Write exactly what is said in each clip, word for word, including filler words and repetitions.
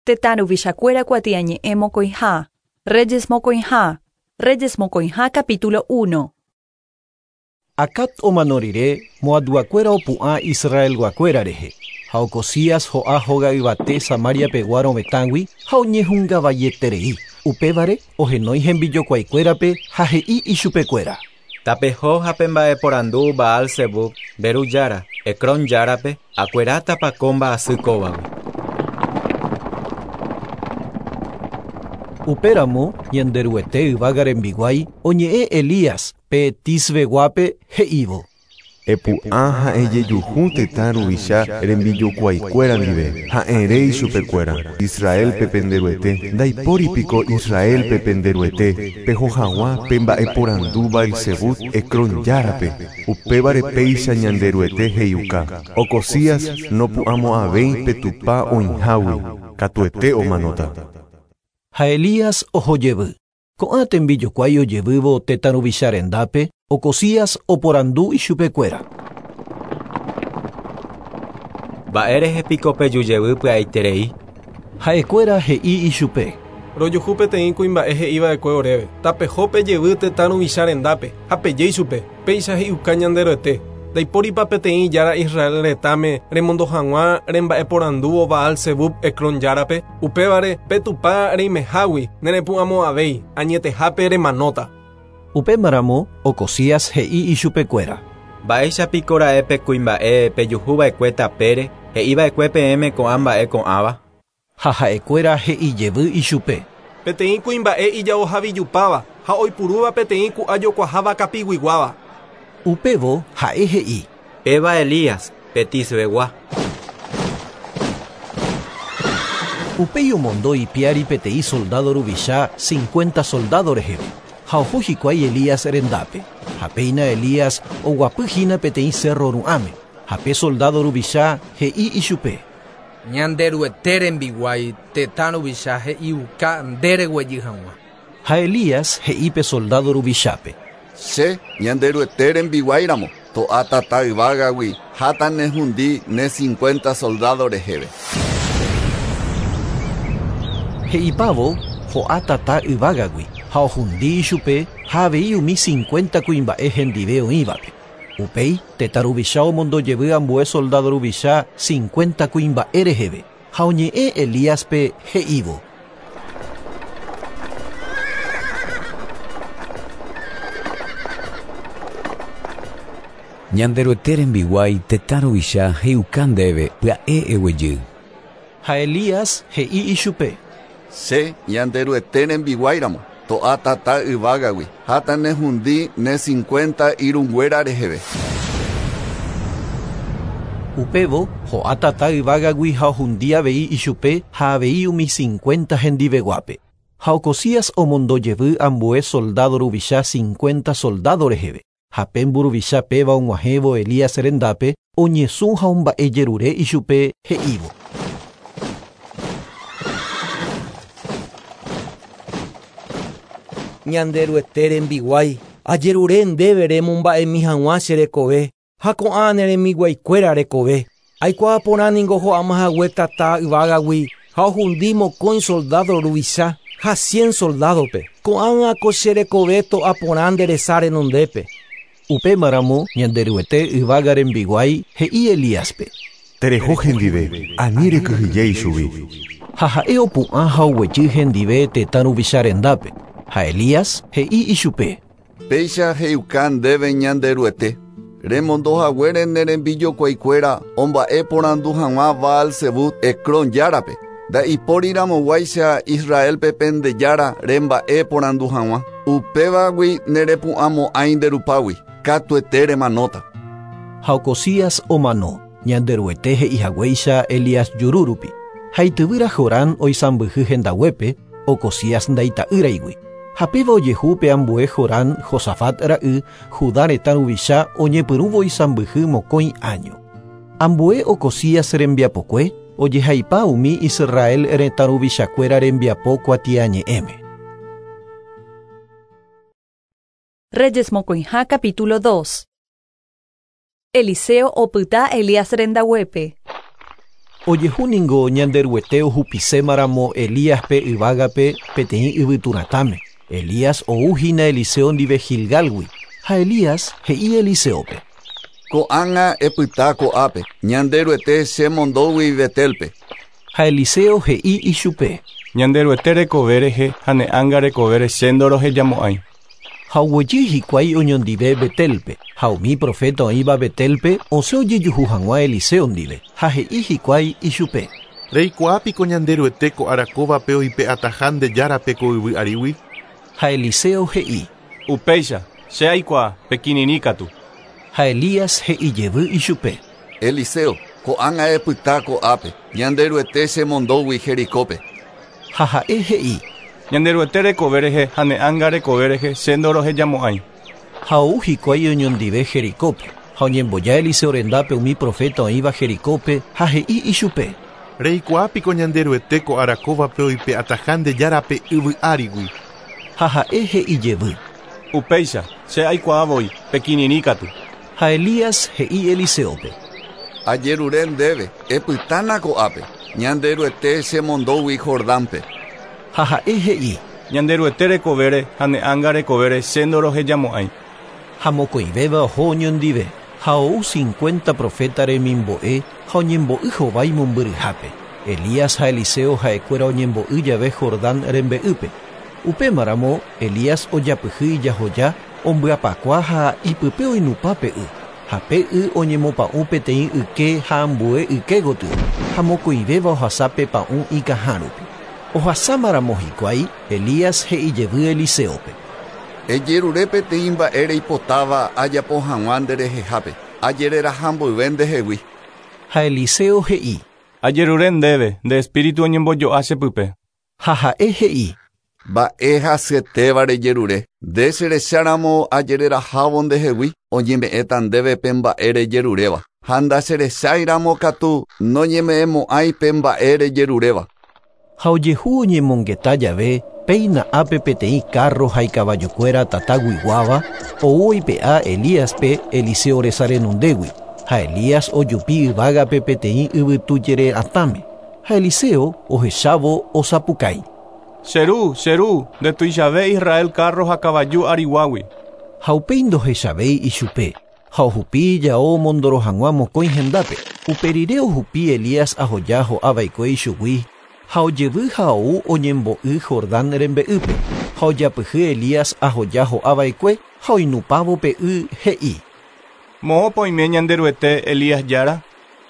Tetã ruvichakuéra kuatiañe'ẽ mokõiha. Reyes mokõiha. Reyes mokõiha capítulo uno. Acat omano rire Moabguakuéra opu'ã Israelguakuéra rehe. Ha Ocosías ho'a hóga yvate Samaria pegua rovetãgui ha oñehungavaieterei. Upévare ohenói hembijokuaikuérape ha he'i ichupekuéra. Tapeho ha pemba'eporandu Baal-Zebub, Beru jára, Ecrón járape, akuerátapa ko mba'asy kóvagui. Upéramo Ñanderuete yvága rembiguái oñe'ẽ Elías pe Tisbeguápe he'ívo. Epu'ã ha'e jejuhu tetã ruvicha rembijokuaikuéra ndive, ha'ére ichupekuéra. Israelpe penderuete, ndaipóripiko Israelpe penderuete, peho hag̃ua pe mba'eporandu Baal-Zebub Ecrón járape, upévare péicha Ñanderuete he'iuka. Ocosías nopu'ãmo'ãvéi pe Tupã oĩhágui, katuete omanóta. Ha Elías ohojevy. Ko'ã tembijokuái ojevývo tetã ruvicha rendápe, Ocosías oporandu ichupekuéra. Mba'érehe piko pejujevy pya'eiterei. Ha'ekuéra he'i ichupe. Rojuhu peteĩ kuimba'e he'iva'ekue oréve. Tapeho pejevy tetã ruvicha rendápe ha peje ichupe. Péicha he'iuka Ñanderuete. Ndaipóripa peteĩ jára Israel retãme remondo hag̃ua remba'eporandúvo Baal-Zebub Ecrón járape, upévare pe Tupã reimehágui nerepu'ãmo'ãvéi añetehápe remanóta. Upémaramo Ocosías he'i ichupekuéra. Mba'éichapiko ra'e pe kuimba'e pejuhuva'ekue tapére he'iva'ekue peẽme ko'ã mba'e ko'ãva. Ha ha'ekuéra he'ijevy ichupe. Peteĩ kuimba'e ijaohavijupáva ha oipurúva peteĩ ku'ajokuaháva kapiguiguáva. Upévo ha'e he'i. Péva Elías, pe Tisbegua. Upéi omondo ipiári peteĩ soldado ruvicha cincuenta soldado reheve. Ha oho hikuái Elías rendápe. Ha péina Elías oguapyhína peteĩ cerro ru'ãme. Ha pe soldado ruvicha he'i ichupe. Ñanderuete rembiguái tetã ruvicha he'iuka ndereguejy hag̃ua. Ha Elías he'i pe soldado ruvichápe. Che Ñanderuete rembiguáiramo to'a tata yvágagui ha nehundi ne cincuenta soldado reheve. He'ipávo ho'a tata yvágagui ha ohundi ichupe ha avei umi cincuenta kuimba'e hendive oĩvape. Upéi tetã ruvicha omondojevy ambue soldado ruvicha cincuenta kuimba'e reheve ha oñe'ẽ Elíaspe he'ívo. Ñanderuete rembiguái tetã ruvicha he'iuka ndéve pya'e eguejy. Ha Elías he'i ichupe. Che Ñanderuete rembiguáiramo to'a tata yvágagui ha nehundi ne cincuenta irũnguéra reheve. Upévo ho'a tata yvágagui ha ohundi avei ichupe ha avei umi cincuenta hendiveguápe. Ha Ocosías omondojevy ambue soldado ruvicha cincuenta soldado reheve. Ha pe mburuvicha péva og̃uahẽvo Elías rendápe oñesũ ha omba'ejerure ichupe he'ívo. Ñanderuete rembiguái ajerure ndéve remomba'emi hag̃ua che rekove ha ko'ã ne rembiguaikuéra rekove. Aikuaa porã ningo ho'amahague tata yvágagui ha ohundi mokõi soldado ruvicha ha cien soldadope. Ko'ág̃a ko che rekove to'a porã nde resa renondépe. Upémaramo Ñanderuete yvága rembiguái he'i Elíaspe. Tereho hendive, ani rekyhyje ichugui. Ha ha'e opu'ã ha oguejy hendive tetã ruvicha rendápe. Ha Elías he'i ichupe. Péicha he'iuka ndéve Ñanderuete. Remondohaguére ne rembijokuaikuéra omba'eporandu hag̃ua Baal-Zebub Ecrón járape. Ndaipóriramoguáicha Israelpe pende jára remba'eporandu hag̃ua. Upévagui nerepu'ãmo'ãi nderupágui. Katuete remanóta. Ha Ocosías omano Ñanderuete he'ihaguéicha Elías jurúrupi. Ha ityvýra Jorán oisãmbyhy hendaguépe Ocosías ndaita'ýraigui. Ha péva ojehu pe ambue Jorán Josafat ra'y Judá retã ruvicha oñepyrũvo isãmbyhy mokõi año. Ambue Ocosías rembiapokue ojehaipa umi Israel retã ruvichakuéra rembiapo kuatiañe'ẽme. Reyes mokõiha capítulo dos. Eliseo opyta Elías rendaguépe. Ojehu ningo Ñanderuete ohupisémaramo Elíaspe yvágape peteĩ yvyturatãme. Elías ouhína Eliseo ndive Gilgalgui. Ha Elías he'i Eliseópe: Ko'ág̃a epyta ko'ápe, Ñanderuete chemondógui Betelpe. Ha Eliseo he'i ichupe: Ñanderuete rekove rehe ha ne ánga rekovére che ndorohejamo'ãi. Ha oguejy hikuái oñondive Betelpe, ha umi profeta oĩva Betelpe osẽ ojejuhu hag̃ua Eliseo ndive, ha he'i hikuái ichupe: Reikuaápiko Ñanderuete ko arakóvape oipe'ataha nde járape ko yvy árigui. Ha Eliseo he'i: Upéicha, che aikuaa, pekirirĩ katu. Ha Elías he'ijevy ichupe: Eliseo, ko'ág̃a epyta ko'ápe, Ñanderuete chemondógui Jericópe. Ha ha'e he'i: Ñanderuete rekove rehe ha ne ánga rekove rehe che ndorohejamo'ãi. Ha ou hikuái oñondive Jericópe, ha oñemboja Eliseo rendápe umi profeta oĩva Jericópe ha he'i ichupe: Reikuaápiko Ñanderuete ko arakóvape oipe'ataha nde járape yvy árigui. Ha ha'e he'ijevy: Upéicha, che aikuaa voi, pekirirĩ katu. Ha Elías he'i Eliseópe: Ajerure ndéve, epytána ko'ápe, Ñanderuete chemondógui Jordánpe. Ha ha'e he'i: Ñanderuete rekovére ha ne ánga rekovére che ndorohejamo'ãi. Ha mokõivéva oho oñondive, ha ou cincuenta profeta remimbo'e ha oñembo'y hovái mombyryhápe. Elías ha Eliseo ha'ekuéra oñembo'y jave Jordán rembe'ýpe. Upémaramo Elías ojapyhy ijahoja ombyapakua ha ipype oinupã pe y. Ha pe y oñemopa'ũ peteĩ yke ha ambue yke gotyo, ha mokõivéva ohasa pe pa'ũ ikãha rupi. Ohasámaramo hikuái, Elías he'ijevy Eliseópe: Ejerure peteĩ mba'e reipotáva ajapo hag̃ua nderehehápe, ajereraha mboyve ndehegui. Ha Eliseo he'i: Ajerure ndéve, nde espíritu oñembojo'a chepype. Ha ha'e he'i: Mba'e hasyetéva rejerure, nde cherecháramo ajererahávo ndehegui, oñeme'ẽta ndéve pe mba'e rejeruréva. Ha ndacherecháiramo katu noñeme'ẽmo'ãi pe mba'e rejeruréva. Ha ojehu oñemongeta jave, péina ápe peteĩ carro ha ikavajukuéra tataguiguáva ou oipe'a Elíaspe Eliseo resa renondégui. Ha Elías ojupi yvágape peteĩ yvytujere atãme. Ha Eliseo ohechávo osapukái: Che ru, che ru, ndetuichave Israel carro ha kavaju ariguágui. Ha upéi ndohechavéi ichupe, ha ohupi ijao omondoro hag̃ua mokõi hendápe. Uperire ohupi Elías ahoja ho'ava'ekue ichugui, ha ojevy ha ou oñembo'y Jordán rembe'ýpe, ha ojapyhy Elías ahoja ho'ava'ekue ha oinupãvo pe y he'i: Moõpa oime Ñanderuete Elías jára.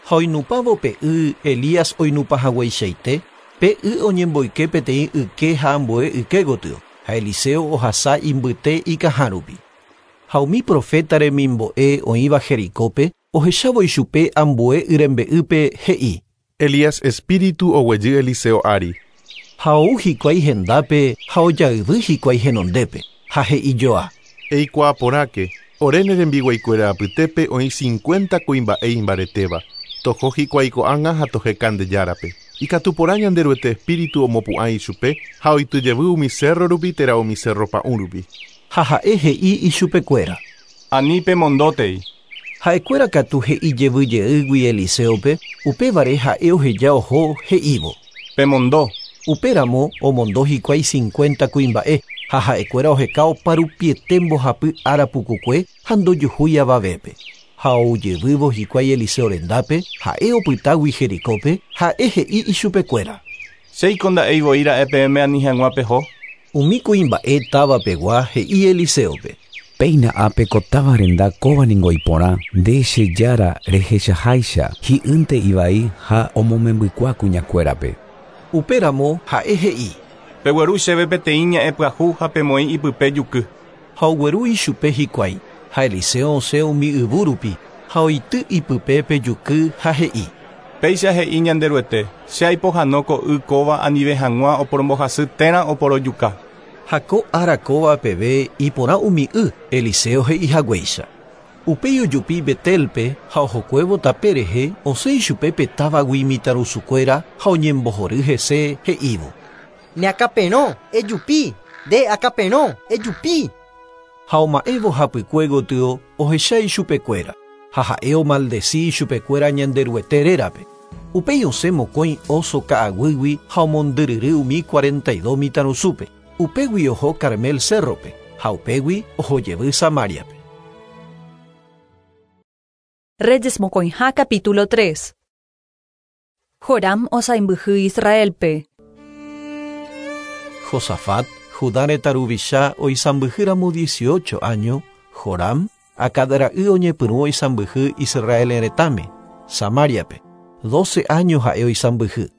Ha oinupãvo pe y Elías oinupãhagueichaite, pe y oñemboyke peteĩ yke ha ambue yke gotyo, ha Eliseo ohasa imbyte ikãha rupi. Ha umi profeta remimbo'e oĩva Jericópe ohechávo ichupe ambue y rembe'ýpe he'i: Elías espíritu oguejy Eliseo ári. Ha ou hikuái hendápe ha ojayvy hikuái henondépe, ha he'ijoa: Eikuaa porãke, ore ne rembiguaikuéra apytépe oĩ cincuenta kuimba'e imbaretéva. Toho hikuái ko'ág̃a ha toheka nde járape. Ikatu porã Ñanderuete espíritu omopu'ã ichupe ha oityjevy umi cerro rupi térã umi cerro pa'ũ rupi. Ha ha'e he'i ichupekuéra: Ani pemondótei. Ha'ekuéra katu he'ijevyjeýgui Eliseópe, upévare ha'e oheja oho he'ívo: Pemondo. Upéramo omondo hikuái cincuenta kuimba'e, ha ha'ekuéra oheka oparupiete mbohapy ára pukukue ha ndojuhúi avavépe. Ha oujevývo hikuái Eliseo rendápe, ha'e opytágui Jericópe, ha'e he'i ichupekuéra: Chéiko nda'éi ra'e peẽme ani hag̃ua peho. Umi kuimba'e távapegua he'i Eliseópe: Péina ápe ko táva renda kóva ningo iporã, nde che jára rehechaháicha, hi'ýnte ivai ha omomembykua kuñakuérape. Upéramo ha'e he'i: Pegueru chéve peteĩ ña'ẽ pyahu ha pemoĩ ipype juky. Ha ogueru ichupe hikuái, ha Eliseo osẽ umi yvu rupi, ha oity ipype pe juky ha he'i: Péicha he'i Ñanderuete, che aipohãno ko y kóva anive hag̃ua oporombohasy térã oporojuka. Ha ko ára kóva peve iporã umi y Eliseo he'ihaguéicha. Upéi ojupi Betelpe ha ohokuévo tape rehe osẽ ichupe pe távagui mitãrusukuéra ha oñembohory hese he'ívo: Neakaperõ, ejupi, nde akaperõ, ejupi. Ha oma'ẽvo hapykue gotyo ohecha ichupekuéra, ha ha'e omaldeci ichupekuéra Ñanderuete rérape. Upéi osẽ mokõi oso ka'aguýgui ha omondyryry umi cuarenta y dos mitãrusúpe. Upégui oho Carmel cérrope ha upégui ohojevy Samariape. Reyes mokõiha capítulo tres. Joram osaimbyhy Israelpe. Josafat, Judá retã ruvicha oisãmbyhýramo dieciocho año, Joram, Acab ra'y oñepyrũ oisãmbyhy Israel retãme, Samariape. Doce años ha'e oisãmbyhy.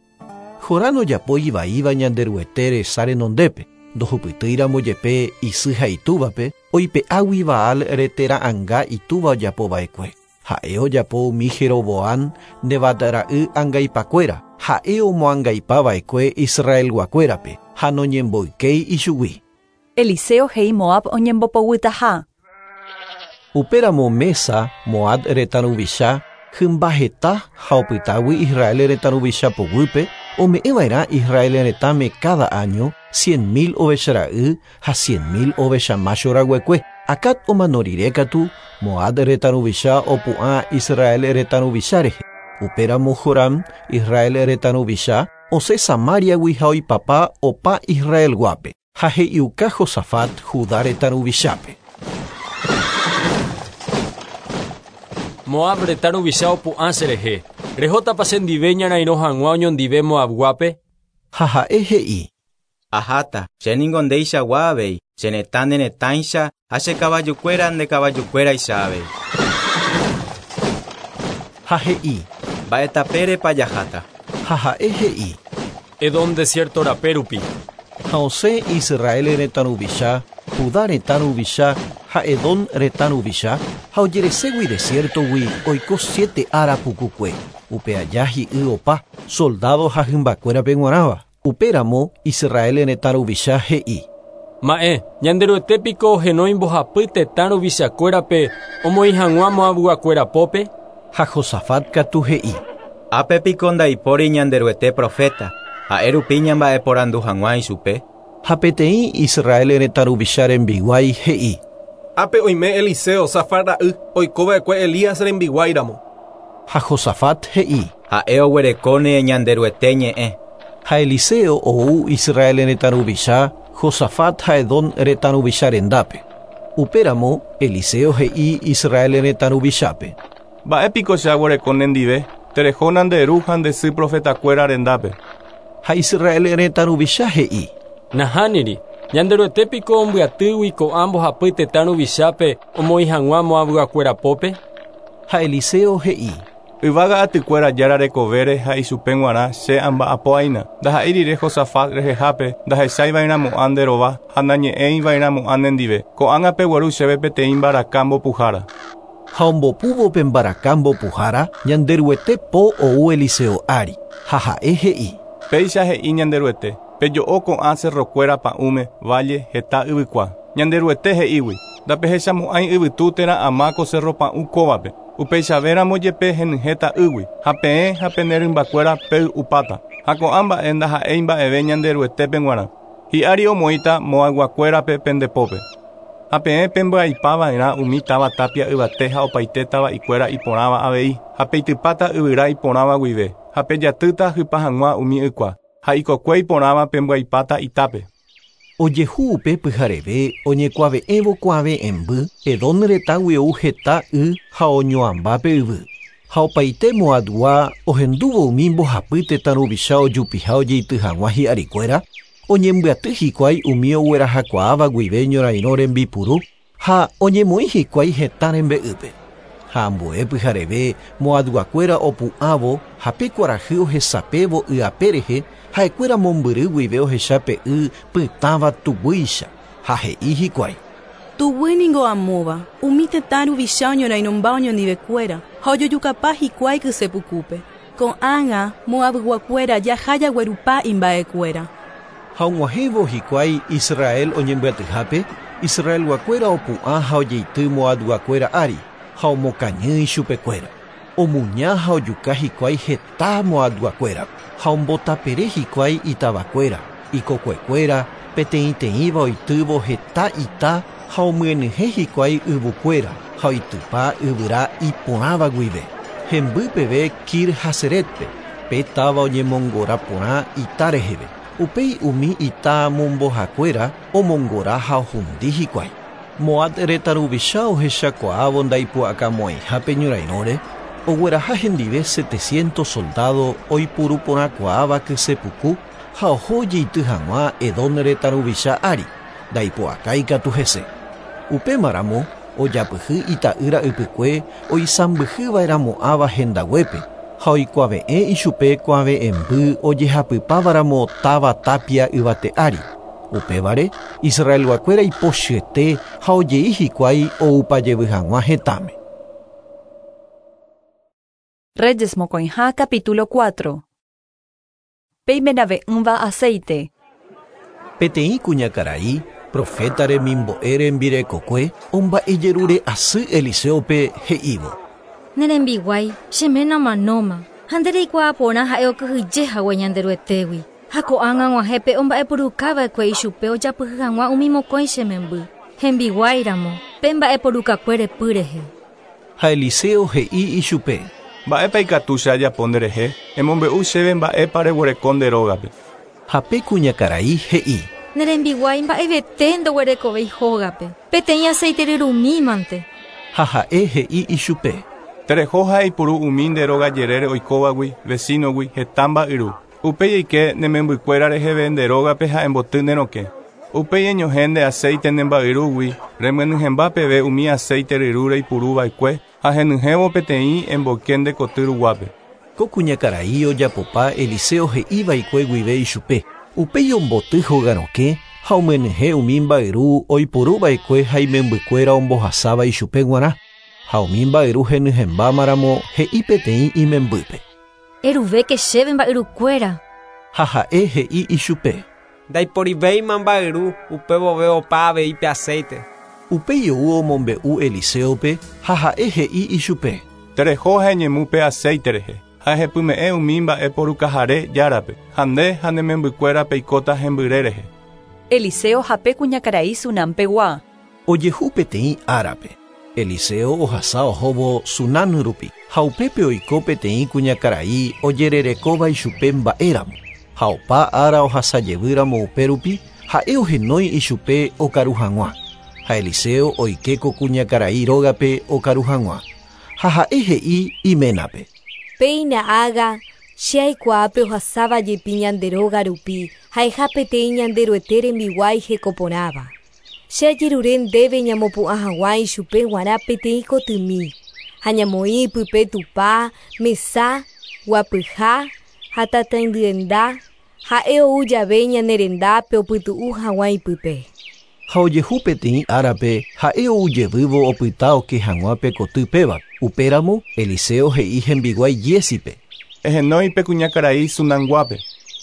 Joram ojapo ivaíva Ñanderuete resa renondépe, ndohupytýiramo jepe isy ha itúvape, oipe'águi Baal retera'ãnga itúva ojapova'ekue. Ha'e ojapo umi Jeroboam Nebat ra'y angaipakuéra, ha'e omoangaipava'ekue Israelguakuérape ha noñemboykéi ichugui. Eliseo he'i Moab oñembopoguytaha. Upéramo Mesa, Moab retã ruvicha, hymba heta ha opytágui Israel retã ruvicha poguýpe, ome'ẽva'erã Israel retãme cada año cien mil ovechara'y ha cien mil ovecha macho raguekue. Acab omano rire katu, Moab retã ruvicha opu'ã Israel retã ruvicha rehe. Upéramo Joram, Israel retã ruvicha, osẽ Samariagui ha oipapa opa Israelguápe, ha he'iuka Josafat Judá retã ruvichápe. Moab retã ruvicha opu'ã cherehe. Rehótapa chendive ñarairõ hag̃ua oñondive Moabguápe? Ha ha'e he'i. Aháta, chéningo ndeichagua avei, che retã ne retãicha ha che kavajukuéra nde kavajukuéraicha avei. Ha he'i. Mba'etapérepa jaháta. Ha ha'e he'i. Edom desierto rape rupi. Ha osẽ Israel retã ruvicha, Judá retã ruvicha ha Edom retã ruvicha, ha ojereségui desiertogui oiko siete ára pukukue. Upe aja hi'y opa, soldado ha hymbakuérape g̃uarãva. Upéramo Israel retã ruvicha he'i. Ma'e, Ñanderuete piko ohenói mbohapy tetã ruvichakuérape omoĩ hag̃ua Moabguakuéra pópe? Ha Josafat katu he'i. Ápe piko ndaipóri Ñanderuete profeta, ha'e rupi ñamba'eporandu hag̃ua ichupe. Ha peteĩ Israel retã ruvicha rembiguái he'i. Ápe oime Eliseo Safat ra'y oikova'ekue Elías rembiguáiramo. Ha Josafat he'i. Ha'e oguerekóne Ñanderuete ñe'ẽ. Ha Eliseo ou Israel retã ruvicha, Josafat ha Edom retã ruvicha rendápe. Upéramo Eliseo he'i Israel retã ruvichápe. Mba'épiko che aguereko nendive, terehóna nde ru ha nde sy profetakuéra rendápe. Ha Israel retã ruvicha he'i. Nahániri, Ñanderuete piko ombyatýgui ko'ã mbohapy tetã ruvichápe omoĩ hag̃ua Moabguakuéra pópe? Ha Eliseo he'i. Yvága atykuéra jára rekovére ha ichupe g̃uarã che amba'apo'aína. Ndaha'éi rire Josafat rehehápe ndahecháiva'erãmo'ã nde rova ha nañe'ẽiva'erãmo'ã nendive. Ko'ág̃a pegueru chéve peteĩ mbaraka mbopuhára. Ha ombopúvo pe mbaraka mbopuhára, Ñanderuete po ou Eliseo ári. Ha ha'e he'i. Péicha he'i Ñanderuete, pejo'o ko'ã cerrokuéra pa'ũme, valle heta yvykua. Ñanderuete he'ígui, ndapehechamo'ãi yvytu térã ama ko cerro pa'ũ kóvape. Upeichavéramo jepe henyhẽta ýgui, ha peẽ ha pene rymbakuéra pey'upáta. Ha ko'ã mba'e ndaha'éi mba'eve Ñanderuetépe g̃uarã. Hi'ári omoĩta Moabguakuérape pendepópe. Ha peẽ pembyaipava'erã umi táva tapia yvate ha opaite tava'ikuéra iporãva avei, ha peitypáta yvyra iporãva guive, ha pejatýta hypa hag̃ua umi ykua, ha ikokue iporãva pembyaipáta itápe. Ojehu upe pyhareve oñekuave'ẽvo kuave'ẽmby, Edom retãgui ou heta y ha oñoambápe yvy. Ha opaite Moabgua ohendúvo umi mbohapy tetã ruvicha ojupiha ojeity hag̃ua hi'arikuéra, oñembyaty hikuái umi oguerahakuaáva guive ñorairõ rembipuru ha oñemoĩ hikuái hetã rembe'ýpe. Ha ambue pyhareve Moabguakuéra opu'ãvo ha pe kuarahy ohesapévo y'ape rehe, ha'ekuéra mombyry guive ohecha pe y pytãva tuguýicha ha he'i hikuái. Tuguy ningo amóva, umi tetã ruvicha oñorairõmba oñondivekuéra ha ojojukapa hikuái kysepukúpe. Ko'ág̃a Moabguakuéra jaha jaguerupa imba'ekuéra. Ha og̃uahẽvo hikuái Israel oñembyatyhápe, Israelguakuéra opu'ã ha ojeity Moabguakuéra ári ha omokañy ichupekuéra. Omuña ha ojuka hikuái heta Moabguakuéra ha ombotapere hikuái itavakuéra, ikokuekuéra, peteĩteĩva oitývo heta ita ha omyenyhẽ hikuái yvukuéra ha oitypa yvyra iporãva guive. Hemby peve Kir-Haseretpe, Pe táva oñemongora porã ita reheve. Upéi umi ita mombohakuéra omongora ha ohundi hikuái. Moab retã ruvicha ohechakuaávo ndaipu'akamo'ãiha pe ñorairõre, ogueraha hendive setecientos soldado oipuruporãkuaáva kysepuku ha oho jeity hag̃ua Edom retã ruvicha ári, ndaipu'akái katu hese. Upémaramo ojapyhy ita'ýra ypykue oisãmbyhyva'erãmo'ãva hendaguépe ha oikuave'ẽ ichupe kuave'ẽmby ojehapypávaramo táva tapia yvate ári. Upévare Israelguakuéra ipochyete ha ojei hikuái oupajevy hag̃ua hetãme. Reyes mokõiha capítulo cuatro. Peimenave'ỹva aceite. Peteĩ kuñakarai profeta remimbo'e rembirekokue omba'ejerure asy Eliseope he'ívo. Ne rembiguái che ména omanóma ha nde reikuaa porã ha'e okyhyje hague Ñanderuetégui. Ha ko'ág̃a og̃uahẽpe omba'eporukava'ekue ichupe ojapyhy hag̃ua umi mokõi che memby. Hembiguáiramo pe mba'eporukakue repy rehe. Ha Eliseo he'i ichupe. Mba'épa ikatu che ajapo nderehe, emombe'u chéve mba'épa reguereko nde rógape. Ha pe kuñakarai he'i. Ne rembiguái mba'evete ndoguerekovéi hógape, peteĩ aceite ryrumímante. Ha ha'e he'i ichupe. Tereho ha eipuru umi nde róga jerére oikóvagui, vecinogui, heta mba'yru. Upéi eike ne membykuéra reheve nde rógape ha emboty ne rokẽ. Upéi eñohẽ nde aceite ne mba'yrúgui, remyenyhẽmba peve umi aceite ryru reipuruva'ekue ha henyhẽvo peteĩ emboyke nde koty ruguápe. Ko kuñakarai ojapopa Eliseo he'iva'ekue guive ichupe. Upéi omboty hóga rokẽ ha omyenyhẽ umi mba'yru oiporuva'ekue ha imembykuéra ombohasáva ichupe g̃uarã. Ha umi mba'yru henyhẽmbámaramo he'i peteĩ imembýpe. Eruvéke chéve mba'yrukuéra. Ha ha'e he'i ichupe. Ndaiporivéima mba'yru upévove opa avei pe aceite. Upéi ou omombe'u Eliseope ha ha'e he'i ichupe. Tereho ha eñemu pe aceite rehe. Ha ehepyme'ẽ umi mba'eporukahare járape. Ha nde ha ne membykuéra peikóta hembyre rehe. Eliseo ha pe kuñakarai Sunampegua. Ojehu peteĩ árape. Eliseo ohasa ohóvo Sunam rupi. Ha upépe oiko peteĩ kuñakarai ojererekóva ichupe mba'éramo. Ha opa ára ohasajevýramo upérupi ha'e ohenói ichupe okaru hag̃ua. Ha Eliseo oike ko kuñakarai rógape okaru hag̃ua. Ha ha'e he'i iménape. Péina ág̃a che aikuaápe ohasáva jepi ñande róga rupi ha'eha peteĩ Ñanderuete rembiguái hekoporãva. Che ajerure ndéve ñamopu'ã hag̃ua ichupe g̃uarã peteĩ kotymi ha ñamoĩ pype tupa, mesa, guapyha ha tataindyenda ha'e ou jave ñane rendápe opytu'u hag̃ua ipype. Ha ojehu peteĩ árape ha'e oujevývo opyta oke hag̃ua pe koty péva. Upéramo Eliseo he'i hembiguái Giésipe. Ehenói pe kuñakarai Sunamguápe.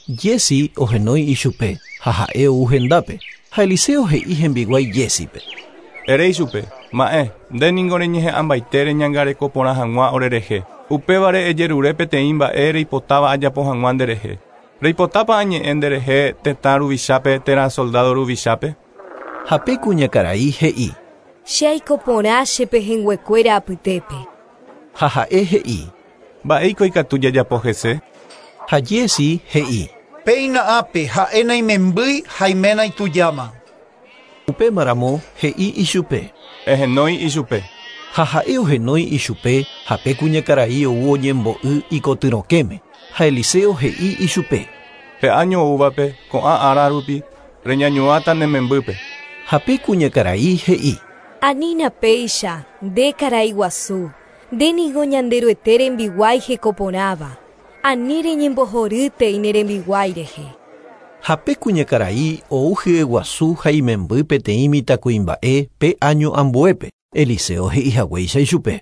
Giesi ohenói ichupe ha ha'e ou hendápe. Ha Eliseo he'i hembiguái Giésipe. Ere ichupe, ma'ẽ, nde ningo reñeha'ãmbaite reñangareko porã hag̃ua orerehe. Upévare ejerure peteĩ mba'e reipotáva ajapo hag̃ua nderehe. Reipotápa añe'ẽ nderehe tetã ruvichápe térã soldado ruvichápe. Ha pe kuñakarai he'i. Che aiko porã che pehẽnguekuéra apytépe. Ha ha'e he'i. Mba'éiko ikatu jajapo hese. Ha Giesi he'i. Péina ápe ha'e naimembýi ha iména itujáma. Upémaramo he'i ichupe. Ehenói ichupe. Ha ha'e ohenói ichupe ha pe kuñakarai ou oñembo'y ikotyrokẽme. Ha Eliseo he'i ichupe. Pe año oúvape ko'ã ára rupi reñañuãta ne membýpe. Ha pe kuñakarai he'i. Anína péicha nde karai guasu, nde niko Ñanderuete rembiguái hekoporãva. Ani reñembohorýtei ne rembiguái rehe. Ha pe kuñakarai ou hyeguasu ha imemby peteĩ mitãkuimba'e pe año ambuépe. Eliseo he'i haguéicha ichupe.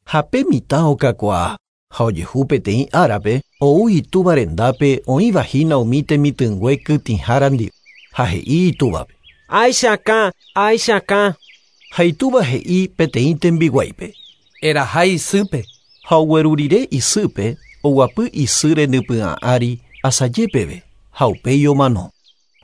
Ha pe mitã okakuaa. Ha ojehu peteĩ árape ou itúva rendápe oĩvahína umi temitỹngue kytĩhára ndive. Ha he'i itúvape. Aichakã, aichakã. Ha itúva he'i peteĩ tembiguáipe. Eraha isýpe. Ha ogueru rire isýpe oguapy isy renypy'ã ári asaje peve ha upéi omano.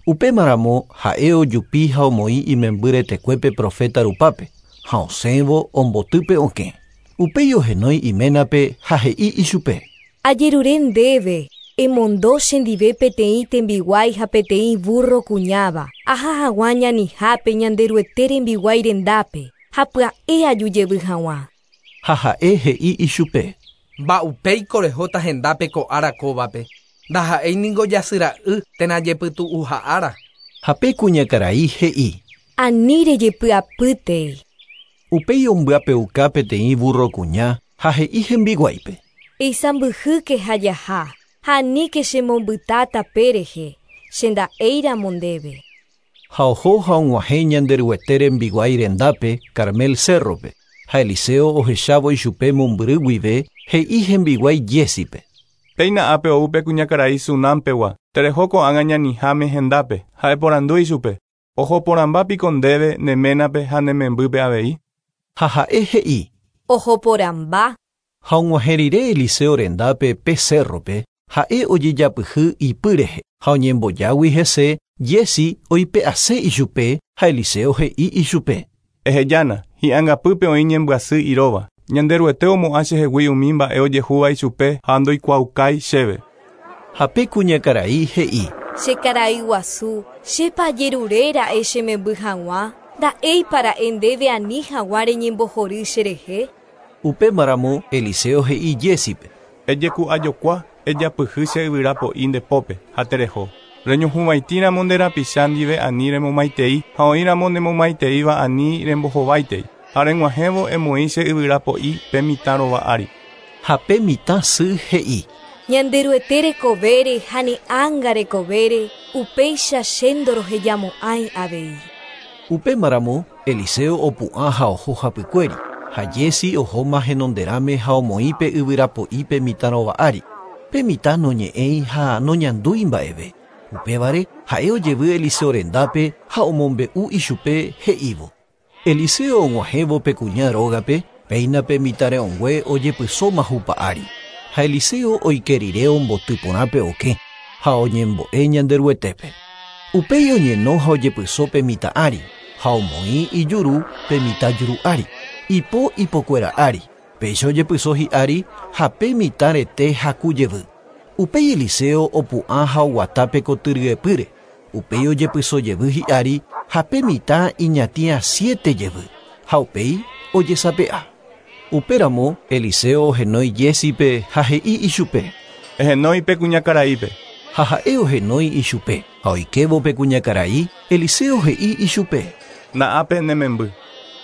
Upémaramo ha'e ojupi ha omoĩ imemby retekuépe profeta rupápe ha osẽvo ombotýpe okẽ. Upéi ohenói iménape ha he'i ichupe. Ajerure ndéve, emondo chendive peteĩ tembiguái ha peteĩ burro kuñáva, aha hag̃ua ñanihápe Ñanderuete rembiguái rendápe, ha pya'e ajujevy hag̃ua. Ha ha'e he'i ichupe. Mba'upéiko rehóta hendápe ko ára kóvape. Ndaha'éi niko jasyra'y térã jepytu'uha ára. Ha pe kuñakarai he'i. Ani rejepy'apýtei. Upéi ombyapeuka peteĩ burro kuña ha he'i hembiguáipe. Eisãmbyhýke ha jaha, ha aníke chemombyta tape rehe, che nda'éiramo ndéve. Ha oho ha og̃uahẽ Ñanderuete rembiguái rendápe Carmel cérrope, ha Eliseo ohechávo ichupe mombyry guive he'i hembiguái Giésipe. Péina ápe ou pe kuñakarai Sunámpegua, tereho ko'ág̃a ñaniháme hendápe, ha eporandu ichupe. Ohoporãmbápiko ndéve ne ménape ha ne membýpe avei. Ha ha'e he'i. Ohoporãmba. Ha og̃uahẽ rire Eliseo rendápe pe cérrope, ha'e ojejapyhy ipy rehe, ha oñembojágui hese Giesi oipe'ase ichupe ha Eliseo he'i ichupe. Ehejána, hi'angapýpe oĩ ñembyasy iróva. Ñanderuete omo'ã chehegui umi mba'e ojehúva ichupe ha ndoikuaaukái chéve. Ha pe kuñakarai he'i. Che karai guasu, chépa ajeruréra'e che memby hag̃ua, nda'éipara'e ndéve ani hag̃ua reñembohory cherehe. Upémaramo Eliseo he'i Giésipe. Ejeku'ajokua, ejapyhy che yvyra po'i nde pópe ha tereho. Reñohuvãitĩramo nde rapicha ndive ani remomaitei ha oĩramo nemomaiteíva ani rembohováitei. Ha reg̃uahẽvo emoĩ che yvyra po'i pe mitã rova ári. Ha pe mitã sy he'i. Ñanderuete rekovére ha ne ánga rekovére, upéicha che ndorohejamo'ãi avei. Upémaramo Eliseo opu'ã ha oho hapykuéri, ha Giesi ohóma henonderãme ha omoĩ pe yvyra po'i pe mitã rova ári. Pe mitã noñe'ẽi ha noñandúi mba'eve. Upévare ha'e ojevy Eliseo rendápe ha omombe'u ichupe he'ívo. Eliseo og̃uahẽvo pe kuña rógape, péina pe mitã re'õngue ojepysóma hupa ári. Ha Eliseo oike rire omboty porã pe okẽ ha oñembo'e Ñanderuetépe. Upéi oñeno ha ojepyso pe mitã ári, ha omoĩ ijuru pe mitã juru ári, ipo ipokuéra ári, péicha ojepyso hi'ári ha pe mitã rete haku jevy. Upéi Eliseo opu'ã ha oguata pe kotyryepýre, upéi ojepyso jevy hi'ári ha pe mitã iñatĩa siete jevy, ha upéi ojesape'a. Upéramo Eliseo ohenói Giésipe ha he'i ichupe. Ehenói pe kuñakaraípe. Ha ha'e ohenói ichupe, ha oikévo pe kuñakarai, Eliseo he'i ichupe. Na'ápe ne memby.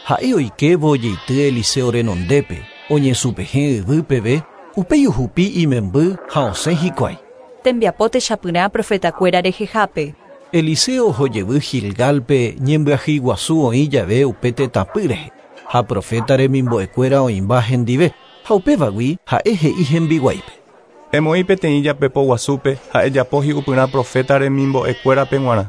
Ha'e oikévo ojeity Eliseo renondépe, oñesupehẽ yvy peve, upéi ohupi imemby ha osẽ hikuái. Tembiapo techapyrã profetakuéra rehehápe. Eliseo ohojevy Gilgálpe ñembyahýi guasu oĩ jave upe tetãpy rehe, ha profeta remimbo'ekuéra oĩmba hendive, ha upévagui ha'e he'i hembiguáipe. Emoĩ peteĩ japepo guasúpe ha ejapo hi'upyrã profeta remimbo'ekuérape g̃uarã.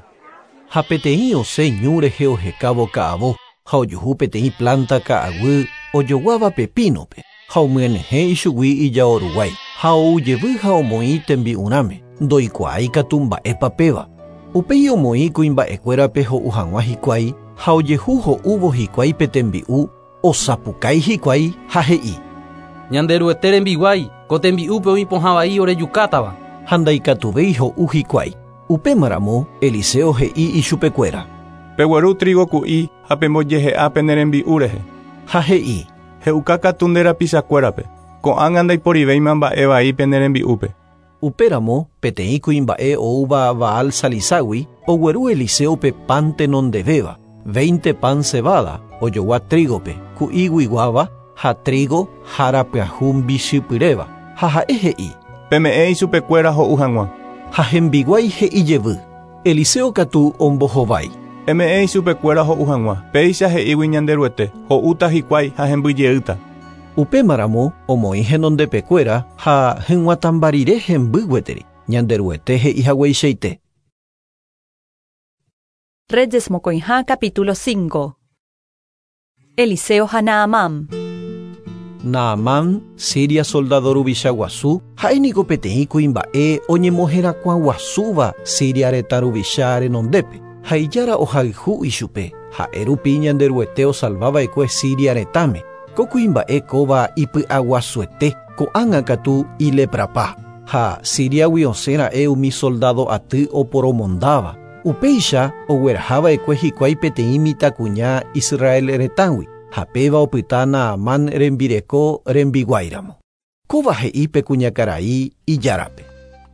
Ha peteĩ osẽ ñu rehe ohekávo ka'avo, ha ojuhu peteĩ planta ka'aguy ojoguáva pepínope, ha omyenyhẽ ichugui ijaoruguái, ha oujevy ha omoĩ tembi'urãme, ndoikuaái katu mba'épa péva. Upéi omoĩ kuimba'ekuérape ho'u hag̃ua hikuái, ha ojehu ho'úvo hikuái pe tembi'u, osapukái hikuái ha he'i. Ñanderuete rembiguái, ko tembi'úpe oĩ pohã vai orejukátava. Ha ndaikatuvéi ho'u hikuái. Upémaramo Eliseo he'i ichupekuéra. Pegueru trigo ku'i ha pembojehe'a pene rembi'u rehe. Ha he'i. He'uka katu nde rapichakuérape. Ko'ág̃a ndaiporivéima mba'e vai pene rembi'úpe. Upéramo peteĩ kuimba'e oúva Baal Saliságui ogueru Eliseope pan tenondevéva, veinte pan cebada ojogua trígope, ku'íguiguáva ha trigo harapyahu mbichypyréva. Ha ha'e he'i. Peme'ẽ ichupekuéra ho'u hag̃ua. Ha hembiguái he'i jevy. Eliseo katu ombohovái. Eme'ẽ ichupekuéra ho'u hag̃ua. Péicha he'ígui Ñanderuete, ho'úta hikuái ha hembyjeýta. Upémaramo omoĩ henondepekuéra ha hyg̃uatãmba rire hemby gueteri. Ñanderuete he'i hagueichaite. Reyes mokõiha capítulo cinco. Eliseo ha Naamán. Naamán, Siria soldado ruvicha guasu, ha'e niko peteĩ kuimba'e oñemoherakuã guasúva Siria retã ruvicha renondépe. Ha ijára ohayhu ichupe, ha'e rupi Ñanderuete osalvava'ekue Siria retãme. Ko kuimba'e kóva ipy'aguasuete, ko'ág̃a katu ileprapa. Ha Siriagui osẽra'e umi soldado aty oporomondáva. Upéicha oguerahava'ekue hikuái peteĩ mitãkuña Israel retãgui, ha péva opyta Naamán rembireko rembiguáiramo. Kóva he'i pe kuñakarai ijárape.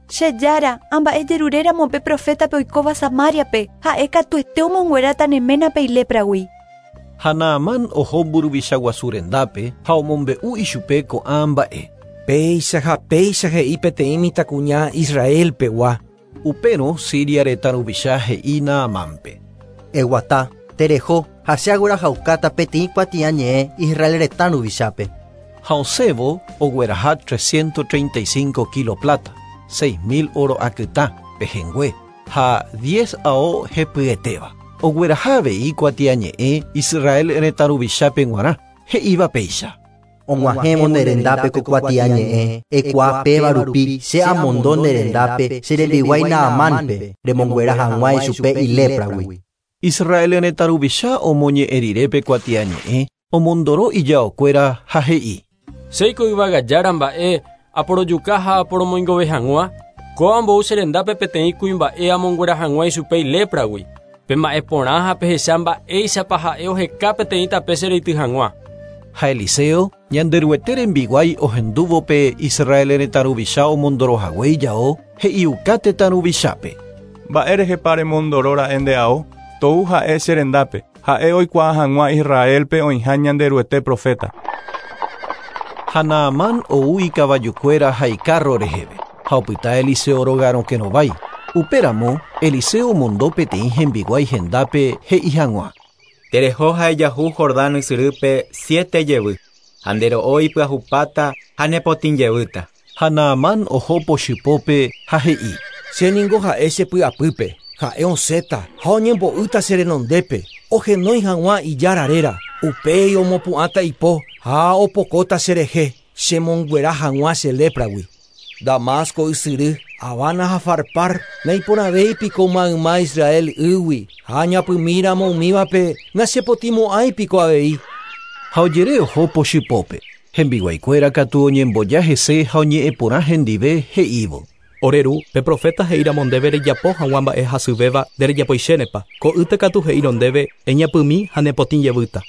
Che jára, amba'ejeruréramo pe profétape oikóva Samariape, ha'e katuete omongueráta ne ménape ilépragui. Ha Naamán oho mburuvicha guasu rendápe ha omombe'u ichupe ko'ã mba'e. Péicha ha péicha he'i peteĩ mitãkuña Israelpegua. Upérõ Siria retã ruvicha he'i Naamánpe. Eguata, tereho ha che aguerahaukáta peteĩ kuatiañe'ẽ Israel retã ruvichápe. Ha osẽvo ogueraha trescientos treinta y cinco kilo plata, seis mil oro akytã pehẽngue ha diez ao hepyetéva. Ogueraha avei kuatiañe'ẽ Israel retã ruvichápe g̃uarã, he'íva péicha. Og̃uahẽvo ne rendápe ko kuatiañe'ẽ, ekuaa péva rupi che amondo ne rendápe che rembiguái Naamánpe, remonguera hag̃ua ichupe ilépragui. Israel retã ruvicha omoñe'ẽ rire pe kuatiañe'ẽ, omondoro ijaokuéra ha he'i. Chéiko yvagajára mba'e aporojuka ha aporomoingove hag̃ua, kóva ambou che rendápe peteĩ kuimba'e amonguera hag̃ua ichupe ilépragui. Pe mba'e porã ha pehecha mba'éichapa ha'e oheka peteĩ tape che reity hag̃ua. Ha Eliseo, Ñanderuete rembiguái ohendúvo pe Israel retã ruvicha omondorohague ijao, he'iuka tetã ruvichápe. Mba'érehepa remondoróra'e nde ao? Tou ha'e che rendápe, ha'e oikuaa hag̃ua Israelpe oĩha Ñanderuete profeta. Ha Naamán ou ikavajukuéra ha ikárro reheve, ha opyta Eliseo rógarõkerovái. Upéramo Eliseo omondo peteĩ hembiguái hendápe he'i hag̃ua. Tereho ha ejahu Jordán ysyrýpe siete jevy, ha ndero'o ipyahupáta ha nepotĩ jevýta. Ha Naamán oho pochypópe ha he'i. Che ningo ha'e che py'apýpe, ha'e osẽta ha oñembo'ýta che renondépe, ohenói hag̃ua ijára réra, upéi omopu'ãta ipo ha opokóta cherehe, chemonguera hag̃ua che lépragui. Damasco ysyry, Habana ha Farpar, naiporãvéi piko mayma Israel ýgui, ha ñapymíramo umívape nachepotĩmo'ãi piko avei. Ha ojere oho pochypópe, hembiguaikuéra katu oñemboja hese ha oñe'ẽporã hendive he'ívo. Ore ru, pe profeta he'íramo ndéve rejapo hag̃ua mba'e hasyvéva nderejapoichénepa, ko'ýte katu he'írõ ndéve eñapymi ha nepotĩ jevýta.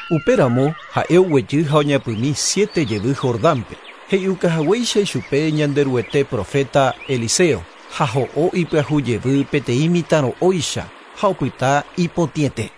Upéramo ha'e oguejy ha oñapymi siete jevy Jordánpe, he'iukahaguéicha ichupe Ñanderuete profeta Eliseo, ha ho'o ipyahu jevy peteĩ mitãro'óicha ha opyta ipotĩete.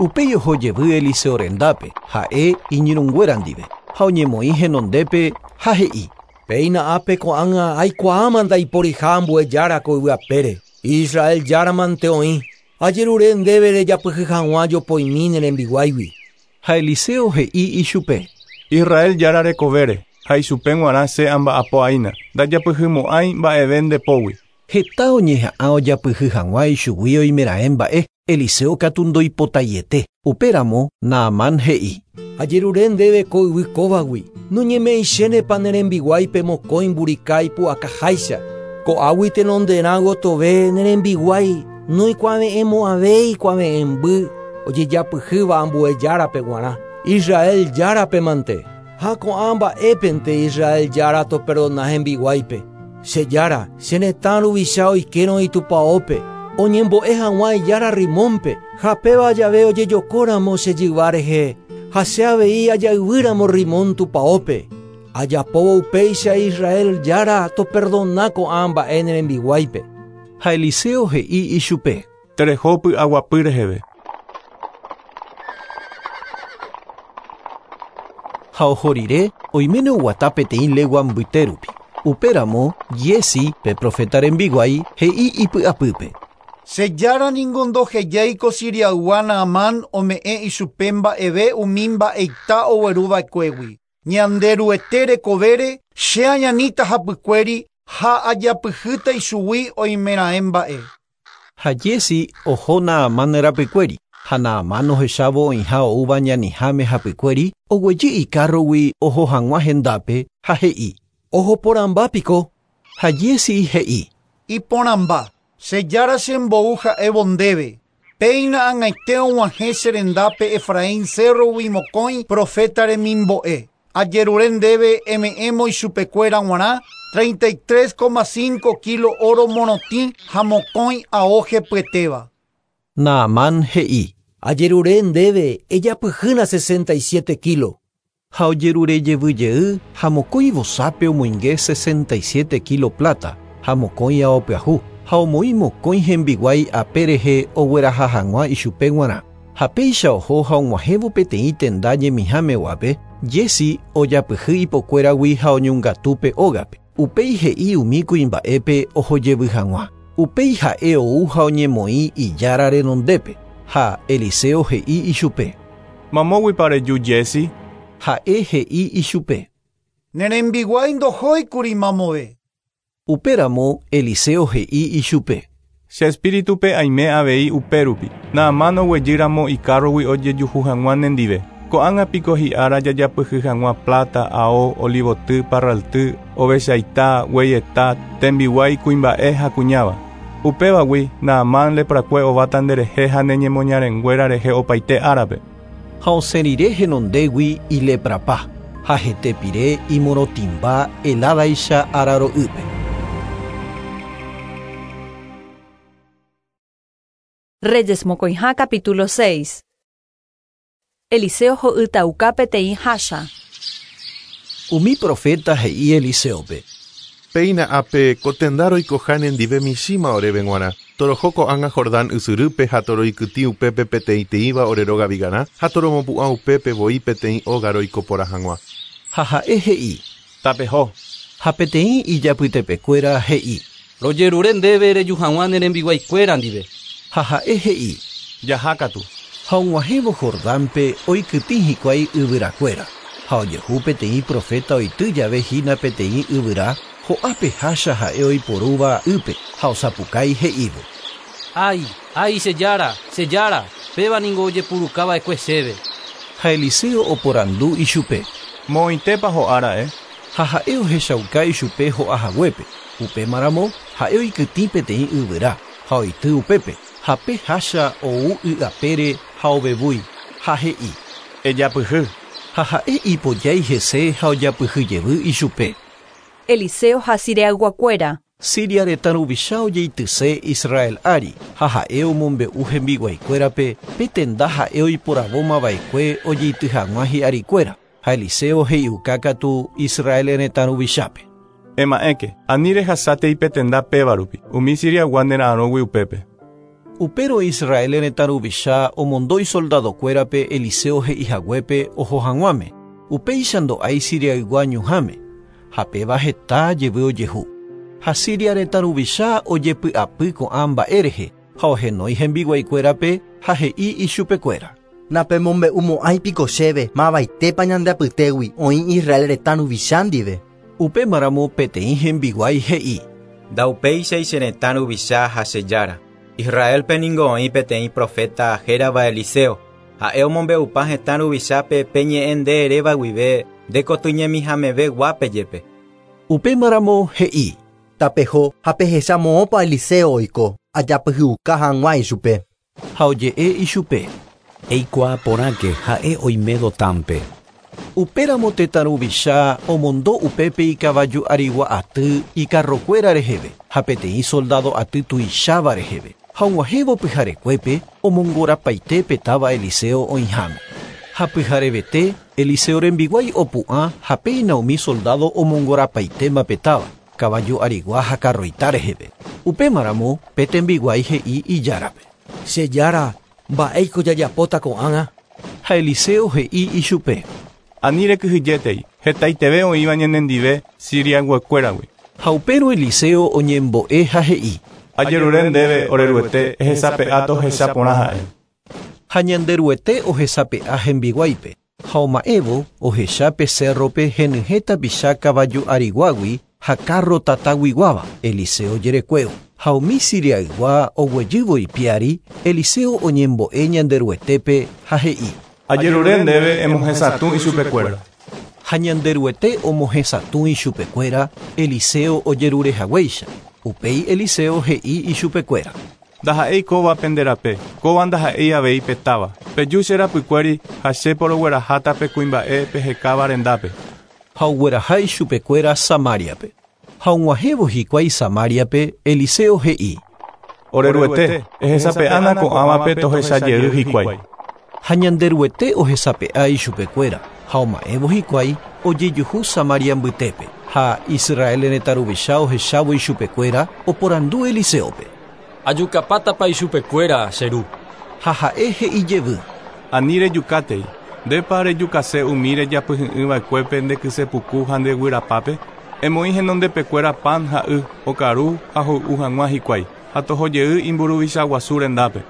Upéi oho jevy Eliseo rendápe, ha'e iñirũnguéra ndive, ha oñemoĩ henondépe ha he'i. Péina ápe ko'ág̃a aikuaáma ndaiporiha ambue jára ko yvyapére, Israel járamante oĩ, ajerure ndéve rejapyhy hag̃ua jopoimi ne rembiguáigui. Ha Eliseo he'i ichupe. Israel jára rekovére, ha ichupe g̃uarã che amba'apo'aína, ndajapyhymo'ãi mba'eve ndepógui. Heta oñeha'ã ojapyhy hag̃ua ichugui oimeraẽ mba'e, Eliseo katu ndoipotaiete. Upéramo Naamán he'i. Ajerure ndéve ko yvy kóvagui, noñeme'ẽichénepa ne rembiguáipe mokõi mburika ipu'akaháicha. Ko'águi tenonderã gotove ne rembiguái noikuave'ẽmo'ãvéi kuave'ẽmby ojejapyhýva ambue járape g̃uarã, Israel járape mante. Ha ko'ã mba'épente Israel jára toperdona hembiguáipe. Che jára, che retã ruvicha oikérõ itupãópe, oñembo'e hag̃ua ijára Rimónpe, ha péva jave ojejokóramo che jyva rehe, ha che avei ajayvýramo Rimón tupãópe. Ajapóvo upéicha Israel jára toperdona ko'ã mba'e ne rembiguáipe. Ha Eliseo he'i ichupe. Tereho py'aguapy reheve. Ha oho rire oiméne oguata peteĩ legua mbytérupi. Upéramo Giezi, pe profeta rembiguái, he'i ipy'apýpe. Che jára ningo ndohejáiko Siriaygua Naamán ome'ẽ ichupe mba'eve umi mba'eita ogueruva'ekuégui. Ñanderuete rekovére che añaníta hapykuéri ha ajapyhýta ichugui oimeraẽ mba'e. Ha Giezi oho Naamán rapykuéri, ha Naamán ohechávo oĩha oúva ñaniháme hapykuéri, oguejy ikárrogui oho hag̃ua hendápe ha he'i. Ohoporãmba piko. Ha Giezi he'i. Iporãmba, che jára chembou ha'évo ndéve, Péina ag̃aite og̃uahẽ che rendápe Efraín cérrogui mokõi profeta remimbo'e. Ajerure ndéve eme'ẽmo ichupekuéra g̃uarã treinta y tres coma cinco kilo oro morotĩ ha mokõi ao hepyetéva. Naamán he'i. Ajerure ndéve ejapyhýna sesenta y siete kilo. Ha ojerure jevyjey ha mokõi vosápe omoinge sesenta y siete kilo plata ha mokõi ao pyahu ha omoĩ mokõi hembiguái ape rehe ogueraha hag̃ua ichupe g̃uarã. Ha péicha oho ha og̃uahẽvo peteĩ tenda ñemihámeguápe, Giezi ojapyhy ipokuéragui ha oñongatúpe ógape. Upéi he'i umi kuimba'épe ohojevy hag̃ua. Upéi ha'e ou ha oñemoĩ ijára renondépe. Ha Eliseo he'i ichupe. Mamóguipa reju Giezi? Ha'e he'i ichupe. Ne rembiguái ndohóikuri mamove. Upéramo Eliseo he'i ichupe. Che espíritupe aime avei upérupi. Naamán oguejýramo ikárrogui ojejuhu hag̃ua nendive. Ko'ág̃a piko hi'ára jajapyhy hag̃ua plata, ao, olivoty, parralty, ovechaita, gueyeta, tembiguái kuimba'e ha kuñáva. Upévagui Naamán leprakue ováta nderehe ha neñemoñarenguéra rehe opaite árape. Ha osẽ rire henondégui ileprapa ha hetepire imorotĩmba heládaicha araro'ýpe. Reyes mokõiha capítulo seis. Eliseo ho'ytauka peteĩ hácha. Umi profeta he'i Eliseope. Péina ápe ko tenda roikoha nendive michĩma oréve g̃uarã. Toroho ko'ág̃a Jordán ysyrýpe ha toroikytĩ upépe peteĩteĩva ore róga vigarã ha toromopu'ã upépe voi peteĩ óga roiko porã hag̃ua. Ha ha'e he'i. Tapeho. Ha peteĩ ijapytepekuéra he'i. Rojerure ndéve reju hag̃ua ne rembiguaikuéra ndive. Ha ha'e he'i. Jahákatu. Ha og̃uahẽvo Jordánpe oikytĩ hikuái yvyrakuéra. Ha ojehu peteĩ profeta oity jave hína peteĩ yvyra ho'ápe hácha ha'e oiporúva ýpe ha osapukái he'ívo. Ay, ay, che jára, che jára, péva ningo ojepurukava'ekue chéve. Ha Eliseo oporandu ichupe. Moõitépa ho'ára'e. Ha ha'e ohechauka ichupe ho'ahaguépe. Upémaramo ha'e oikytĩ peteĩ yvyra ha oity upépe. Ha pe hácha ou y apére ha ovevúi ha he'i. Ejapyhy. Ha ha'e ipojái hese ha ojapyhyjevy ichupe. Eliseo ha Siriayguakuéra. Siria retã ruvicha ojeityse Israel ári ha ha'e omombe'u hembiguaikuérape pe tenda ha'e oiporavómava'ekue ojeity hag̃ua hi'arikuéra. Ha Eliseo he'iuka katu Israel retã ruvichápe. Ema'ẽke, ani rehasátei pe tenda péva rupi, umi Siriaygua nera'arõgui upépe. Upérõ Israel retã ruvicha omondo isoldadokuérape Eliseo he'ihaguépe oho hag̃uáme. Upéicha ndo'ái Siriaygua ñuhãme. Ha péva heta jevy ojehu. Ha Siria retã ruvicha ojepy'apy ko'ã mba'e rehe ha ohenói hembiguaikuérape ha he'i ichupekuéra. Napemombe'umo'ãi piko chéve mavaitépa ñande apytégui oĩ Israel retã ruvicha ndive. Upémaramo peteĩ hembiguái he'i. Ndaupéichai che retã ruvicha ha che jára. Israelpe ningo oĩ peteĩ profeta hérava Eliseo. Ha'e omombe'upa hetã ruvichápe pe ñe'ẽ nde eréva guive ndekotyñemihameve guápe jepe. Upémaramo he'i. Tapeho ha pehecha moõpa Eliseo oiko ajapyhyuka hag̃ua ichupe. Ha oje'e ichupe. Eikuaa porãke ha'e oime Dotánpe. Upéramo tetã ruvicha omondo upépe ikavaju arigua aty ikarrokuéra reheve ha peteĩ soldado aty tuicháva reheve. Ha og̃uahẽvo pyharekuépe omongorapaite pe táva Eliseo oĩháme. Ha pyharevete Eliseo rembiguái opu'ã ha péina umi soldado omongorapaitéma pe táva kavaju arigua ha karroita reheve. Upémaramo pe tembiguái he'i ijárape. Che jára, mba'éiko jajapóta ko'ág̃a. Ha Eliseo he'i ichupe. Ani rekyhyjétei, hetaiteve oĩva ñanendive Siriayguakuéragui. Ha upérõ Eliseo oñembo'e ha he'i. Ajerure ndéve ore Ruete ehesape'a tohecha porã ha'e. Ha Ñanderuete ohesape'a hembiguáipe. Ha oma'ẽvo ohecha pe cérrope henyhẽ tapicha kavaju ariguágui ha kárro tataguiguáva Eliseo jerekuévo. Ha umi Siriaygua oguejývo ipiári, Eliseo oñembo'e Ñanderuetépe ha he'i. Ajerure ndéve emohesatũ ichupekuéra. Ha Ñanderuete omohesatũ ichupekuéra Eliseo ojerurehaguéicha. Upéi Eliseo he'i ichupekuéra. Ndaha'éi kóva pende rape, kóva ndaha'éi avei petáva. Peju che rapykuéri ha che porogueraháta pe kuimba'e pehekáva rendápe. Ha ogueraha ichupekuéra Samariape. Ha og̃uahẽvo hikuái Samariape, Eliseo he'i: Oreruete, ehesape'ána ko'ãvape tohechajey hikuái. Ha Ñanderuete ohesape'a ichupekuéra, ha oma'ẽvo hikuái ojejuhu Samaria mbytépe. Ha Israel retã ruvicha ohechávo ichupekuéra oporandu Eliseope: Ajukapátapa ichupekuéra, che ru. Ha ha'e he'ijevy: Ani rejukátei. Ndépa rejukase umi rejapyhy'ỹva'ekuépe nde kysepuku ha nde guyrapápe? Emoĩ henondepekuéra pan ha y, okaru ha hoy'u hag̃ua hikuái, ha tohojey imburuvicha guasu rendápe.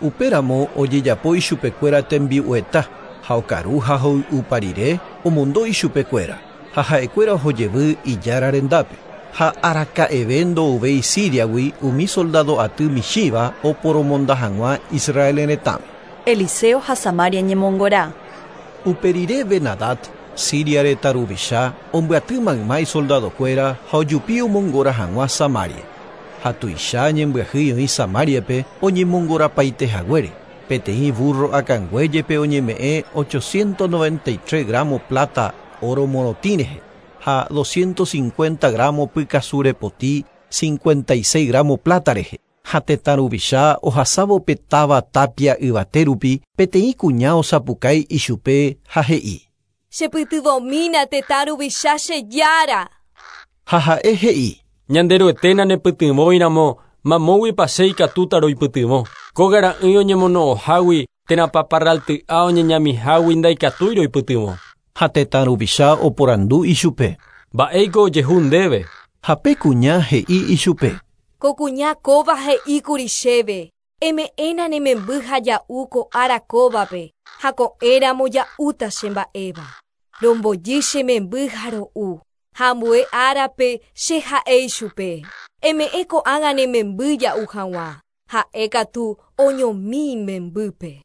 Upéramo ojejapo ichupekuéra tembi'ueta, ha okaru ha hoy'upa rire omondo ichupekuéra, ha ha'ekuéra ohojevy ijára rendápe. Ha araka'eve ndouvéi Siriagui umi soldado aty michĩva oporomonda hag̃ua Israel retãme. Eliseo ha Samaria ñemongora. Uperire Ben-Hadad, Siria retã ruvicha, ombyaty mayma isoldadokuéra ha ojupi omongora hag̃ua Samaria. Ha tuicha ñembyahýi oĩ Samariape oñemongorapaite haguére. Peteĩ burro akãngue jepe oñeme'ẽ ochocientos noventa y tres gramo plata oro morotĩ rehe ha doscientos cincuenta gramo pykasu repoti cincuenta y seis gramo plata rehe. Ha tetã ruvicha ohasávo pe táva tapia yvate rupi peteĩ kuña osapukái ichupe ha he'i: Chepytyvõmína tetã ruvicha che jára. Ha ha'e he'i: Ñanderuete nanepytyvõiramo mamóguipa che ikatúta roipytyvõ. Kóga ra'ỹi oñemono'õhágui térã paparralty'a oñeñamihágui ndaikatúi roipytyvõ. Ha tetã ruvicha oporandu ichupe: Mba'éiko ojehu ndéve. Ha pe kuña he'i ichupe: Ko kuña kóva he'íkuri chéve. Eme'ẽna ne memby ha ja'u ko ára kóvape, ha ko'ẽramo ja'úta che mba'éva. Rombojy che memby ha ro'u, ha ambue árape che ha'e ichupe. Eme'ẽ ko'ág̃a ne memby ja'u hag̃ua, ha'e katu oñomi imembýpe.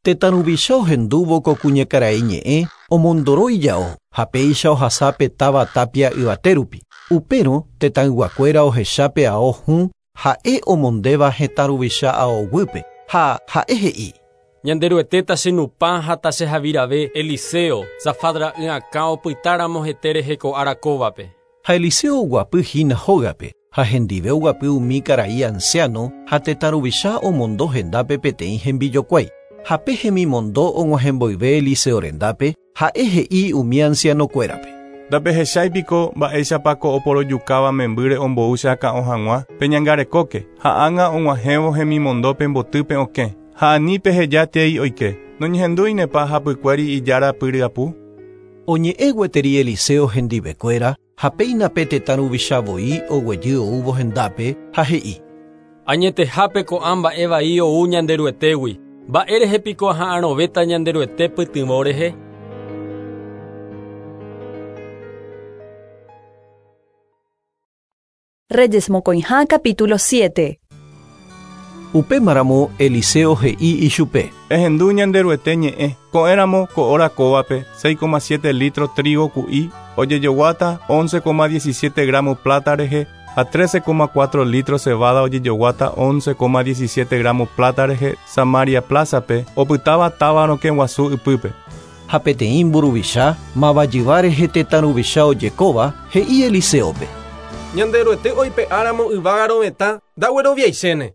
Tetã ruvicha ohendúvo ko kuñakarai ñe'ẽ omondoro ijao ha péicha ohasa pe táva tapia yvate rupi. Upérõ tetãyguakuéra ohecha pe ao hũ ha'e omondéva hetã ruvicha aoguýpe ha ha'e he'i: Ñanderuete tachenupã ha tachehavirave Eliseo, Safat ra'y akã opytáramo hete rehe ko ára kóvape. Ha Eliseo oguapy hína hógape ha hendive oguapy umi karai anciano ha tetã ruvicha omondo hendápe peteĩ hembijokuái. Ha pe hemimondo og̃uahẽmboyve Eliseo rendápe ha'e he'i umi ancianokuérape: Ndapehecháipiko mba'éichapa ko oporojukáva membýre ombou che akã'o hag̃ua peñangarekóke ha ág̃a og̃uahẽvo hemimondo pembotýpe okẽ ha ani pehejátei oike noñehendúinepa hapykuéri ijára pyryapu. Oñe'ẽ gueteri Eliseo hendivekuéra ha péina pe tetã ruvicha voi oguejy oúvo hendápe ha he'i: Añetehápe ko'ã mba'e vai ou Ñanderuetégui. Mba'e rehe piko aha'arõvéta Ñanderuete pytyvõ rehe. Reyes mokõiha capítulo siete. Upémaramo Eliseo he'i ichupe: Ehendu Ñanderuete ñe'ẽ, ko'ẽramo ko hora kóvape seis coma siete litro trigo ku'i ojejoguáta once coma diecisiete gramo plata rehe ha trece coma cuatro litro cebada ojejoguáta once coma diecisiete gramo plata rehe Samaria plazape opytáva táva rokẽ guasu ypýpe. Ha peteĩ mburuvicha mavajyva rehe tetã ruvicha ojekóva he'i Eliseope: Ñanderuete oipe'áramo yvága rovetã ndagueroviaichéne.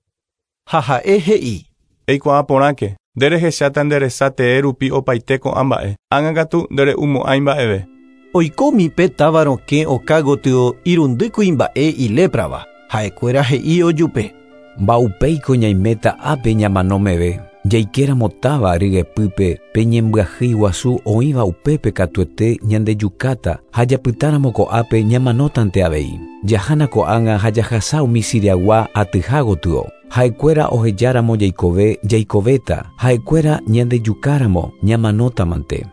Ha ha'e he'i: Eikuaa porãke, nde rehecháta nde resa tee rupi opaite ko'ã mba'e, ág̃a katu ndere'umo'ãi mba'eve. Oikómi pe táva rokẽ oka gotyo irundy kuimba'e iléprava, ha'ekuéra he'i ojupe: Mba'upéiko ñaiméta ápe ñamanómeve, jaikéramo táva ryepýpe pe ñembyahýi guasu oĩva upépe katuete ñandejukáta ha japytáramo ko'ápe ñamanótante avei. Jahána ko'ág̃a ha jahasa umi Siriagua atyha gotyo. Ha'ekuéra ohejáramo jaikove jaikovéta, ha'ekuéra ñandejukáramo ñamanótamante.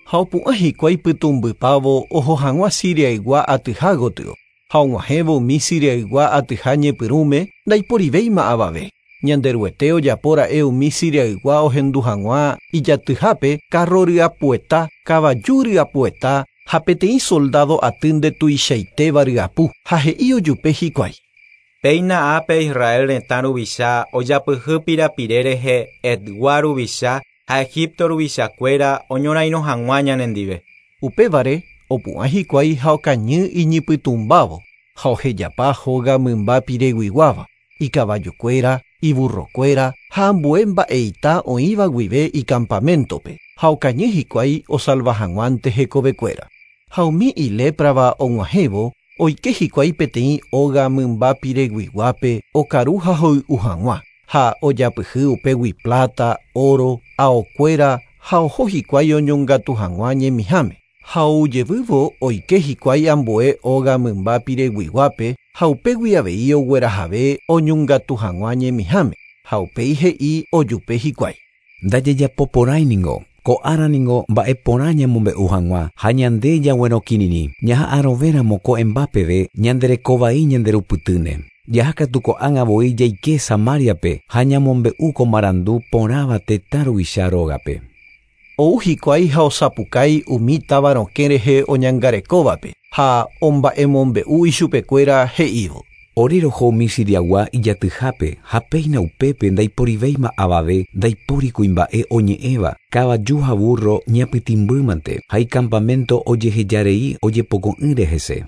Ha opu'ã hikuái pytũmbypávo oho hag̃ua Siriaygua atyha gotyo. Ha og̃uahẽvo umi Siriaygua atyha ñepyrũme ndaiporivéima avave. Ñanderuete ojapóra'e umi Siriaygua ohendu hag̃ua ijatyhápe carro ryapueta, kavaju ryapueta ha peteĩ soldado aty ndetuichaitéva ryapu ha he'i ojupe hikuái: Péina ápe Israel retã ruvicha ojapyhy pirapire rehe Etgua ruvicha ha Egipto ruvichakuéra oñorairõ hag̃ua ñanendive. Upévare opu'ã hikuái ha okañy iñipytũmbávo ha ohejapa hóga mymba pireguiguáva, ikavallokuéra, iburrokuéra ha ambue mba'eita oĩva guive icampamentope ha okañy hikuái osalva hag̃uánte hekovekuéra. Ha umi iléprava og̃uahẽvo oike hikuái peteĩ óga mymba pireguiguápe okaru ha hoy'u hag̃ua ha ojapyhy upégui plata, oro, aokuéra ha oho hikuái oñongatu hag̃ua ñemiháme. Ha oujevývo oike hikuái ambue óga mymba pireguiguápe ha upégui avei oguerahave oñongatu hag̃ua ñemiháme ha upéi he'i ojupe hikuái. Ndajejapoporãi ningo. Ko'ára ningo mba'eporã ñamombe'u hag̃ua ha ñande jaguerokirirĩ. Ñaha'arõvéramo ko'ẽmba peve ñanderekovai ñanderupytýne. Jahákatu ko'ág̃a voi jaike Samariape ha ñamombe'u ko marandu porãva tetã ruvicha rógape. Ou hikuái ha osapukái umi táva rokẽ rehe oñangarekóvape ha omba'emombe'u ichupekuéra he'ívo. Ore roho umi Siriagua ijatyhápe ha péina upépe ndaiporivéima avave ndaipóri kuimba'e oñe'ẽva kavaju ha burro ñapytĩmbýmante ha icampamento ojehejarei ojepoko'ỹre hese.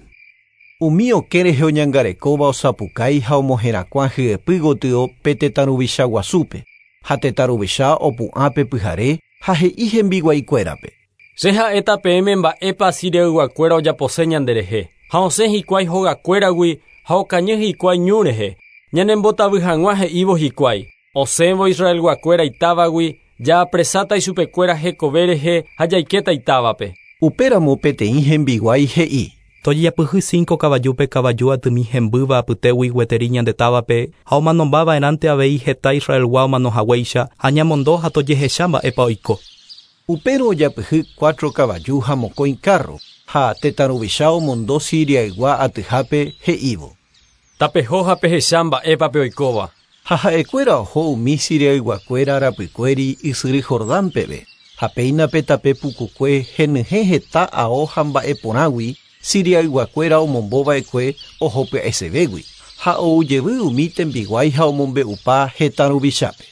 Umi okẽ rehe oñangarekóva osapukái ha omoherakuã hyepy gotyo pe tetã ruvicha guasúpe ha tetã ruvicha opu'ã pe pyhare ha he'i hembiguaikuérape. Che ha'éta peẽme mba'épa Siriayguakuéra ojapose ñanderehe ha osẽ hikuái hogakuéragui ha okañy hikuái ñu rehe ñanembotavy hag̃ua he'ívo hikuái. Osẽvo Israelguakuéra itávagui jaapresáta ichupekuéra hekove rehe ha jaikéta itávape. Upéramo peteĩ hembiguái he'i. Tojejapyhy cinco kavajúpe kavaju atymi hembýva apytégui gueteri ñande távape ha omanombava'erãnte avei heta Israelgua omanohaguéicha ha ñamondo ha tojehecha mba'épa oiko. Upérõ ojapyhy cuatro kavaju ha mokõi carro ha tetã ruvicha omondo Siriaygua atyhápe he'ívo. Tapeho ha pehecha mba'épa pe oikóva. Ha ha'ekuéra oho umi Siriayguakuéra rapykuéri ysyry Jordán peve ha péina pe tape pukukue henyhẽ heta ao ha mba'eporãgui Siriayguakuéra omombova'ekue oho pya'esevégui ha oujevy umi tembiguái ha omombe'upa hetã ruvichápe.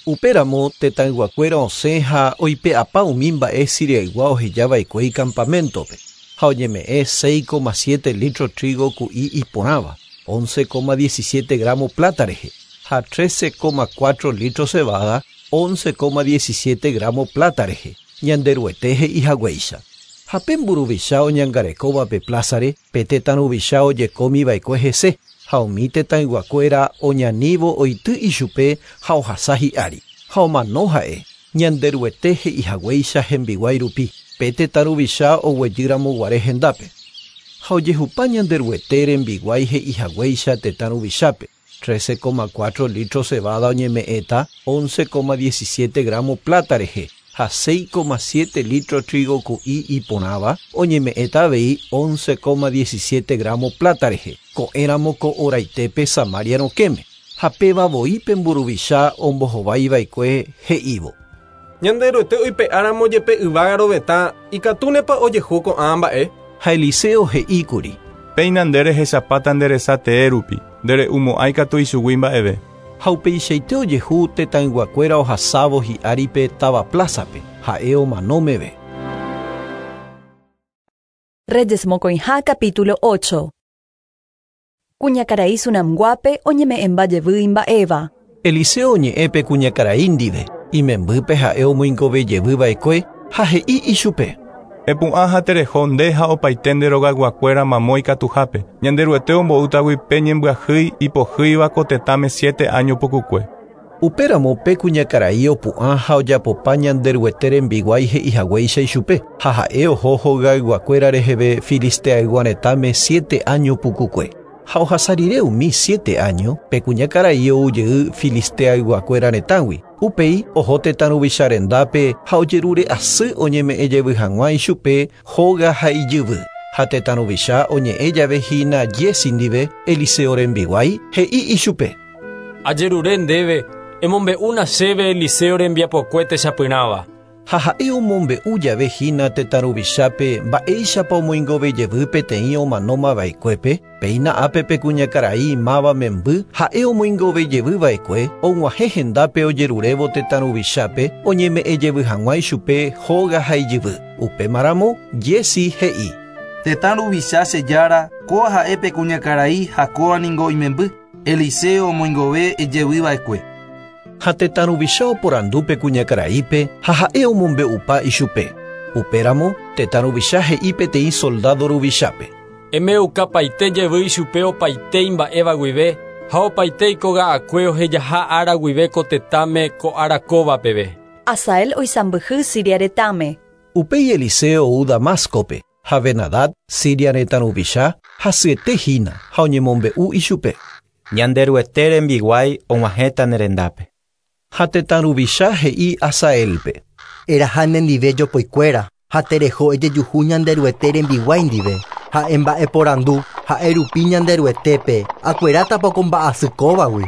Upéramo tetãyguakuéra osẽ ha oipe'apa umi mba'e Siriaygua ohejava'ekue icampamentope ha oñeme'ẽ seis coma siete litro trigo ku'i iporãva, once coma diecisiete gramo plata rehe ha trece coma cuatro litro cebada, once coma diecisiete gramo plata rehe, Ñanderuete he'i haguéicha. Ha pe mburuvicha oñangarekóva pe plázare, pe tetã ruvicha ojekomiva'ekue hese ha umi tetãyguakuéra oñanívo oity ichupe ha ohasa hi'ári. Ha omano ha'e, Ñanderuete he'i haguéicha hembiguái rupi, pe tetã ruvicha oguejýramo guare hendápe. Ha ojehupa Ñanderuete rembiguái he'i haguéicha tetã ruvichápe, trece coma cuatro litro cebada oñeme'ẽta, once coma diecisiete gramo plata rehe, ha seis coma siete litro trigo ku'i iporãva oñeme'ẽta avei once coma diecisiete gramo plata rehe, ko'ẽramo ko oraitépe Samaria rokẽme. Ha péva voi pe mburuvicha ombohovaiva'ekue he'ívo. Ñanderuete oipe'áramo jepe yvága rovetã ikatúnepa ojehu ko'ã mba'e. Ha Eliseo he'íkuri. Péina nde rehechapáta nde resa tee rupi, ndere'umo'ãi katu ichugui mba'eve. Ha upeichaite ojehu tetãyguakuéra ohasávo hi'áripe táva plázape, ha'e omano meve. Reyes mokõiha capítulo ocho. Kuñakarai Sunamguápe oñeme'ẽmba jevy imba'éva. Eliseo oñe'ẽpe kuñakarai ndive, imembýpe ha'e omoingovejevýva'ekue ha he'i ichupe. Epu'ã ha tereho nde ha opaite nde rogayguakuéra mamo ikatuhápe. Ñanderuete ombo'útagui pe ñembyahýi ipohýiva ko tetãme siete año pukukue. Upéramo pe kuñakarai opu'ã ha ojapopa Ñanderuete rembiguái he'i haguéicha ichupe ha ha'e oho hogayguakuéra reheve Filisteaygua retãme siete año pukukue. Ha ohasa rire umi siete año pe kuñakarai oujey Filisteayguakuéra retãgui. Upéi oho tetã ruvicha rendápe ha ojerure asy oñeme'ẽ jevy hag̃ua ichupe hóga ha ijyvy. Ha tetã ruvicha oñe'ẽ jave hína Giezi ndive Eliseo rembiguái he'i ichupe. Ajerure ndéve emombe'úna chéve Eliseo rembiapokue techapyrãva. Ha ha'e omombe'u jave hína tetã ruvichápe mba'éichapa omoingovejevy peteĩ omanómava'ekuépe, péina ápe pe kuñakarai máva memby ha'e omoingovejevýva'ekue og̃uahẽ hendápe ojerurévo tetã ruvichápe oñeme'ẽjevy hag̃ua ichupe hóga ha ijyvy. Upémaramo Giezi he'i: Tetã ruvicha che jára, kóa ha'e pe kuñakarai ha kóa ningo imemby, Eliseo omoingove ejevýva'ekue. Ha tetã ruvicha oporandu pe kuñakaraípe ha ha'e omombe'upa ichupe. Upéramo tetã ruvicha he'i peteĩ soldado ruvichápe: Emeukapaite jevy ichupe opaite imba'éva guive ha opaite ikoga'akue ohejaha ára guive ko tetãme ko ára kóva peve. Hazael oisãmbyhy Siria retãme. Upéi Eliseo ou Damáscope ha Ben-Hadad Siria retã ruvicha hasyete hína ha oñemombe'u ichupe. Ñanderuete rembiguái og̃uahẽta ne rendápe. Ha tetã ruvicha he'i Hazaelpe: Eraha nendive jopoikuéra ha tereho ejejuhu Ñanderuete rembiguái ndive ha'e mba'eporandu ha'e rupi Ñanderuetépe akuerátapa ko mba'asy kóvagui.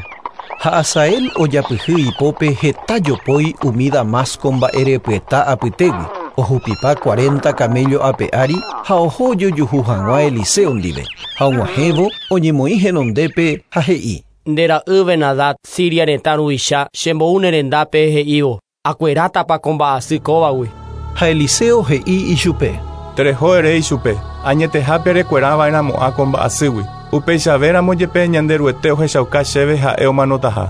Ha Hazael ojapyhy ipópe heta jopói umi Damasco mba'erepyeta apytégui, ohupipa cuarenta camello ape ári ha oho ojojuhu hag̃ua Eliseo ndive. Ha og̃uahẽvo oñemoĩ henondépe ha he'i: Nde ra'y Ben-Hadad Siria retã ruvicha chembou ne rendápe he'ívo akuerátapa ko mba'asy kóvagui. Ha Eliseo he'i ichupe: Tereho ere ichupe, añetehápe rekuerava'erãmo'ã ko mba'asýgui, upeichavéramo jepe Ñanderuete ohechauka chéve ha'e omanotaha.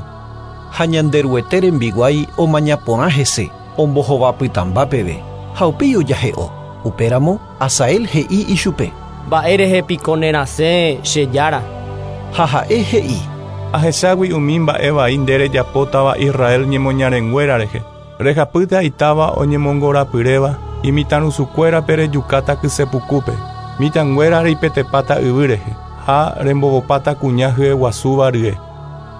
Ha Ñanderuete rembiguái omañaporã hese, ombohovapytãmba peve, ha upéi ojahe'o. Upéramo Hazael he'i ichupe: Mba'érehe piko nerasẽ che jára. Ha ha'e he'i: Ahechágui umi mba'e vai nde rejapótava Israel ñemoñarenguéra rehe. Rejapýta itáva oñemongorapyréva, imitãrusukuérape rejukáta kysepukúpe, mitãnguéra reipetepáta yvy rehe, ha rembovopáta kuña hyeguasúva rye.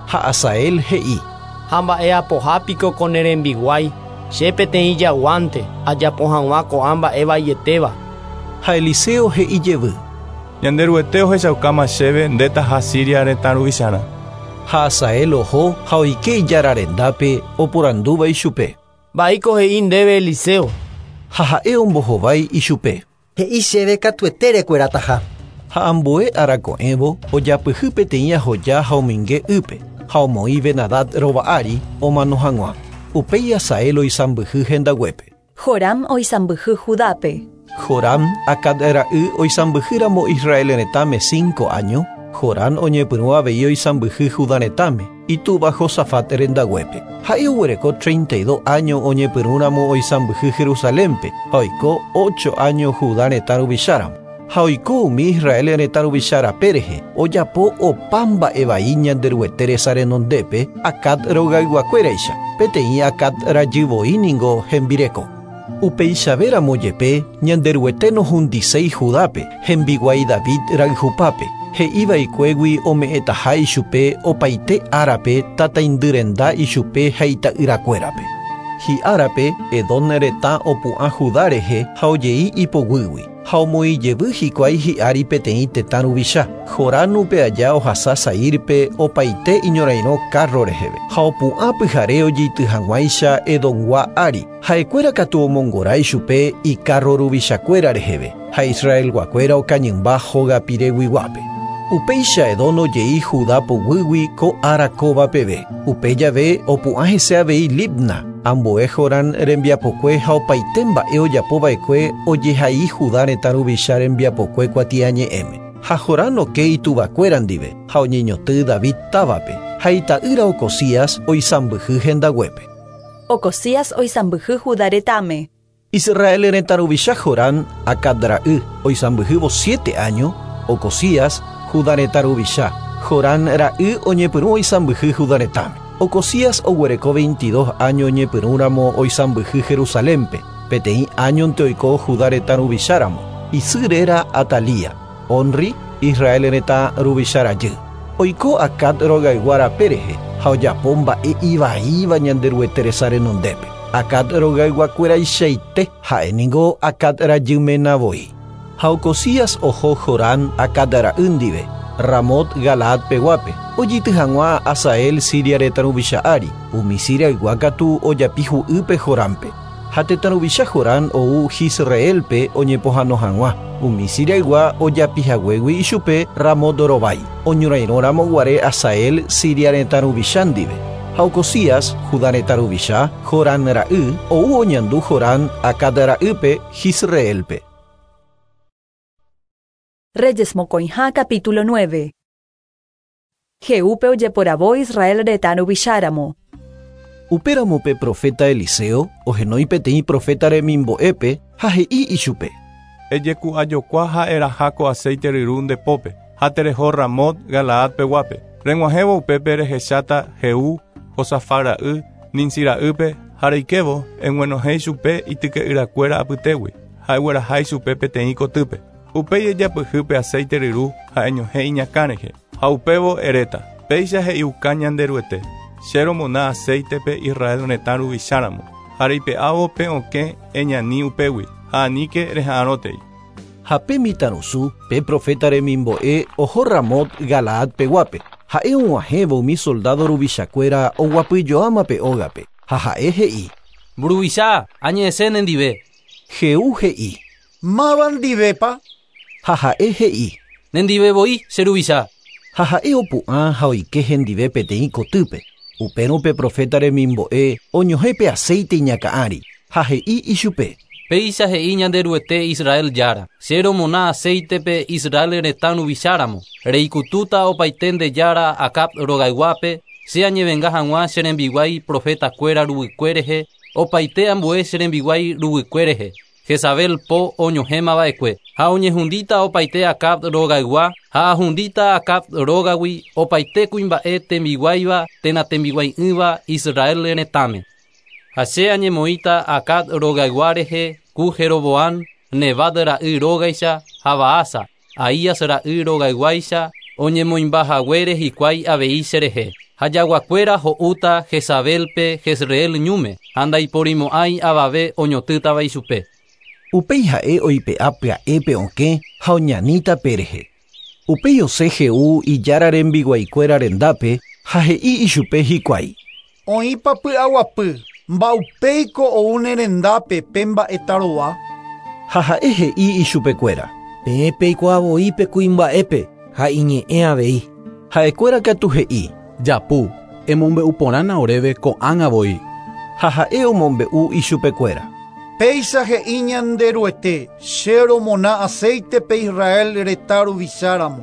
Ha Hazael he'i: Ha mba'e apoha piko ko ne rembiguái, che peteĩ jaguánte ajapo hag̃ua ko'ã mba'e vaietéva. Ha Eliseo he'i jevy: Ñanderuete ohechaukáma chéve ndétaha Siria retã ruvicharã. Ha Hazael oho ha oike ijára rendápe oporandúva ichupe: Mba'éiko he'i ndéve Eliseo. Ha ha'e ombohovái ichupe: He'i chéve katuete rekuerataha. Ha ambue arako'ẽvo ojapyhy peteĩ ahoja ha ominge ýpe ha omoĩ Ben-Hadad rova ári omano hag̃ua. Upéi Hazael oisãmbyhy hendaguépe. Joram oisãmbyhy Judápe. Joram Acab ra'y oisãmbyhýramo Israel retãme cinco año, Joram oñepyrũ avei oisãmbyhy Judá retãme, itúva Josafat rendaguépe. Ha'e oguereko treinta y dos año oñepyrũramo oisãmbyhy Jerusalénpe ha oiko ocho año Judá retã ruvicháramo. Ha oiko umi Israel retã ruvicha rape rehe, ojapo opa mba'e vai Ñanderuete resa renondépe Acab rogayguakuéraicha, peteĩ Acab rajyvoi ningo hembireko. Upeichavéramo jepe Ñanderuete nohundiséi Judápe, hembiguái David rayhupápe, he'iva'ekuégui ome'ẽtaha ichupe opaite árape tataindyrenda ichupe ha ita'yrakuérape. Hi'árape Edom retã opu'ã Judá rehe ha ojei ipoguýgui, ha omoĩjevy hikuái hi'ári peteĩ tetã ruvicha. Joram upe aja ohasa Saírpe opaite iñorairõ carro reheve, ha opu'ã pyhare ojeity hag̃uáicha Edomgua ári. Ha'ekuéra katu omongora ichupe icarro ruvichakuéra reheve, ha Israelguakuéra okañymba hóga pireguiguápe. Upéicha Edom ojei Judá poguýgui ko ára kóva peve. Upe jave opu'ã hese avei Libna, ambue Joram rembiapokue ha opaite mba'e ojapova'ekue ojehai Judá retã ruvicha rembiapokue kuatiañe'ẽme. Ha Joram oke ituvakuéra ndive ha oñeñotỹ David távape, ha ita'ýra Ocosías oisãmbyhy hendaguépe. Ocosías oisãmbyhy Judá retãme. Israel retã ruvicha Joram Acab ra'y oisãmbyhývo siete año, Ocosías Judá retã ruvicha. Joram ra'y oñepyrũ oisãmbyhy Judá retãme. Ocosías oguereko veintidós año oñepyrũramo oisãmbyhy Jerusalénpe, peteĩ añonte oiko Judá retã ruvicháramo. Isy réra Atalía, Onri Israel retã ruvicha rajy. Oiko Acab rogaygua rape rehe ha ojapo mba'e ivaíva Ñanderuete resa renondépe. Acab rogayguakueraichaite ha'e ningo Acab rajy ména voi. Ha Ocosías oho Joram Acab ra'y ndive, Ramot Galaad peguápe, ojeity hag̃ua Hazael Siria retã ruvicha ári, umi Siriaygua katu ojapi hu'ýpe Jorámpe. Ha tetã ruvicha Jorán ou Jisraelpe oñepohãno hag̃ua. Umi Siriaygua ojapihaguégui ichupe Ramot rovái. Oñorairõramo guare Hazael Siria retã ruvicha ndive. Ha Ocozías, Judá retã ruvicha, Jorán ra'y, ou oñandu Jorán Acab ra'ýpe Jisraelpe. Reyes mokõiha capítulo nueve. Jehúpe ojeporavo Israel retã ruvicháramo. Upéramo pe profeta Eliseo ohenói peteĩ profeta remimbo'épe ha he'i ichupe. Ejeku'ajokua ha eraha ko aceite ryru nde pópe, ha tereho Ramot Galaad peguápe. Reg̃uahẽvo upépe rehecháta Jehú, Josafat ra'y, Nimsi ra'ýpe ha reikévo eg̃uenohẽ ichupe ityke'yrakuéra apytégui ha egueraha ichupe peteĩ kotýpe. Upéi ejapyhy pe aceite ryru ha eñohẽ iñakã rehe, ha upévo eréta. Péicha he'iuka Ñanderuete. Che romona aceitepe Israel retã ruvicháramo, ha reipe'ávo pe okẽ eñani upégui, ha aníke reha'arõtei. Ha pe mitãrusu, pe profeta remimbo'e oho Ramot Galaad peguápe. Ha'e og̃uahẽvo umi soldado ruvichakuéra oguapyjoáma pe ógape, ha ha'e he'i. Mburuvicha, añe'ẽse nendive. Jehú he'i. Máva ndivépa? Ha ha'e he'i. Nendive voi che ruvicha. Ha ha'e opu'ã ha oike hendive peteĩ kotýpe. Upérõ pe profeta remimbo'e oñohẽ pe aceite iñakã ári, ha he'i ichupe. Péicha he'i Ñanderuete Israel jára. Che romona aceitepe Israel retã ruvicháramo. Reikutúta opaite nde jára Acab rogayguápe, che añevenga hag̃ua che rembiguái profetakuéra ruguykue rehe, opaite ambue che rembiguái ruguykue rehe. Jezabel po oñohẽmava'ekue, ha oñehundíta opaite Acab rogaygua, ha ahundíta Acab rógagui opaite kuimba'e tembiguáiva térã tembiguai'ỹva Israel retãme. Ha che añemoĩta Acab rogaygua rehe ku Jeroboam, Nebat ra'y rógaicha ha Baasa, Ahías ra'y rogayguáicha oñemoĩmbahaguére hikuái avei cherehe. Ha jaguakuéra ho'úta Jezabelpe Jezreel ñúme, ha ndaiporimo'ãi avave oñotỹtava ichupe. Upéi ha'e oipe'a pya'épe okẽ ha oñaníta pe rehe. Upéi osẽ Jehú ijára rembiguaikuéra rendápe ha he'i ichupe hikuái. Oĩpa py'aguapy, mba'upéiko ou ne rendápe pe mba'etarova. Ha ha'e he'i ichupekuéra. Peẽ peikuaavoi pe kuimba'épe ha iñe'ẽ avei. Ha'ekuéra katu he'i. Japu, emombe'u porãna oréve ko'ág̃a voi. Ha ha'e omombe'u ichupekuéra. Péicha he'i Ñanderuete, che romona aceitepe Israel retã ruvicháramo.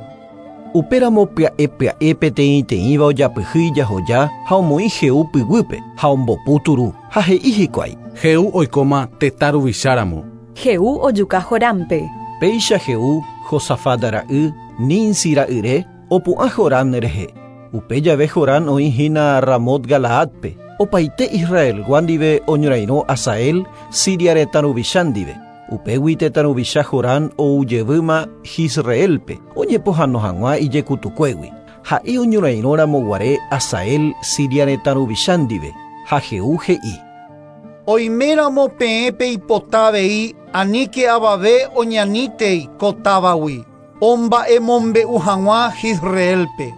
Upéramo pya'e pya'e peteĩteĩva ojapyhy ijahoja ha omoĩ Jehú pyguýpe ha ombopu turu ha he'i hikuái. Jehú oikóma tetã ruvicháramo. Jehú ojuka Jorámpe. Péicha Jehú, Josafat ra'y, Nimsi ra'yre, opu'ã Jorán rehe. Upe jave Jorán oĩhína Ramot Galaadpe. Opaite Israelgua ndive oñorairõ Hazael, Siria retã ruvicha ndive. Upégui tetã ruvicha Jorán oujevýma Jisraelpe, oñepohãno hag̃ua ijekutukuégui. Ha'e oñorairõramo guare Hazael, Siria retã ruvicha ndive. Ha Jehú he'i. Oiméramo peẽ peipota avei aníke avave oñanítei ko távagui, omba'emombe'u hag̃ua Jisraelpe.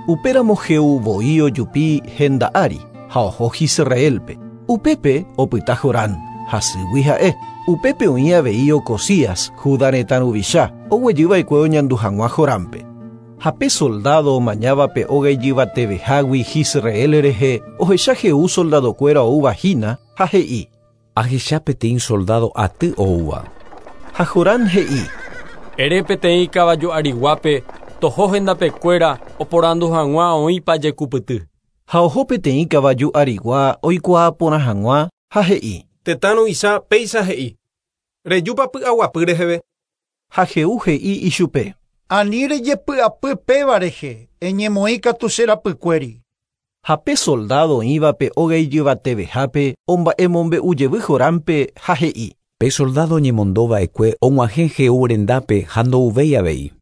Upéramo Jehú voi ojupi henda ári ha oho Jisraelpe. Upépe opyta Jorán, hasýgui ha'e. Upépe oĩ avei Ocozías, Judá retã ruvicha, oguejyva'ekue oñandu hag̃ua Jorámpe. Ha pe soldado omañáva pe óga ijyvatevehágui Jisrael rehe, ohecha Jehú soldadokuéra oúva hína ha he'i. Ahecha peteĩ soldado aty oúva. Ha Jorán he'i. Ere peteĩ kavaju ariguápe, toho hendapekuéra oporandu hag̃ua oĩpa jekupyty. Ha oho peteĩ kavaju arigua oikuaa porã hag̃ua ha he'i. Tetã ruvicha péicha he'i. Rejúpa py'aguapy reheve. Ha Jehú he'i ichupe. Ani rejepy'apy péva rehe, eñemoĩ katu che rapykuéri. Ha pe soldado oĩva pe óga ijyvatevehápe omba'emombe'u jevy Jorámpe ha he'i. Pe soldado oñemondova'ekue og̃uahẽ Jehú rendápe ha ndouvéi avei.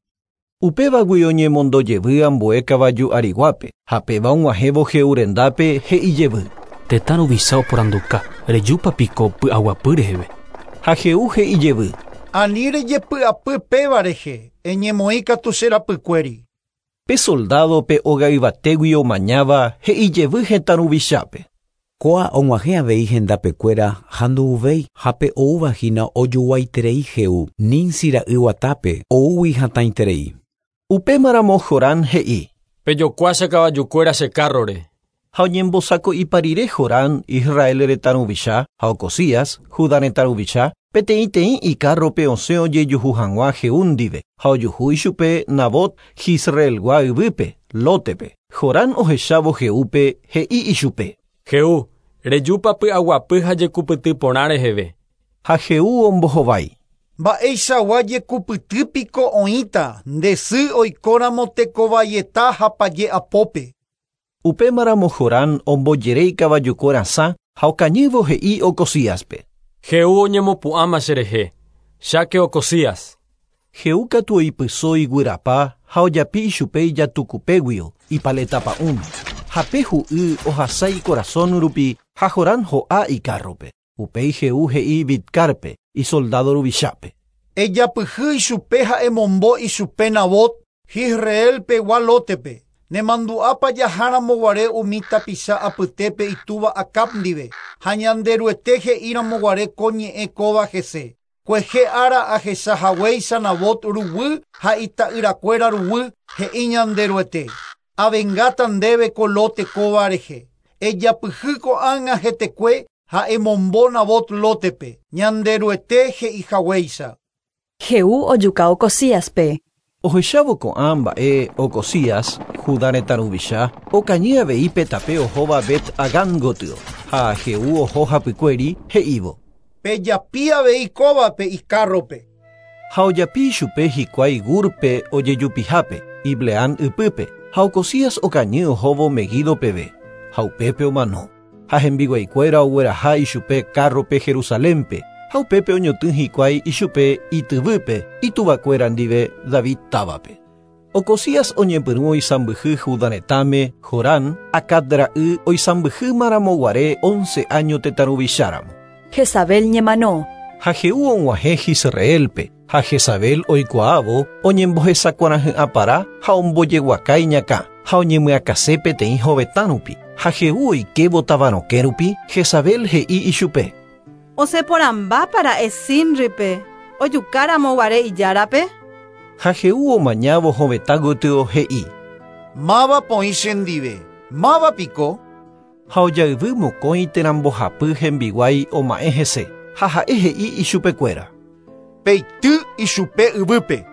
Upévagui oñemondo jevy ambue kavaju ariguápe, ha péva og̃uahẽvo Jehú rendápe he'i jevy. Tetã ruvicha oporanduka, rejúpa piko py'aguapy reheve. Ha Jehú he'i jevy. Ani rejepy'apy péva rehe, eñemoĩ katu che rapykuéri. Pe soldado pe óga yvatégui omañáva he'i jevy hetã ruvichápe. Koa og̃uahẽ avei hendapekuéra ha ndo'uvéi ha pe oúvahína ojoguaiterei Jehú Nimsi ra'y guatápe oúgui hatãiterei. Upémaramo Jorán he'i. Pejokua che kavajukuéra che kárrore. Ha oñembosako'ipa rire Jorán Israel retã ruvicha ha Ocozías Judá retã ruvicha peteĩteĩ ikárrope osẽ ojejuhu hag̃ua Jehú ndive ha ojuhu ichupe Nabot Jisreelgua yvýpe Lótepe. Jorán ohechávo Jehúpe he'i ichupe. Jehú, rejúpa py'aguapy ha jekupyty porã reheve. Ha Jehú ombohovái. Mba'eichagua jekupytýpiko oĩta nde sy oikóramo tekovaieta ha paje'apópe. Upémaramo Jorán ombojere ikavajukuérasã ha okañývo he'i Ocozíaspe. Jehú oñemopu'ãma cherehe. Cháke Ocozías. Jehú katu oipyso iguyrapa ha ojapi ichupe ijatukupéguio ipaletapa'ũme. Ha pe hu'y ohasa ikorasõ rupi ha Jorán ho'a ikárrope. Upéi Jehú he'i Bidcárpe isoldado ruvichápe. Ejapyhy ichupe ha emombo ichupe Nabot Jisreelpegua Lótepe. Nemandu'ápa jaháramo umi tapicha apytépe itúva Acab ndive ha Ñanderuete he'íramo ko ñe'ẽ kóva hese. Kuehe ára ahechahaguéicha Nabot ruguy ha ita'yrakuéra ruguy he'i Ñanderuete. Avengáta ndéve ko Lote kóva rehe. Ejapyhy ko'ág̃a hetekue ha emombo Nabot Lótepe. Ñanderuete he'ihaguéicha. Jehú ojuka Ocozíaspe. Ohechávo ko'ã mba'e Ocozías, Judá retã ruvicha, okañy avei pe tape ohóva Bet-Hagán gotyo ha Jehú oho hapykuéri he'ívo. Pejapi avei kóvape ikárrope. Ha ojapi ichupe hikuái Gúrpe ojejupihápe, Ibleam ypýpe, ha Ocozías okañy ohóvo Meguido peve, ha upépe omano. Ha hembiguaikuéra ogueraha ichupe kárrope Jerusalénpe, ha upépe oñotỹ hikuái ichupe ityvýpe ituvakuéra ndive David távape. Ocozías oñepyrũ oisãmbyhy Judá retãme Jorán, Acab ra'y oisãmbyhýmaramoguare once año tetã ruvicháramo. Jezabel ñemano. Ha Jehú og̃uahẽ Jisreelpe ha Jezabel oikuaávo oñembohesakuarahy'ãpara ha ombojeguaka iñakã ha oñemyakãse peteĩ hovetã rupi. Ha Jehú oikévo tavarokẽ rupi Jezabel he'i ichupe. Osẽporãmbápara'e Zimripe ojukáramo guare ijárape. Ha Jehú omañávo hovetã gotyo he'i. Mávapa oĩ chendive. Mávapiko. Ha ojayvy mokõi térã mbohapy hembiguái oma'ẽ hese ha ha'e he'i ichupekuéra. Peity ichupe yvýpe.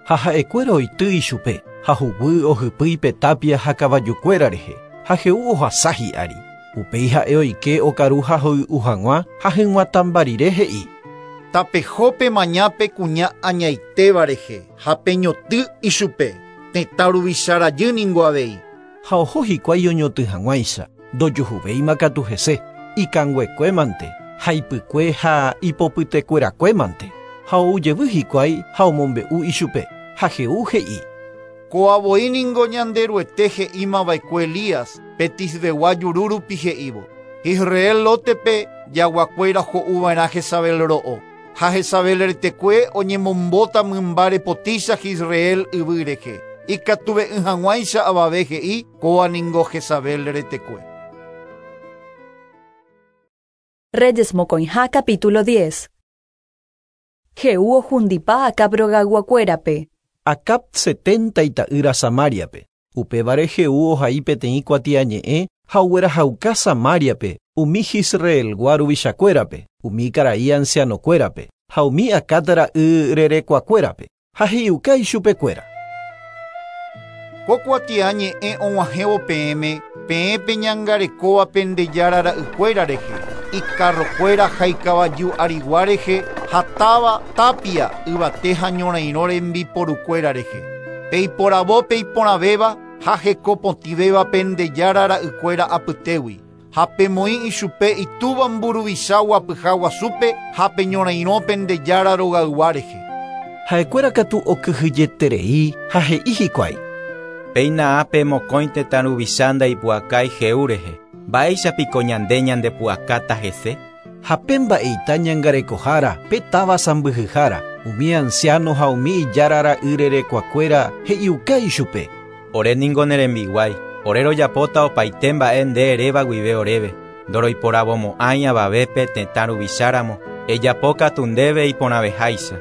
Ha ha'ekuéra oity ichupe ha huguy ohypýi pe tapia ha kavajukuéra rehe ha Jehú ohasa hi'ári. Upéi ha'e oike okaru ha hoy'u hag̃ua ha hyg̃uatãmba rire he'i. Tapeho pemaña pe kuña añaitéva rehe ha peñotỹ ichupe. Tetã ruvicha rajy ningo avei. Ha oho hikuái oñotỹ hag̃uáicha ndojuhuvéima katu hese ikanguekuémante ha ipykue ha ipopytekuerakuémante. Ha oujevy hikuái ha omombe'u ichupe. Ha Jehú he'i. Ko'avoi ningo Ñanderuete he'ímava'ekue Elías pe Tisbegua juru rupi he'ívo. Israel Lótepe jaguakuéra ho'uva'erã Jezabel ro'o. Ha Jezabel retekue oñemombóta mymba repotícha Israel yvy rehe. Ikatuve'ỹ hag̃uáicha avave he'i kóva ningo Jezabel retekue. Reyes mokõiha capítulo diez. Jehú ohundipa Acab rogayguakuérape. Acab setenta ita'ýra Samáriape. Upévare Jehú ohai peteĩ kuatiañe'ẽ ha oguerahauka Samáriape umi Jisreelgua ruvichakuérape, umi karai ancianokuérape ha umi Acab ra'y rerekuakuérape ha he'iuka ichupekuéra. Ko kuatiañe'ẽ og̃uahẽvo peẽme peẽ peñangarekóva pendejára ra'ykuéra rehe, ikarrokuéra ha ikavaju arigua rehe ha táva tapia yvate ha ñorairõ rembiporukuéra rehe. Peiporavo peiporãvéva ha hekopotĩvéva pendejára ra'ykuéra apytégui. Ha pemoĩ ichupe itúva mburuvicha guapyha guasúpe ha peñorairõ pendejára rogaygua rehe. Ha'ekuéra katu okyhyjeterei ha he'i hikuái. Péina ápe mokõi tetã ruvicha ndaipu'akái Jehú rehe. Mba'éichapiko ñande ñandepu'akáta hese. Ha pe mba'eita ñangarekohára pe táva sãmbyhyhára umi anciano ha umi ijára ra'y rerekuakuéra he'iuka ichupe. Ore ningo ne rembiguái. Ore rojapóta opaite mba'e nde eréva guive oréve. Ndoroiporavomo'ãi avavépe tetã ruvicháramo, ejapókatu ndéve iporãveháicha.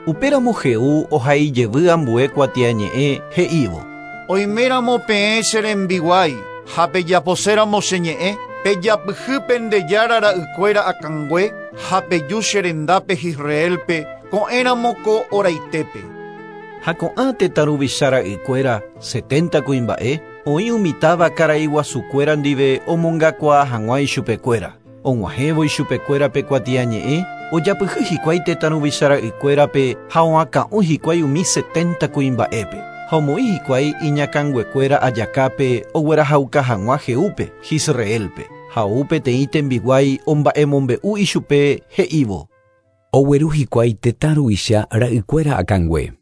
Upéramo Jehú ohaijevy ambue kuatiañe'ẽ he'ívo. Oiméramo peẽ che rembiguái ha pejaposéramo che ñe'ẽ, pejapyhy pende jára ra'ykuéra akãngue ha peju che rendápe Israelpe ko'ẽramo ko oraitépe. Ha ko'ã tetã ruvicha ra'ykuéra setenta kuimba'e oĩ umi táva karai guasukuéra ndive omongakuaa hag̃ua ichupekuéra. Og̃uahẽvo ichupekuéra pe kuatiañe'ẽ ojapyhy hikuái tetã ruvicha ra'ykuérape ha oakã'o hikuái umi setenta kuimba'épe. Ha omoĩ hikuái iñakãnguekuéra ajakápe oguerahauka hag̃ua Jehúpe, Israelpe. Ha ou peteĩ tembiguái omba'emombe'u ichupe he'ívo. Ogueru hikuái tetã ruvicha ra'ykuéra akãngue.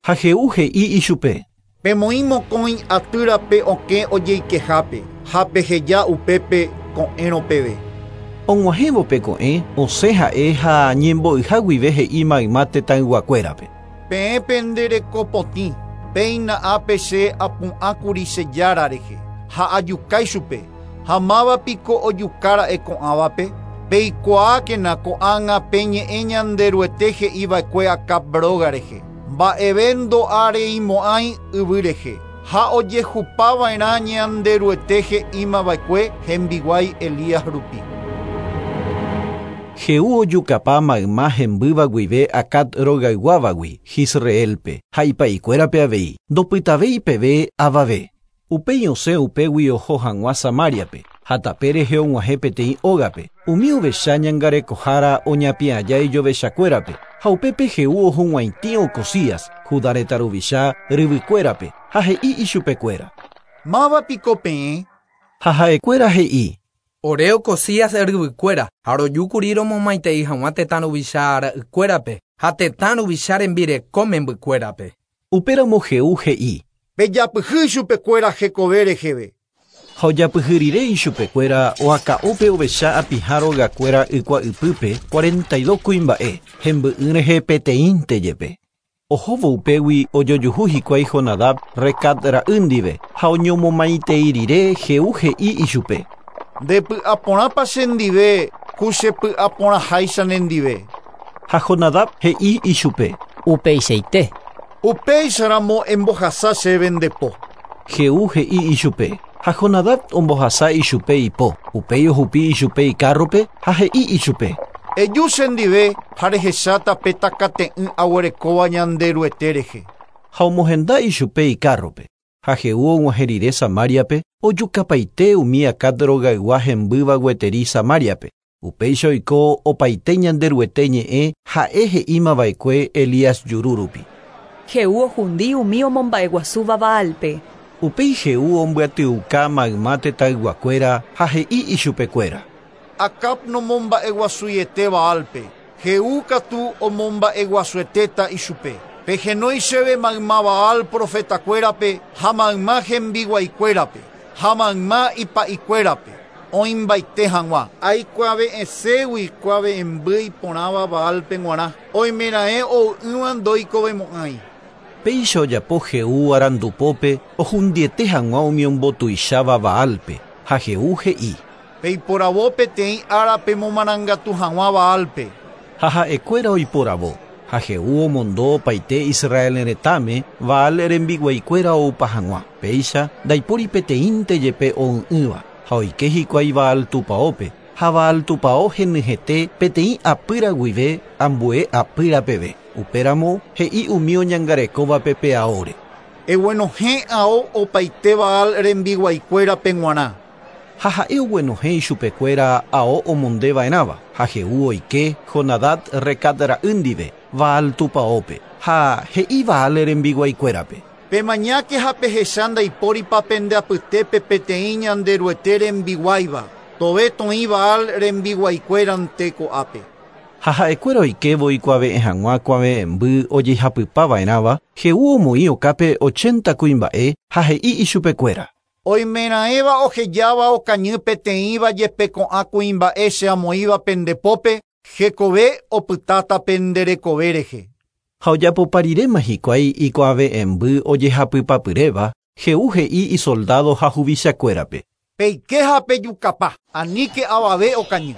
Ha Jehú he'i ichupe. Pemoĩ mokõi atýrape okẽ ojeikehápe ha peheja upépe ko'ẽrõ peve. Og̃uahẽvo pe ko'ẽ osẽ ha'e ha ñembo'yha guive he'i mayma tetãyguakuérape. Peẽ penderekopotĩ, péina ápe che apu'ãkuri che jára rehe ha ajukái chupe ha mávapiko ojukára'e ko'ãvape. Peikuaákena ko'ág̃a peñe'ẽ Ñanderuete he'iva'ekue Acab róga rehe. Mba'eve ndo'areimo'ãi yvy rehe ha ojehupava'erã Ñanderuete he'imava'ekue hembiguái Elías rupi. Jehú ojukapa mayma hembýva guive Acab rogayguávagui Israelpe ha ipa'ikuérape avei ndopytavéi peve avave. Upéi osẽ upégui oho hag̃ua Samariape ha tape rehe og̃uahẽ peteĩ ógape. Umi ovecha ñangarekohára oñapi'ãja ijovechakuérape ha upépe Jehú ohug̃uaitĩ Ocosías, Judá retã ruvicha ryvykuérape ha he'i ichupekuéra. Mávapiko peẽ? Ha ha'ekuéra he'i. Ore Ocosías ryvykuéra ha rojúkuri romomaitei hag̃ua tetã ruvicha ra'ykuérape ha tetã ruvicha rembireko membykuérape. Upéramo Jehú he'i. Pejapyhy ichupekuéra hekove reheve. Ha ojapyhy rire ichupekuéra oakã'ópe ovecha apiha rogakuéra ykua'ypýpe cuarenta y dos kuimba'e hemby'ỹ rehe peteĩnte jepe. Ohóvo upégui ojojuhu hikuái Jonadab Recab ra'y ndive ha oñomomaitei rire Jehú he'i ichupe. Ndepy'aporãpa chendive ku chepy'aporãháicha nendive. Ha Jonadab he'i ichupe. Upeichaite. Upéicharamo embohasa chéve ndepo. Jehú he'i ichupe. Ha Jonadab ombohasa ichupe ipo. Upéi ohupi ichupe ikárrope ha he'i ichupe. Eju chendive ha rehecháta pe takate'ỹ aguerekóva Ñanderuete rehe. Ha omohenda ichupe ikárrope. Ha Jehú og̃uahẽ rire Samariape ojukapaite umi Acab rogaygua hembýva gueteri Samariape. Upéicha oiko opaite Ñanderuete ñe'ẽ ha'e he'ímava'ekue Elías juru rupi. Jehú ohundi umi omomba'eguasúva Baalpe. Upéi Jehú ombyatyuka mayma tetãyguakuéra ha he'i ichupekuéra. Acab nomomba'eguasuiete Baalpe. Jehú katu omomba'eguasuetéta ichupe. Pehenói chéve mayma Baal profetakuérape ha mayma hembiguaikuérape ha mayma ipa'ikuérape oĩmbaite hag̃ua. Aikuave'ẽségui kuave'ẽmby iporãva Baalpe g̃uarã oimeraẽ ou'ỹva ndoikovemo'ãi. Péicha ojapo Jehú arandupópe ohundiete hag̃ua umi ombotuicháva Baalpe ha Jehú he'i. Peiporavo peteĩ ára pemomarangatu hag̃ua Baalpe. Ha ha'ekuéra oiporavo. Ha Jehú omondo opaite Israel retãme Baal rembiguaikuéra oupa hag̃ua. Péicha ndaipóri peteĩnte jepe ou'ỹva ha oike hikuái Baal tupãópe ha Baal tupão henyhẽte peteĩ apýra guive ambue apýra peve. Upéramo he'i umi oñangarekóvape pe aóre. Eguenohẽ ao opaite Baal rembiguaikuérape g̃uarã. Ha ha'e oguenohẽ ichupekuéra ao omondeva'erãva ha Jehú oike Jonadab Recab ra'y ndive Baal tupãópe ha he'i Baal rembiguaikuérape. Pemañáke ha pehecha ndaipóripa pende apytépe peteĩ Ñanderuete rembiguáiva. Tove toĩ Baal rembiguaikuérante ko'ápe. Ha ha'ekuéra oikévo ikuave'ẽ hag̃ua kuave'ẽmby ojehapypava'erãva, Jehú omoĩ okápe ochenta kuimba'e ha he'i ichupekuéra. Oimeraẽva ohejáva okañy peteĩva jepe ko'ã kuimba'e che amoĩva pendepópe, hekove opytáta penderekove rehe. Ha ojapopa riréma hikuái ikuave'ẽmby ojehapypapyréva, Jehú he'i isoldado ha huvichakuérape. Peike ha pejukapa, anike avave okañy.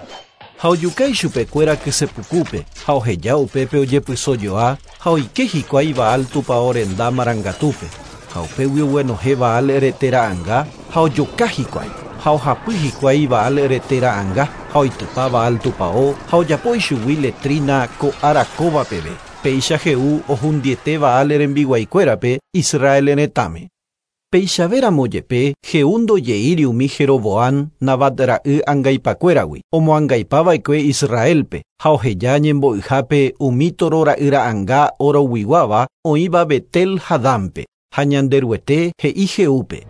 Ha ojuka ichupekuéra kysepukupe, ha oheja upépe ojepysojoa, ha oike hikuái Baal tupão renda marangatúpe. Ha upégui oguenohẽ Baal rete ra'ãnga ha ojoka hikuái. Ha ohapy hikuái Baal rete ra'ãnga ha oitypa Baal tupão ha ojapo ichugui letrina ko ára kóva peve. Péicha Jehú ohundiete Baal rembiguaikuérape Israel retãme. Peichavéramo jepe Jehú ndojeíri umi Jeroboam Nabat ra'y angaipakuéragui omoangaipava'ekue Israelpe ha oheja ñembo'yhápe umi toro ra'y ra'ãnga oroguiguáva oĩva Betel ha Danpe ha Ñanderuete he'i Jehúpe.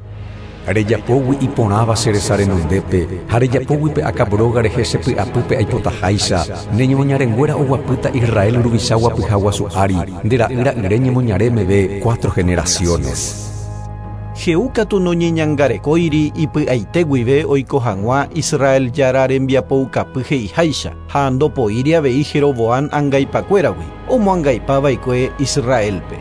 Rejapógui iporãva che resa renondépe ha rejapógui pe Acab róga rehe che py'apýpe aipotaháicha ne ñemoñarenguéra oguapýta Israel ruvicha guapyha guasu ári nde ra'y ra'yre ñemoñare meve cuatro generaciones. Jehú katu noñeñangarekóiri ipy'aite guive oiko hag̃ua Israel Jára rembiapoukapy he'iháicha ha ndopoíri avei Jeroboam angaipakuéragui omoangaipava'ekue Israelpe.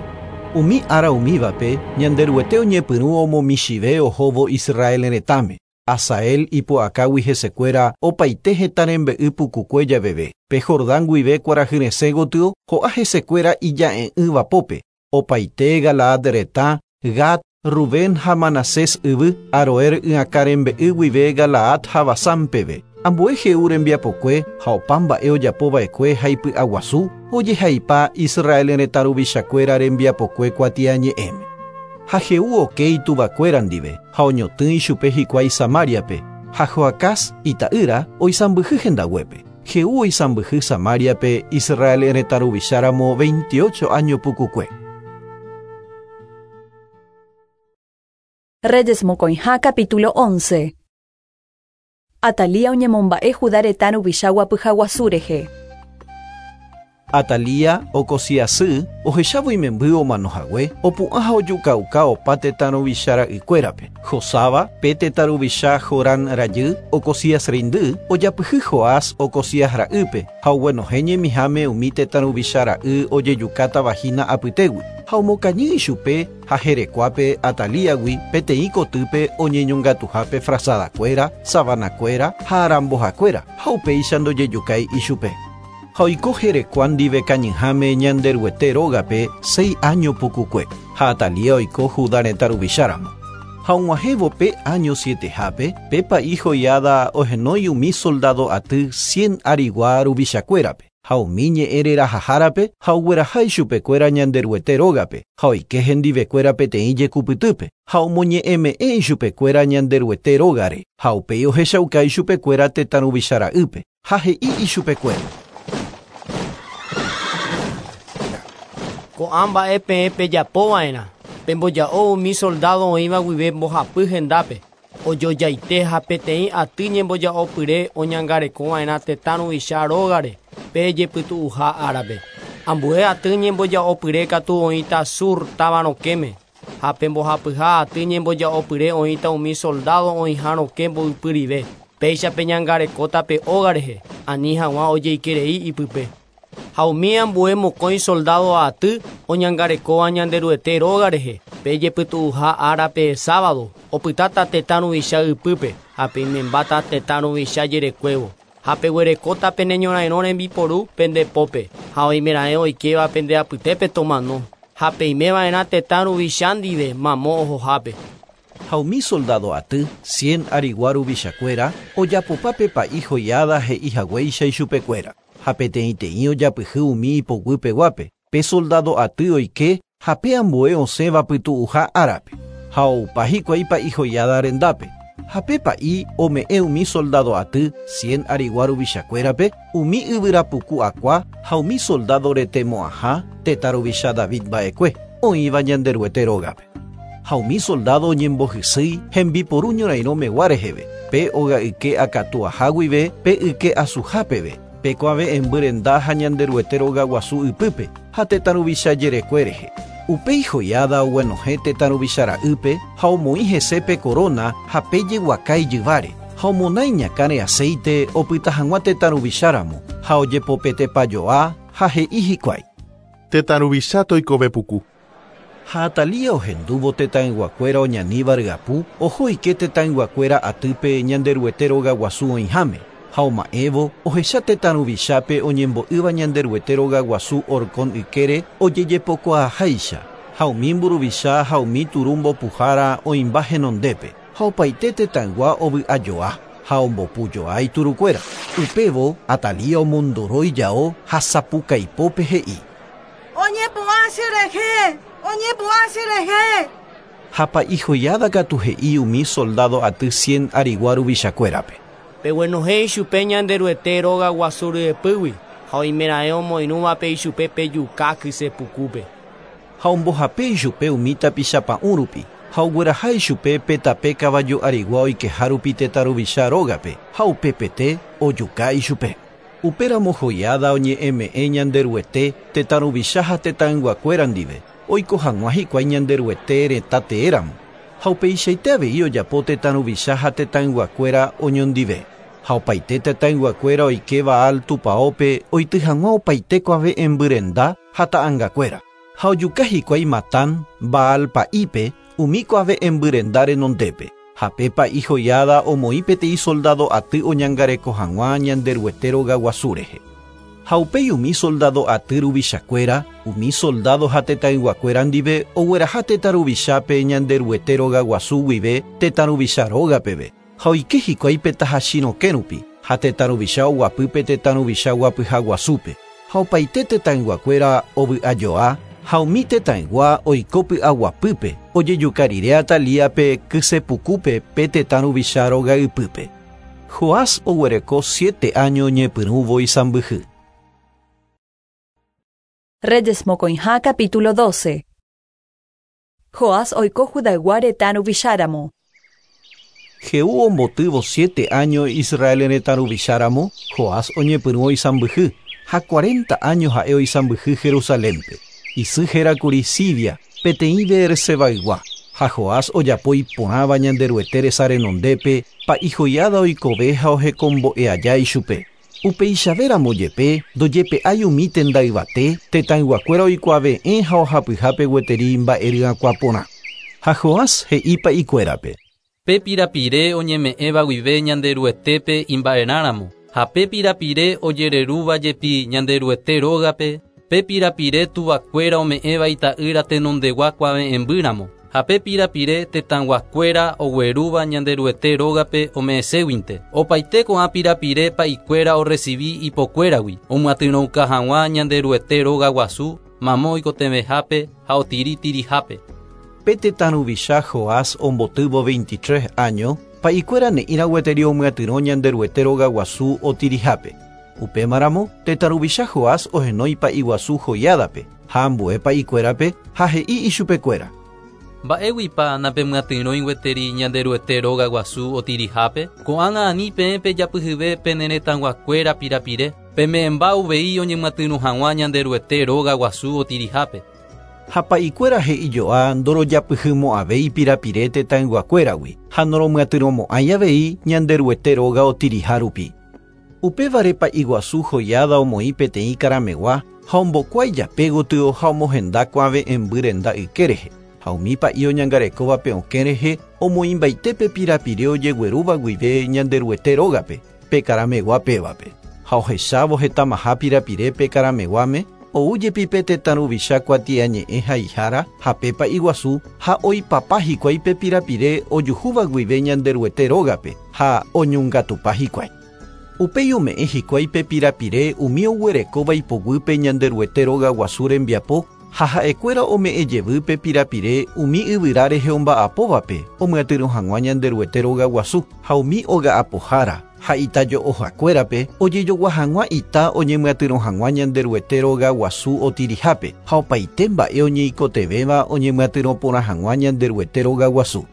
Umi ára umívape Ñanderuete oñepyrũ omomichive ohóvo Israel retãme. Asael ipu'akágui hesekuéra opaite hetã rembe'y pukukue javeve. Pe Jordán guive kuarahyresẽ gotyo ho'a hesekuéra ija'e'ỹva pópe. Opaite Galaad retã, Gad, Rubén ha Manasés yvy, Aroer y'akã rembe'y guive Galaad ha Basán peve. Ambue Jehú rembiapokue ha opa mba'e ojapova'ekue ha ipy'aguasu ojehaipa Israel retã ruvichakuéra rembiapokue kuatiañe'ẽme. Ha Jehú oke ituvakuéra ndive ha oñotỹ ichupe hikuái Samariape ha Joacás ita'ýra oisãmbyhy hendaguépe. Jehú oisãmbyhy Samariape Israel retã ruvicháramo veintiocho año pukukue. Reyes mokõiha capítulo once. Atalía oñemomba'e Judá retã ruvicha guapyha guasu rehe. Atalía Ocosías sy ohechávo imemby omanohague opu'ã ha ojukauka opa tetã ruvicha ra'ykuérape. Josaba pe tetã ruvicha Jorán rajy Ocosías reindy ojapyhy Joás Ocosías ra'ýpe ha oguenohẽ ñemiháme umi tetã ruvicha ra'y ojejukátavahína apytégui ha omokañy ichupe ha herekuápe Atalíagui peteĩ kotýpe oñeñongatuhápe frazadakuéra, sabanakuéra ha arambohakuéra ha upéicha ndojejukái ichupe. Ha oiko herekua ndive kañyháme Ñanderuete rógape seis año pukukue ha Atalía oiko Judá retã ruvicháramo. Ha og̃uahẽvo pe año sietehápe pe pa'i Joiada ohenói umi soldado aty cien arigua ruvichakuérape ha umi ñe'ẽ rerahahárape ha ogueraha ichupekuéra Ñanderuete rógape ha oike hendivekuéra peteĩ jekupytýpe ha omoñe'ẽme'ẽ ichupekuéra Ñanderuete rógare ha upéi ohechauka ichupekuéra tetã ruvicha ra'ýpe ha he'i ichupekuéra. Ko'ã mba'e peẽ pejapova'erã pemboja'o umi soldado oĩva guive mbohapy hendápe ojojaite ha peteĩ aty ñemboja'opyre oñangarekova'erã tetã ruvicha rógare pe jepytu'uha árape. Ambue aty ñemboja'opyre katu oĩta sur táva rokẽme ha pe mbohapyha aty ñemboja'opyre oĩta umi soldado oĩha rokẽ mboypyrive péicha peñangarekóta pe óga rehe ani hag̃ua ojeikerei ipype. Ha umi ambue mokõi soldado aty oñangarekóva Ñanderuete róga rehe pe jepytu'uha árape sábado opytáta tetã ruvicha ypýpe ha peimembáta tetã ruvicha jerekuévo ha peguerekóta pene ñorairõ rembiporu pendepópe ha oimeraẽ oikéva pende apytépe tomano ha peimeva'erã tetã ruvicha ndive mamo ohohápe. Ha umi soldado aty cien arigua ruvichakuéra ojapopa pe pa'i Joiada he'i haguéicha ichupekuéra. Ha peteĩteĩ ojapyhy umi ipoguýpeguápe pe soldado aty oike ha pe ambue osẽva pytu'uha árape ha oupa hikuái pa'i Joiada rendápe ha pe pa'i ome'ẽ umi soldado aty cien arigua ruvichakuérape umi yvyrapuku akua ha umi soldado retemo'ãha tetã ruvicha David mba'ekue oĩva Ñanderuete rógape. Ha umi soldado oñembohysýi hembiporu ñorairõmegua reheve pe oga'yke akatuaha guive pe yke asuha peve pe kuave'ẽmby renda ha Ñanderuete róga guasu ypýpe ha tetã ruvicha jerekue rehe. Upéi Joiada oguenohẽ tetã ruvicha ra'ýpe ha omoĩ hese pe corona ha pe jeguaka ijyváre ha omonái ñakãre aceite opyta hag̃ua tetã ruvicháramo ha ojepopetepajoa ha he'i hikuái. Tetã ruvicha toikove puku. Ha Atalía ohendúvo tetãyguakuéra oñaníva ryapu, oho oike tetãyguakuéra atýpe Ñanderuete rogaguasu oĩháme, ha oma'ẽvo ohecha tetã ruvichápe oñembo'ýva Ñanderuete rogaguasu horkon ykére ojejepokuaaháicha, ha umi mburuvicha ha umi turu mbopuhára oĩmba henondépe, ha opaite tetãygua ovy'ajoa ha ombopujoa iturukuéra. Upévo Atalía omondoro ijao ha sapukaipópe he'i: Oñepu'ã cherehe! Oñepu'ã cherehe! Ha pa'i Joiada katu he'i umi soldado aty cien arigua ruvichakuérape: Peguenohẽ ichupe Ñanderuete rogaguasu ryepýgui ha oimeraẽ omoirũvape ichupe pejuka kysepukúpe. Ha ombohape ichupe umi tapichapa'ũ rupi ha ogueraha ichupe pe tape kavaju arigua oikeha rupi tetã ruvicha rógape ha upepete ojuka ichupe. Upéramo Joiada oñe'ẽme'ẽ Ñanderuete tetã ruvicha ha tetãyguakuéra ndive oiko hag̃ua hikuái Ñanderuete retã teéramo ha upeichaite avei ojapo tetã ruvicha ha tetãyguakuéra oñondive ha opaite tetãyguakuéra oike Baal tupãópe oity hag̃ua opaite kuave'ẽmbyrenda ha ta'ãngakuéra ha ojuka hikuái Matán Baal pa'ípe umi kuave'ẽmbyrenda renondépe ha pe pa'i Joiada omoĩ peteĩ soldado aty oñangareko hag̃ua Ñanderuete rogaguasu rehe. Ha upéi umi soldado aty ruvichakuéra, umi soldado ha tetãyguakuéra ndive ogueraha tetã ruvichápe Ñanderuete rogaguasu guive tetã ruvicha rógapeve ha oike hikuái pe tahachi rokẽ rupi ha tetã ruvicha oguapýpe tetã ruvicha guapyhaguasúpe ha opaite tetãyguakuéra ovy'ajoa ha umi tetãygua oiko py'aguapýpe ojejuka rire Atalíape kysepukúpe pe tetã ruvicha rogaypýpe. Joás oguereko siete año ñepyrũvo isãmbyhy. Reyes mokõiha capítulo doce. Joás oiko Judaygua retã ruvicháramo. Jehú ombotývo siete año Israel retã ruvicháramo, Joás oñepyrũ oisãmbyhy ha cuarenta año ha'e oisãmbyhy Jerusalénpe. Isy hérakuri Sibia, peteĩ Beersebaygua, ha Joás ojapo iporãva Ñanderuete resa renondépe, pa'i Joiada oikove ha ohekombo'e aja ichupe. Upeichavéramo jepe ndojepe'ái umi tenda yvate, tetãyguakuéra oikuave'ẽ ha ohapyhápe gueteri mba'eryakuã porã. Ha Joás he'i pa'ikuérape: Pe pirapire oñeme'ẽva guive Ñanderuetépe imba'erãramo, ha pe pirapire ojererúva jepi Ñanderuete rógape, pe pirapire tuvakuéra ome'ẽva ita'ýra tenondegua kuave'ẽmbýramo, ha pe pirapire tetãyguakuéra oguerúva Ñanderuete rógape ome'ẽséguinte. Opaite ko'ã pirapire pa'ikuéra orecibi ipokuéragui, omyatyrõuka hag̃ua Ñanderuete rogaguasu, mamo oikotevẽhápe ha otiritirihápe. Pe tetã ruvicha Joás ombotývo veintitrés año, pa'ikuéra ne'ĩra gueteri omyatyrõ Ñanderuete rogaguasu otirihápe. Upémaramo tetã ruvicha Joás ohenói pa'iguasu Joiádape ha ambue pa'ikuérape ha he'i ichupekuéra: Mba'éguipa napemyatyrõi gueteri Ñanderuete rogaguasu otirihápe? Ko'ág̃a ani peẽ pejapyhyve pene retãyguakuéra pirapire, peme'ẽmba uvei oñemyatyrõ hag̃ua Ñanderuete rogaguasu otirihápe. Ha pa'ikuéra he'ijoa ndorojapyhymo'ãvéi pirapire tetãyguakuéragui ha noromyatyrõmo'ãi avei Ñanderuete róga otiriha rupi. Upévare pa'iguasu Joiada omoĩ peteĩ karamegua ha ombokuái jape gotyo ha omohenda kuave'ẽmbyrenda yke rehe. Ha umi pa'i oñangarekóvape okẽ rehe omoĩmbaite pirapire ojeguerúva guive Ñanderuete rógape pe karamegua pévape. Ha ohechávo hetamaha pirapire pe karameguáme, ou jepi pe tetã ruvicha kuatiañe'ẽ haihára ha pe pa'iguasu ha oipapa hikuái pe pirapire ojuhúva guive Ñanderuete rógape ha oñongatupa hikuái. Upéi ome'ẽ hikuái pe pirapire umi oguerekóva ipoguýpe Ñanderuete rogaguasu rembiapo ha ha'ekuéra ome'ẽ jevy pe pirapire umi yvyra rehe omba'apóvape omyatyrõ hag̃ua Ñanderuete rogaguasu ha umi oga'apohára ha itajo'ohakuérape ojejogua hag̃ua ita oñemyatyrõ hag̃ua Ñanderuete rogaguasu otirihápe ha opaite mba'e oñeikotevẽva oñemyatyrõ porã hag̃ua Ñanderuete rogaguasu.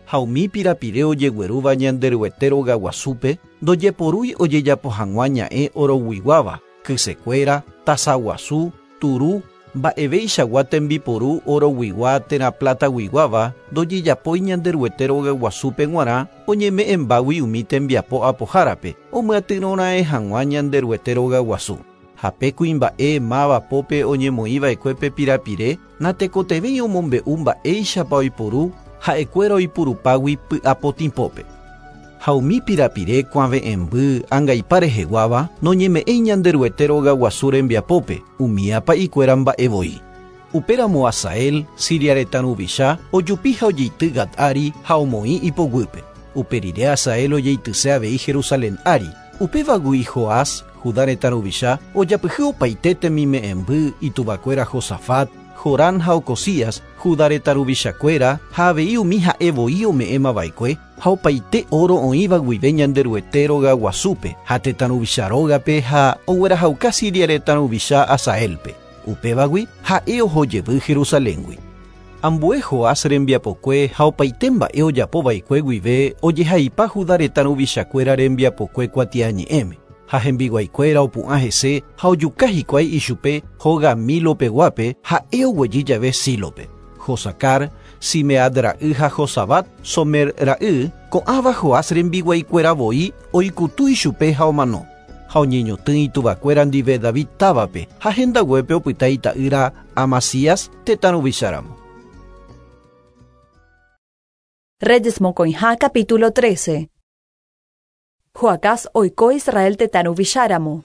Ha umi pirapire ojeguerúva Ñanderuete rogaguasúpe ndojeporúi ojejapo hag̃ua ña'ẽ oroguiguáva, kysekuéra, tasaguasu, turu, mba'eveichagua tembiporu oroguigua térã plataguiguáva ndojejapói Ñanderuete rogaguasúpe g̃uarã oñeme'ẽmbágui umi tembiapo apohárape omyatyrõra'e hag̃ua Ñanderuete rogaguasu. Ha pe kuimba'e máva pópe oñemoĩva'ekue pirapire natekotevẽi omombe'u mba'éichapa oiporu ha'ekuéra oipurupágui py'apotĩpópe. Ha umi pirapire kuave'ẽmby angaipa reheguáva noñeme'ẽi Ñanderuete rogaguasu rembiapópe umi apa'ikuéra mba'evoi. Upéramo Hazael, Siria retã ruvicha, ojupi ha ojeity Gat ári ha omoĩ ipoguýpe. Upe rire Hazael ojeityse avei Jerusalén ári. Upévagui Joás, Judá retã ruvicha, ojapyhy opaite temime'ẽmby ituvakuéra Josafat, Jorán ha Ocosías, Judá retã ruvichakuéra ha avei umi ha'evoi ome'ẽmava'ekue ha opaite oro oĩva guive Ñanderuete rogaguasúpe ha tetã ruvicha rógape ha oguerahauka Siria retã ruvicha Hazaelpe. Upévagui ha'e ohojevy Jerusaléngui. Ambue Joás rembiapokue ha opaite mba'e ojapova'ekue guive ojehaipa Judá retã ruvichakuéra rembiapokue kuatiañe'ẽme. Ha hembiguaikuéra opu'ã hese ha ojuka hikuái ichupe hóga Milopeguápe ha'e oguejy jave Sílope. Josacar, Simead ra'y ha Josabat, Somer ra'y, ko'ãva Joás rembiguaikuéra voi oikutu ichupe ha omano. Ha oñeñotỹ ituvakuéra ndive David távape ha hendaguépe opyta ita'ýra Amasías tetã ruvicháramo. Reyes mokõiha capítulo trece. Joacás oiko Israel tetã ruvicháramo.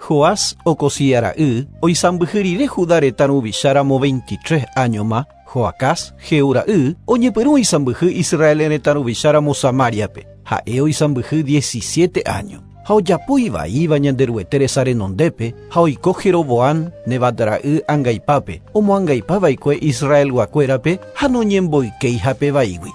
Joás Ocosías ra'y oisãmbyhy rire Judá retã ruvicháramo veintitrés áñoma, Joacás Jehú ra'y oñepyrũ oisãmbyhy Israel retã ruvicháramo Samariape. Ha'e oisãmbyhy diecisiete año. Ha ojapo ivaíva Ñanderuete resa renondépe ha oiko Jeroboam Nebat ra'y angaipápe, omoangaipava'ekue Israelguakuérape ha noñemboykeihape vaígui.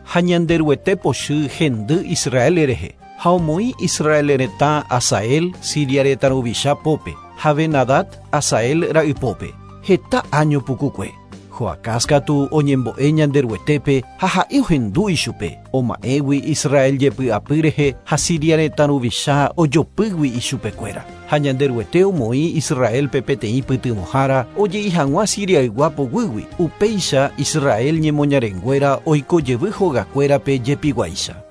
Ha Ñanderuete pochy hendy Israel rehe, ha omoĩ Israel retã Hazael Siria retã ruvicha pópe, ha Ben-Hadad Hazael ra'ypópe, heta año pukukue. Joacás katu oñembo'e Ñanderuetépe ha ha'e ohendu ichupe, oma'ẽgui Israel jepy'apy rehe ha Siria retã ruvicha ojopýgui ichupekuéra. Ha Ñanderuete omoĩ Israelpe peteĩ pytyvõhára oje'i hag̃ua Siriaygua poguýgui, upéicha Israel ñemoñarenguéra oikojevy hogakuérape jepiguáicha.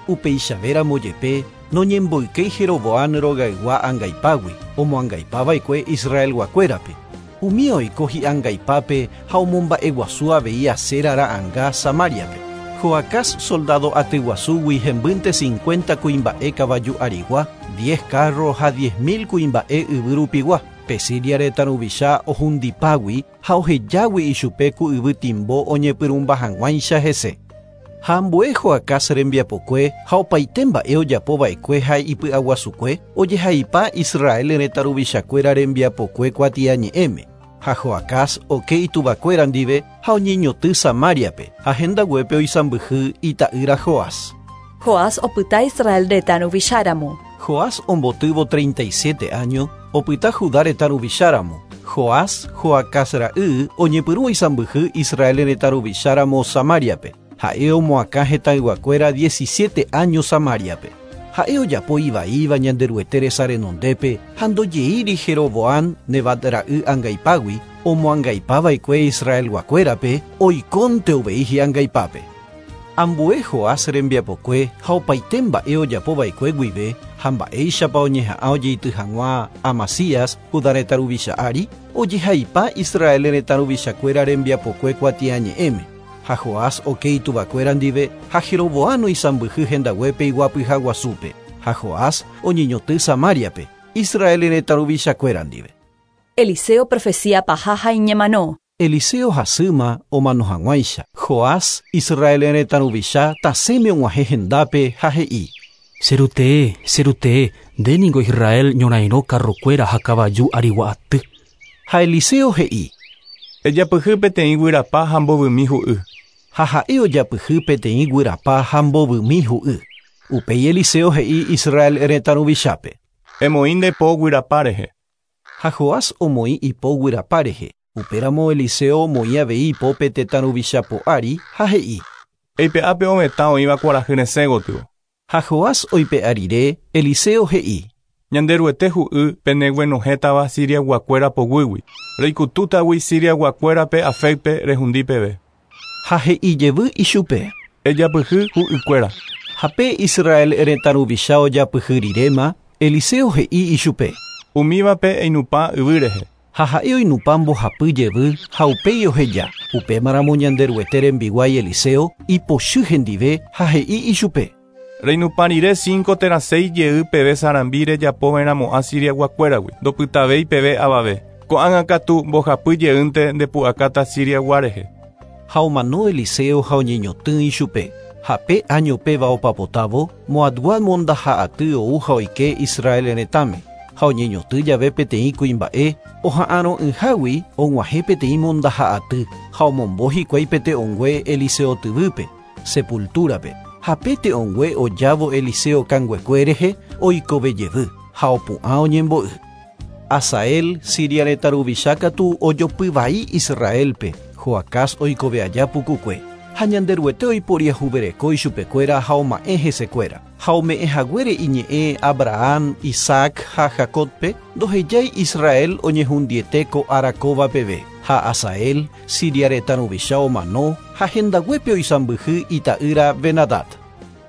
Upeichavéramo jepe noñemboykéi Jeroboam rogaygua angaipágui, omoangaipava'ekue Israelguakuérape. Umi oiko hi'angaipápe ha omomba'eguasu avei Asera ra'ãnga Samariape. Joacás soldado atyguasúgui hembýnte cincuenta kuimba'e kavaju arigua, diez carro ha diez mil kuimba'e yvy rupigua. Pe Siria retã ruvicha ohundipágui ha ohejágui ichupe ku yvy timbo oñepyrũmba hag̃uáicha hese. Ha ambue Joacás rembiapokue ha opaite mba'e ojapova'ekue ha ipy'aguasukue ojehaipa Israel retã ruvichakuéra rembiapokue kuatiañe'ẽme. Ha Joacás oke ituvakuéra ndive ha oñeñotỹ Samariape ha hendaguépe oisãmbyhy ita'ýra Joás. Joás opyta Israel retã ruvicháramo. Joás ombotývo treinta y siete año opyta Judá retã ruvicháramo. Joás Joacás ra'y oñepyrũ oisãmbyhy Israel retã ruvicháramo Samariape. Ha'e omoakã hetãyguakuéra diecisiete año Samariape. Ha'e ojapo ivaíva Ñanderuete resa renondépe ha ndojeíri Jeroboam Nebat ra'y angaipágui omoangaipava'ekue Israelguakuérape oikónte uvei hi'angaipápe. Ambue Joás rembiapokue ha opaite mba'e ojapova'ekue guive ha mba'éichapa oñeha'ã ojeity hag̃ua Amasías Judá retã ruvicha ári, ojehaipa Israel retã ruvichakuéra rembiapokue kuatiañe'ẽme. Ha Joás oke ituvakuéra ndive ha Jeroboam oisãmbyhy hendaguépe iguapyha guasúpe. Ha Joás oñeñotỹ Samariape, Israel retã ruvichakuéra ndive. Eliseo profecía paha ha iñemano. Eliseo hasýma omano hag̃uáicha. Joás Israel retã ruvicha tasẽme og̃uahẽ hendápe ha he'i: Serutee, serutee, nde ningo Israel ñorairõ karrokuéra ha kavaju arigua aty. Ha Eliseo he'i: Ejapyhy peteĩ guyrapa ha mbovymi hu'y. Ha ha'e ojapyhy peteĩ guyrapa ha mbovymi hu'y. Upéi Eliseo he'i Israel retã ruvichápe: Emoĩ nde po guyrapa rehe. Ha Joás omoĩ ipo guyrapa rehe. Upéramo Eliseo omoĩ avei ipópe tetã ruvicha po'ári ha he'i: Eipe'ápe ovetã oĩva kuarahy resẽ gotyo. Ha Joás oipe'a rire, Eliseo he'i: Ñanderuete hu'y peneguenohẽtava Siriaguakuéra poguýgui. Reikutútagui Siriaguakuérape Afecpe rehundi peve. Ha he'i jevy ichupe: Ejapyhy hu'ykuéra. Ha pe Israel retã ruvicha ojapyhy riréma, Eliseo he'i ichupe. Umívape einupã yvy rehe. Ha ha'e oinupã mbohapy jevy ha upéi oheja. Upémaramo Ñanderuete rembiguái Eliseo ipochy hendive ha he'i ichupe. Reinupã rire cinco térã seis jey peve sarambi rejapova'erãmo'ã Siriaguakuéragui, ndopytavéi peve avave. Ko'ág̃a katu mbohapy jeýnte ndepu'akáta Siriagua rehe. Ha omano Eliseo ha oñeñotỹ ichupe. Ha pe año péva opapotávo, Moabgua mondaha'aty ou ha oike Israel retãme. Ha oñeñotỹ jave peteĩ kuimba'e oha'arõ'ỹhágui og̃uahẽ peteĩ mondaha'aty ha omombo hikuái pete'õngue Eliseo tyvýpe, sepultúrape. Ha pe te'õngue ojávo Eliseo kanguekue rehe oikove jevy ha opu'ã oñembo'y. Asael, Siria retã ruvicha katu ojopyvai Israelpe, Joacás oikove aja pukukue. Ha Ñanderuete oiporiahuvereko ichupekuéra ha oma'ẽ hesekuéra. Ha ome'ẽ haguére iñe'ẽ Abraham, Isaac ha Jacobpe, ndohejái Israel oñehundiete ko ára kóva peve. Ha Asael, Siria retã ruvicha omano, ha hendaguépe oisãmbyhy ita'ýra Benadad.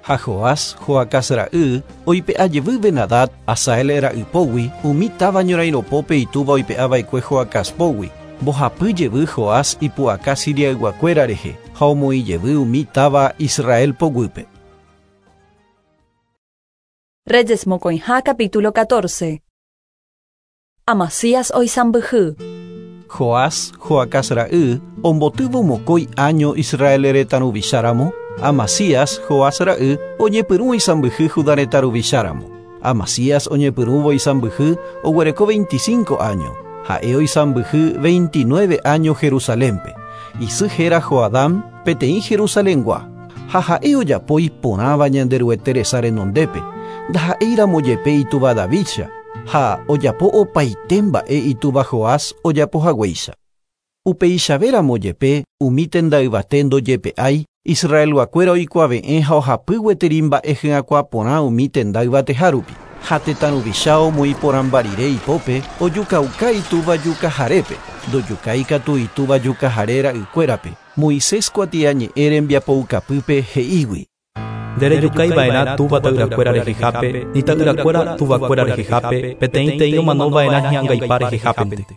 Ha Joás, Joacás ra'y, oipe'a jevy Benadad, Asael ra'ypógui, umi táva ñorairõpópe itúva oipe'ava'ekue Joacáspógui. Mbohapy jevy Joás ipu'aka Siriayguakuéra rehe, ha omoĩ jevy umi táva Israel poguýpe. Reyes mokõiha capítulo catorce. Amasías oisãmbyhy. Joás, Joacás ra'y, ombotývo mokõi año Israel retã ruvicháramo, Amasías, Joás ra'y, oñepyrũ oisãmbyhy Judá retã ruvicháramo. Amasías oñepyrũvo oisãmbyhy oguereko veinticinco año. Ha'e oisãmbyhy veintinueve año Jerusalénpe. Isy héra Joadam, peteĩ Jerusalengua. Ha ha'e ojapo iporãva Ñanderuete resa renondépe, ndaha'éiramo jepe itúva Davícha, ha ojapo opaite mba'e itúva Joás ojapohaguéicha. Upeichavéramo jepe umi tenda yvate ndojepe'ái, Israelguakuéra oikuave'ẽ ha ohapy gueteri mba'e hyakuã porã umi tenda yvatehárupi. Ha tetã ruvicha omoĩ porãmba rire ipópe ojukauka itúva jukaharépe, ndojukái katu itúva jukahare ra'ykuérape. Moisés kuatiañe'ẽ rembiapoukapýpe he'ígui. Nderejukaiva'erã túva ta'yrakuéra rehehápe, ni ta'yrakuéra tuvakuéra rehehápe, peteĩteĩ omanova'erã hi'angaipa rehehápente.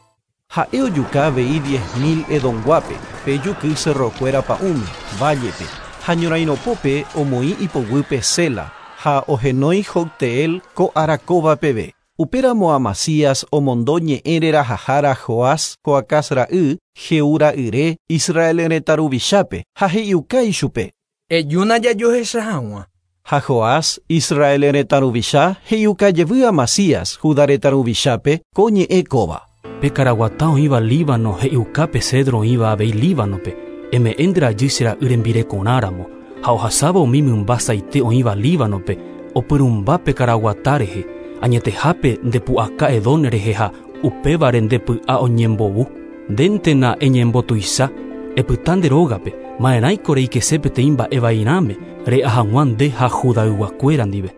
Ha'e ojuka avei diez mil Edonguápe, pe juky cerrokuéra pa'ũme, vállepe, ha ñorairõpópe omoĩ ipoguýpe Sela, ha ohenói Jocteel ko ára kóva peve. Upéramo Amasías omondo ñe'ẽ rerahahára Joás, Joacás ra'y, Jehú ra'yre, Israel retã ruvichápe, ha he'iuka ichupe. Ejúna jajohecha hag̃ua. Ha Joás, Israel retã ruvicha, he'iuka jevy Amasías, Judá retã ruvichápe, ko ñe'ẽ kóva. Pe karaguata oĩva Líbano he'iuka pe cedro oĩva avei Líbanope, eme'ẽ nde rajy che ra'y rembirekorãramo, ha ohasáva umi mymba saite oĩva Líbanope, opyrũmba pe karaguata rehe, añetehápe ndepu'aka Edón rehe ha upévare ndepy'a oñembovu. Ndéntena eñembotuicha, epyta nde rógape, ma'erãiko reikese peteĩ mba'e vairãme, re'a hag̃ua nde ha Judayguakuéra ndive.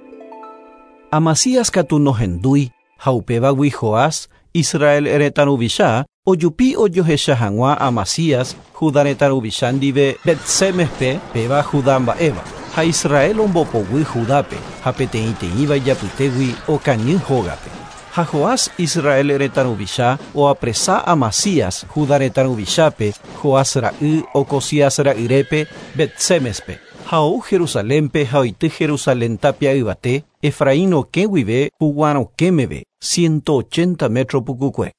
Amasías katu nohendúi, ha upévagui Joás, Israel retã ruvicha, ojupi ojohecha hag̃ua Amasías, Judá retã ruvicha ndive Bet-Sémespe, péva Judá mba'éva. Ha Israel ombopoguy Judápe, ha peteĩteĩva ijapytégui okañy hógape. Ha Joás, Israel retã ruvicha, oapresa Amasías, Judá retã ruvichápe, Joás ra'y, Ocosías ra'yrépe, Bet-Sémespe. Ha ou Jerusalénpe ha oity Jerusalén tapia yvate, Efraín okẽ guive Juguã rokẽ meve, ciento ochenta metro pukukue.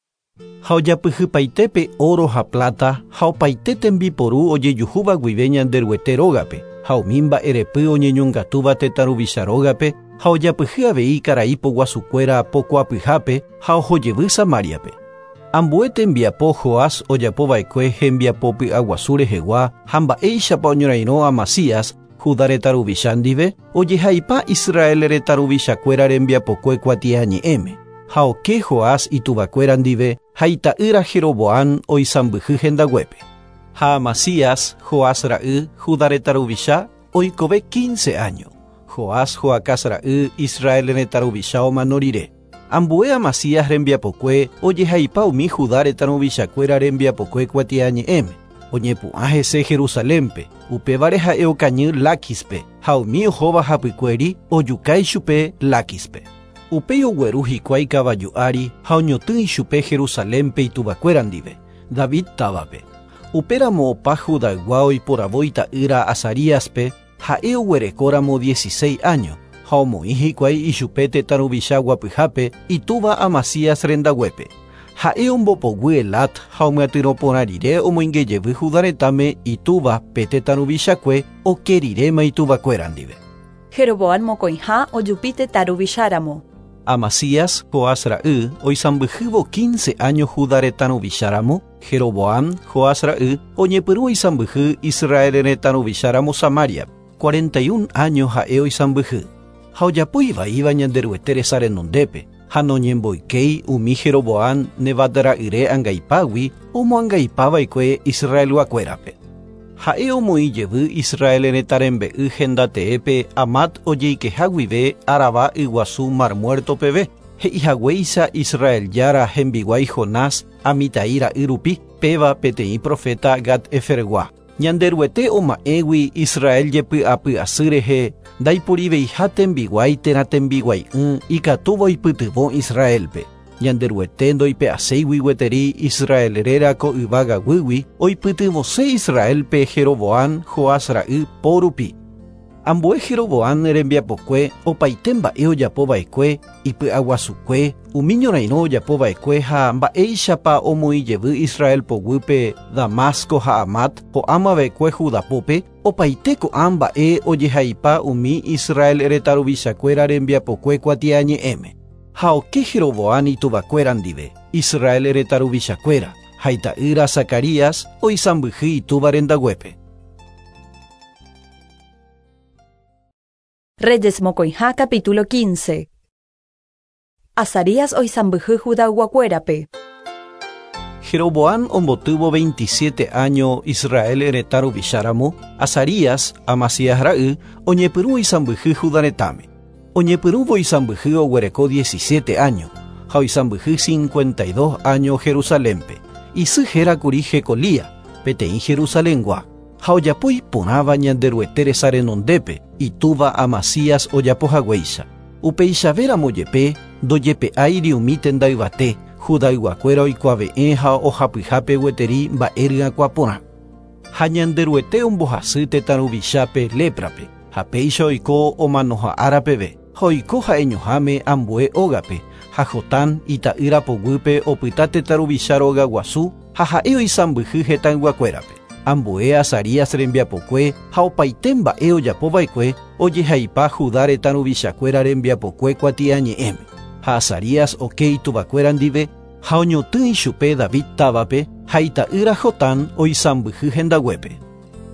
Ha ojapyhypaitépe oro ha plata ha opaite tembiporu ojejuhúva guive Ñanderuete rógape, ha umi mba'erepy oñeñongatúva tetã ruvicha rógape, ha ojapyhy avei karai poguasukuéra pokuapyhápe ha ohojevy Samáriape. Ambue tembiapo Joás ojapova'ekue hembiapo py'aguasu rehegua ha mba'éichapa oñorairõ Amasías, Judá retã ruvicha ndive, ojehaipa Israel retã ruvichakuéra rembiapokue kuatiañe'ẽme. Ha oke Joás ituvakuéra ndive ha ita'ýra Jeroboam oisãmbyhy hendaguépe. Ha Amasías, Joás ra'y, Judá retã ruvicha, oikove quince año. Joás, Joacás ra'y, Israel retã ruvicha omano rire. Ambue Amasías rembiapokue ojehaipa umi Judá retã ruvichakuéra rembiapokue kuatiañe'ẽme. Oñepu'ã hese Jerusalénpe, upévare ha'e okañy Láquispe, ha umi ohóva hapykuéri ojuka ichupe Láquispe. Upéi ogueru hikuái kavaju ári ha oñotỹ ichupe Jerusalénpe ituvakuéra ndive, David távape. Upéramo opa Judaygua oiporavo ita'ýra Azaríaspe ha'e oguerekóramo dieciséis años, ha omoĩ hikuái ichupe tetã ruvicha guapyhápe itúva Amasías rendaguépe. Ha'e ombopoguy Elat ha omyatyrõ porã rire omoingejevy Judá retãme itúva pe tetã ruvichakue oke riréma ituvakuéra ndive. Jeroboam mokõiha ojupi tetã ruvicháramo. Amasías, Joás ra'y, oisãmbyhývo quince años Judá retã ruvicháramo, Jeroboam, Joás ra'y, oñepyrũ oisãmbyhy Israel retã ruvicháramo Samaria, cuarenta y un años ha'e oisãmbyhy. Ha ojapo ivaíva Ñanderuete resa renondépe, ha noñemboykéi umi Jeroboam Nebat ra'yre angaipágui omoangaipava'ekue Israelguakuérape. Ha'e omoĩ jevy Israel retã rembe'y hendateépe Amat ojeikeha guive Araba yguasu Mar Muerto peve, he'ihaguéicha Israel jára hembiguái Jonás Amitai ra'y rupi, péva peteĩ profeta Gat-Hefergua. Ñanderuete oma'ẽgui Israel jepy'apy'asy rehe ndaipuriveiha tembiguái térã tembiguai'ỹ ikatúva oipytyvõ Israelpe. Ñanderuete ndoipe'aséigui gueteri Israel réra ko yvágaguýgui oipytyvõse Israelpe Jeroboam Joás ra'y po rupi. Ambue Jeroboam rembiapokue opaite mba'e ojapova'ekue ipy'aguasukue umi ñorairõ ojapova'ekue ha mba'éichapa omoĩjevy Israel poguýpe Damasco ha Amat ho'ámava'ekue Judapópe opaite ko'ã mba'e ojehaipa umi Israel retã ruvichakuéra rembiapokue kuatiañe'ẽme. Ha oke Jeroboam ituvakuéra ndive, Israel retã ruvichakuéra, ha ita'ýra Zacarías oisãmbyhy itúva rendaguépe. Reyes mokõiha capítulo quince. Azarías oisãmbyhy Judayguakuérape. Jeroboam ombotývo veintisiete años Israel retã ruvicháramo, Azarías, Amasías ra'y, oñepyrũ oisãmbyhy Judá retãme. Oñepyrũvo oisãmbyhy oguereko diecisiete años, ha oisãmbyhy cincuenta y dos años Jerusalénpe. Isy hérakuri Jecolía, peteĩ Jerusalengua. Ha ojapo iporãva Ñanderuete resa renondépe, itúva Amasías ojapohaguéicha. Upeichavéramo jepe ndojepe'áiri umi tenda yvate, Judayguakuéra oikuave'ẽ ha ohapyhápe gueteri mba'e ryakuã porã. Ha Ñanderuete ombohasy tetã ruvichápe léprape, ha péicha oiko omanoha ára peve, ha oiko ha'eñoháme ambue ógape, ha Jotán ita'ýra poguýpe opyta tetã ruvicha róga guasu ha ha'e oisãmbyhy hetãyguakuérape. Ambue Azarías rembiapokue ha opaite mba'e ojapova'ekue ojehaipa Judá retã ruvichakuéra rembiapokue kuatiañe'ẽme. Ha Azarías oke ituvakuéra ndive ha oñotỹ ichupe David távape ha ita'ýra Jotán oisãmbyhy hendaguépe.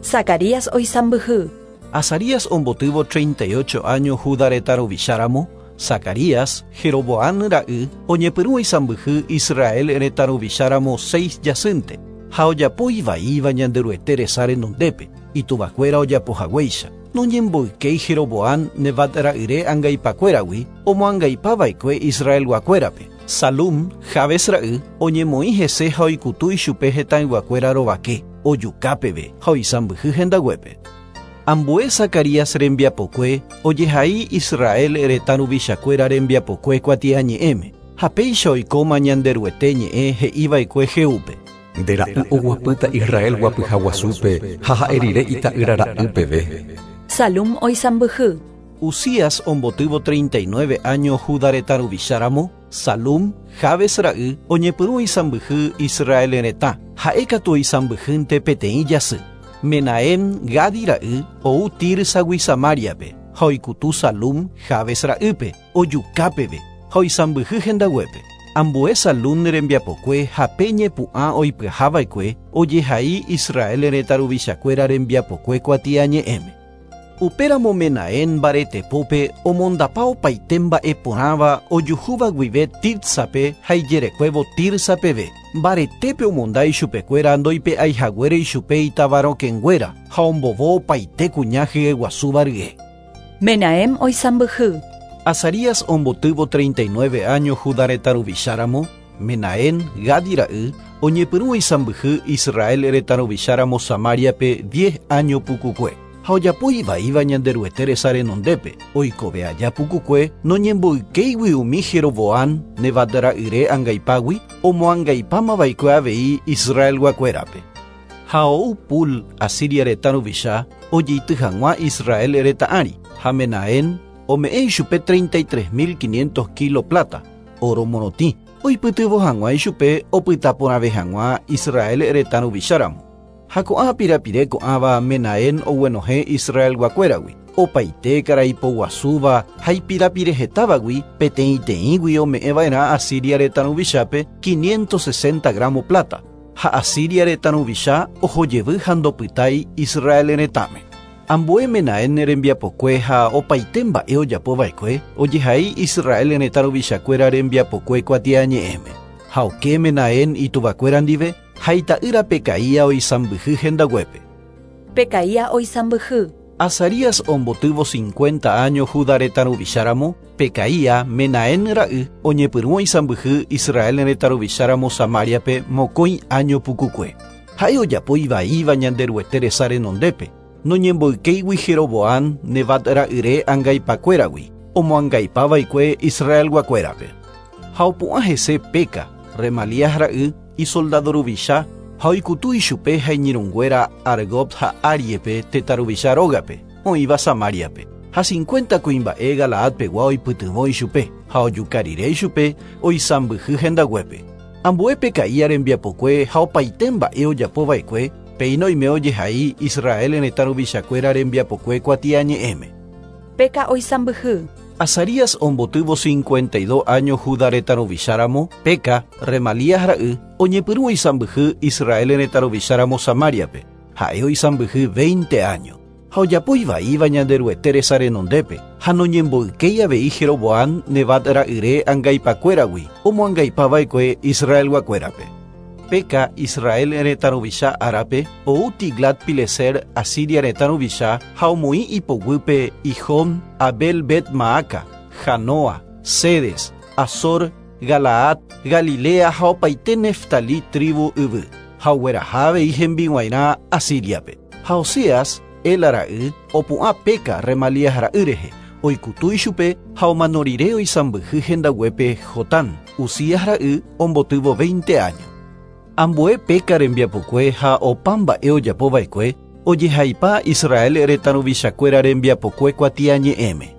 Zacarías oisãmbyhy. Azarías ombotývo treinta y ocho años Judá retã ruvicháramo, Zacarías, Jeroboam ra'y, oñepyrũ oisãmbyhy Israel retã ruvicháramo seis jasýnte. Ha ojapo ivaíva Ñanderuete resa renondépe, ituvakuéra ojapohaguéicha. Noñemboykéi Jeroboam Nebat ra'yre angaipakuéragui omoangaipava'ekue Israelguakuérape. Salum, Jabes ra'y, oñemoĩ hese ha oikutu ichupe hetãyguakuéra rovake, ojuka peve ha oisãmbyhy hendaguépe. Ambue Zacarías rembiapokue ojehai Israel retã ruvichakuéra rembiapokue kuatiañe'ẽme. Ha péicha oikóma Ñanderuete ñe'ẽ he'iva'ekue Jehúpe. Nde ra'y oguapýta Israel guapyha guasúpe ha ha'e rire ita'ýra ra'y peve. Salum oisãmbyhy. Uzías ombotývo treinta y nueve años Judá retã ruvicháramo, Salum, Jabes ra'y, oñepyrũ oisãmbyhy Israel retã, ha'ékatu oisãmbyhýnte peteĩ jasy. Menahem, Gadi ra'y, ou Tirsagui Samariape, ha oikutu Salum, Jabes ra'ýpe, ojuka peve, ha oisãmbyhy hendaguépe. Ambue Salum rembiapokue ha pe ñepu'ã oipyahava'ekue ojehai Israel retã ruvichakuéra rembiapokue kuatiañe'ẽme. Upéramo Menahem mbaretepópe omondapa opaite mba'e porãva ojuhúva guive Tirsape ha ijerekuévo Tirsa peve. Mbaretépe omonda ichupekuéra ndoipe'aihaguére ichupe itavarokẽnguéra ha ombovo opaite kuña hyeguasúva rye. Menahem oisãmbyhy. Azarías ombotývo treinta y nueve años Judá retã ruvicháramo, Menahem, Gadi ra'y, oñepyrũ oisãmbyhy Israel retã ruvicháramo Samariape diez años pukukue. Ha ojapo ivaíva Ñanderuete resa renondépe, oikove aja pukukue noñemboykéigui umi Jeroboam Nebat ra'yre angaipágui omoangaipámava'ekue avei Israelguakuérape. Ha ou Pul Asiria retã ruvicha ojeity hag̃ua Israel retã ári, ha Menahem ome'ẽ ichupe treinta y tres mil quinientos kilo plata, oro morotĩ, oipytyvõ hag̃ua ichupe opyta porãve hag̃ua Israel retã ruvicháramo. Ha ko'ã pirapire ko'ãva Menahem oguenohẽ Israelguakuéragui, opaite karai poguasúva ha ipirapire hetávagui peteĩteĩgui ome'ẽva'erã Asiria retã ruvichápe quinientos sesenta gramo plata, ha Asiria retã ruvicha ohojevy ha ndopytái Israel retãme. Ambue Menahem rembiapokue ha opaite mba'e ojapova'ekue ojehai Israel retã ruvichakuéra rembiapokue kuatiañe'ẽme. Ha oke Menahem ituvakuéra ndive ha ita'ýra Pecaía oisãmbyhy hendaguépe. Pecaía oisãmbyhy. Azarías ombotývo cincuenta años Judá retã ruvicháramo, Pecaía Menahem ra'y oñepyrũ oisãmbyhy Israel retã ruvicháramo Samariape mokõi año pukukue. Ha'e ojapo ivaíva Ñanderuete resa renondépe, noñemboykéigui Jeroboam Nebat ra'yre angaipakuéragui, omoangaipava'ekue Israelguakuérape. Ha opu'ã hese Peca, Remalías ra'y, isoldado ruvicha, ha oikutu ichupe ha iñirũnguéra Argob ha Ariepe tetã ruvicha rógape, oĩva Samariape. Ha cincuenta kuimba'e Galaadpegua oipytyvõ ichupe, ha ojuka rire ichupe oisãmbyhy hendaguépe. Ambue Pecaía rembiapokue ha opaite mba'e ojapova'ekue, péina oime ojehai Israel retã ruvichakuéra rembiapokue kuatiañe'ẽme. Peca oisãmbyhy. Azarías ombotývo cincuenta y dos años Judá retã ruvicháramo, Peca, Remalías ra'y, oñepyrũ oisãmbyhy Israel retã ruvicháramo Samariape, ha'e oisãmbyhy veinte años. Ha ojapo ivaíva Ñanderuete resa renondépe, ha noñemboykéi avei Jeroboam Nebat ra'yre angaipakuéragui, omoangaipava'ekue Israelguakuérape. Peca Israel retã ruvicha árape, ou Tiglat-Pileser Asiria retã ruvicha ha omoĩ ipoguýpe Ijón, Abel Bet Maaca, Janoa, Cedes, Azor, Galaad, Galilea ha opaite Neftali tribu yvy, ha ogueraha avei hembiguairã Asiriape. Ha Oseas, Ela ra'y, opu'ã Peca Remalías ra'y rehe, oikutu ichupe ha omano rire oisãmbyhy hendaguépe Jotán, Uzías ra'y ombotývo veinte años. Ambue Peca rembiapokue ha opa mba'e ojapova'ekue ojehaipa Israel retã ruvichakuéra rembiapokue kuatiañe'ẽme.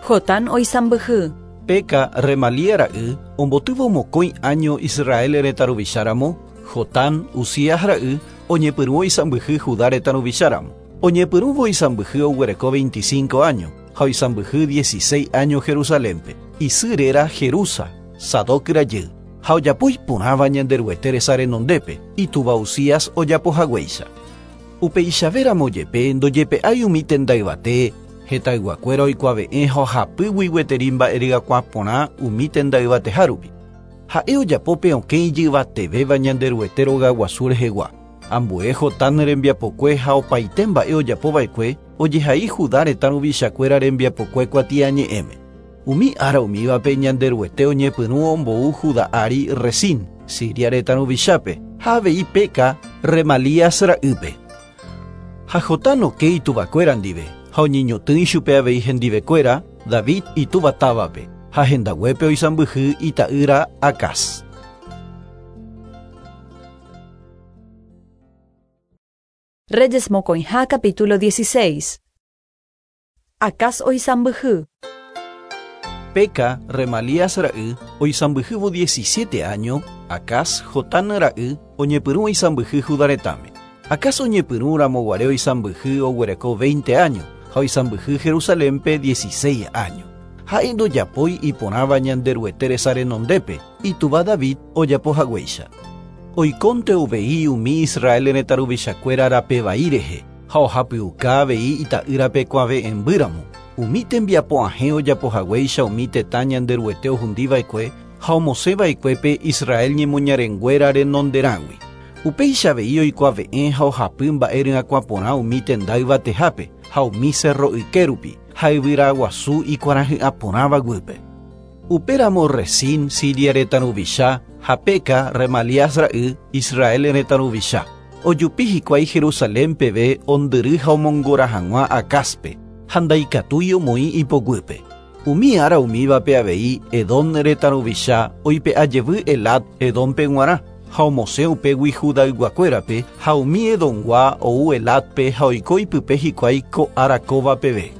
Jotán oisãmbyhy. Peca Remalía ra'y ombotývo mokõi año Israel retã ruvicháramo, Jotán Uzías ra'y oñepyrũ oisãmbyhy Judá retã ruvicháramo. Oñepyrũvo oisãmbyhy oguereko veinticinco años ha oisãmbyhy dieciséis años Jerusalénpe. Isy réra Jerusa, Sadoc rajy. Ha ojapo iporãva Ñanderuete resa renondépe, itúva Uzías ojapohaguéicha. Upeichavéramo jepe ndojepe'ái umi tenda yvate, hetayguakuéra oikuave'ẽ ha ohapýgui gueteri mba'erygakuã porã umi tenda yvatehárupi. Ha'e ojapo pe okẽ ijyvatevéva Ñanderuete rogaguasu rehegua. Ambue Jotán rembiapokue ha opaite mba'e ojapova'ekue ojehai Judá retã ruvichakuéra rembiapokue kuatiañe'ẽme. Umi ára umívape Ñanderuete oñepyrũ ombou Judá ári Resín, Siria retã ruvichápe, ha avei Peca, Remalías ra'ýpe. Ha Jotán oke ituvakuéra ndive, ha oñeñotỹ ichupe avei hendivekuéra David itúva távape, ha hendaguépe oisãmbyhy ita'ýra Acaz. Reyes mokõiha capítulo dieciséis. Acaz oisãmbyhy. Peca, Remalías ra'y, oisãmbyhývo diecisiete años, Acaz, Jotán ra'y, oñepyrũ oisãmbyhy Judá retãme. Acaz oñepyrũ ramoguare oisãmbyhy oguereko veinte años, ha oisãmbyhy Jerusalénpe dieciséis años. Ha'e ndojapói iporãva Ñanderuete resa renondépe, itúva David ojapohaguéicha. Oikónte uvei umi Israel retã ruvichakuéra rape vai rehe, ha ohapyuka avei ita'ýrape kuave'ẽmbýramo. Umi tembiapo ahẽ ojapohaguéicha umi tetã Ñanderuete ohundiva'ekue ha omosẽva'ekuépe Israel ñemoñarenguéra renonderãgui. Upéicha avei oikuave'ẽ ha ohapy mba'e ryakuã porã umi tenda yvatehápe ha umi cerro ykérupi ha yvyraguasu ikuarahy'ã porãva guýpe. Upéramo Resín, Siria retã ruvicha, ha Peca, Remalías ra'y, Israel retã ruvicha. Ojupi hikuái Jerusalén peve ondyry ha omongora hag̃ua Acazpe, ha ndaikatúi omoĩ ipoguýpe. Umi ára umívape avei Edom retã ruvicha oipe'a jevy Elat Edompe g̃uarã ha omosẽ upégui Judayguakuérape ha umi Edomgua ou Elatpe ha oiko ipype hikuái ko ára kóva peve.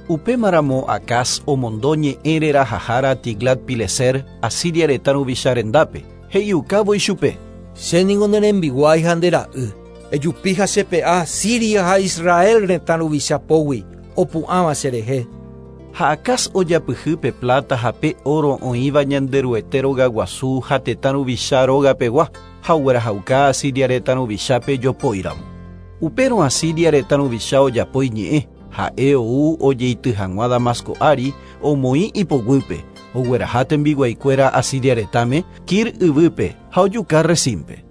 Upémaramo Acaz omondo ñe'ẽ rerahahára Tiglat-Pileser Asiria retã ruvicha rendápe, he'iukávo ichupe. Che ningo ne rembiguái ha nde ra'y, ejupi ha chepe'a Siria ha Israel retã ruvicha pógui opu'ãva cherehe. Ha Acaz ojapyhy pe plata ha pe oro oĩva Ñanderuete rogaguasu ha tetã ruvicha rogapegua ha oguerahauka Asiria retã ruvichápe jopóiramo. Upérõ Asiria retã ruvicha ojapo iñe'ẽ, ha'e ou ojeity hag̃ua Damasco ári omoĩ ipoguýpe, ogueraha tembiguaikuéra Asiria retãme Kir yvýpe ha ojuka Resínpe.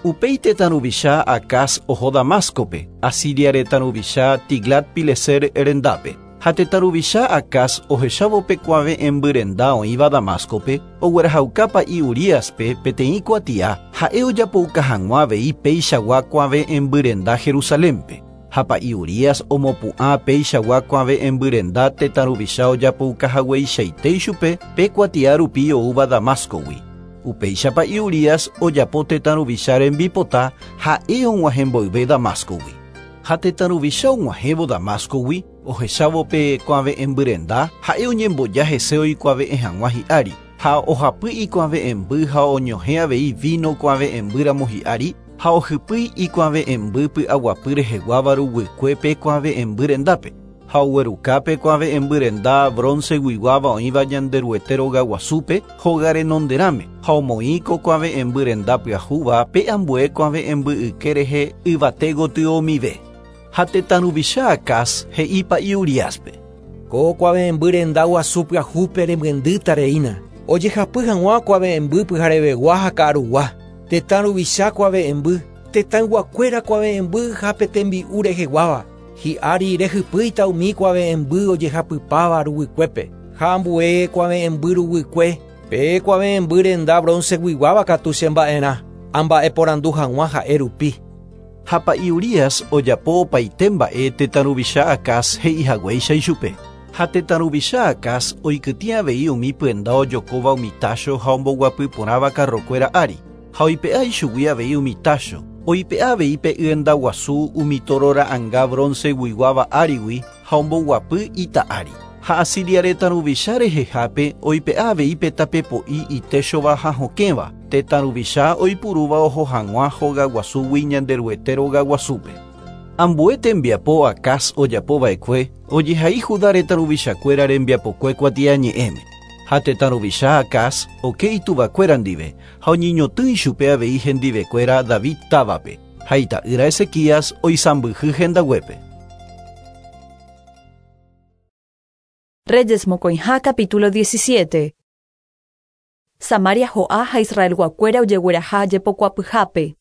Upéi tetã ruvicha Acaz oho Damascope, Asiria retã ruvicha Tiglat-Pileser rendápe. Ha tetã ruvicha Acaz ohechávo pe kuave'ẽmby renda oĩva Damascope, oguerahauka pa'i Uríaspe peteĩ kuatia ha'e ojapouka hag̃ua avei peichagua kuave'ẽmby renda Jerusalénpe. Ha pa'i Urías omopu'ã peichagua kuave'ẽmby renda tetã ruvicha ojapouka hagueichaite ichupe pe kuatia rupi oúva Damascogui. Upéicha pa'i Urías ojapo tetã ruvicha rembipota ha'e og̃uahẽ mboyve Damascogui. Ha tetã ruvicha og̃uahẽvo Damascogui, ohechávo pe kuave'ẽmby renda ha'e oñemboja hese oikuave'ẽ hag̃ua hi'ári, ha ohapy ikuave'ẽmby ha oñohẽ avei vino kuave'ẽmbýramo hi'ári, ha ohypýi ikuave'ẽmby py'aguapy reheguáva ruguykue pe kuave'ẽmby rendápe, ha ogueruka pe kuave'ẽmby renda bronceguiguáva oĩva Ñanderuete rogaguasúpe hóga renonderãme, ha omoĩ ko kuave'ẽmby renda pyahúva pe ambue kuave'ẽmby yke rehe yvate gotyo-mive. Ha tetã ruvicha Acaz he'i pa'i Uríaspe. Ko kuave'ẽmby renda guasu pyahúpe remyendýta reína, ojehapy hag̃ua kuave'ẽmby pyharevegua ha ka'arugua, tetã ruvicha kuave'ẽmby, tetãyguakuéra kuave'ẽmby ha pe tembi'u reheguáva, hi'ári rehypýita umi kuave'ẽmby ojehapypáva ruguykuépe, ha ambue kuave'ẽmby ruguykue, pe kuave'ẽmby renda bronceguiguáva katu chemba'erã, amba'eporandu hag̃ua ha'e rupi. Ha pa'i Urías ojapo opaite mba'e tetã ruvicha Acaz he'ihaguéicha ichupe. Ha tetã ruvicha Acaz oikytĩ avei umi pyenda ojokóva umi tácho ha omboguapy porãva karrokuéra ári, ha oipe'a ichugui avei umi tácho, oipe'a avei pe yenda guasu umi toro ra'ãnga bronceguiguáva árigui ha omboguapy ita ári. Ha Asiria retã ruvicha rehehápe oipe'a avei pe tapepo'i itéchova ha hokẽva, tetã ruvicha oipurúva oho hag̃ua hogaguasúgui Ñanderuete rogaguasúpe. Ambue tembiapo Acaz ojapova'ekue ojehai Judá retã ruvichakuéra rembiapokue kuatiañe'ẽme. Ha tetã ruvicha Acaz oke ituvakuéra ndive ha oñeñotỹ ichupe avei hendivekuéra David távape, ha ita'ýra Ezequías oisãmbyhy hendaguépe. Reyes mokõiha capítulo diecisiete. Samaria ho'a ha Israelguakuéra ojegueraha jepokuapyhápe.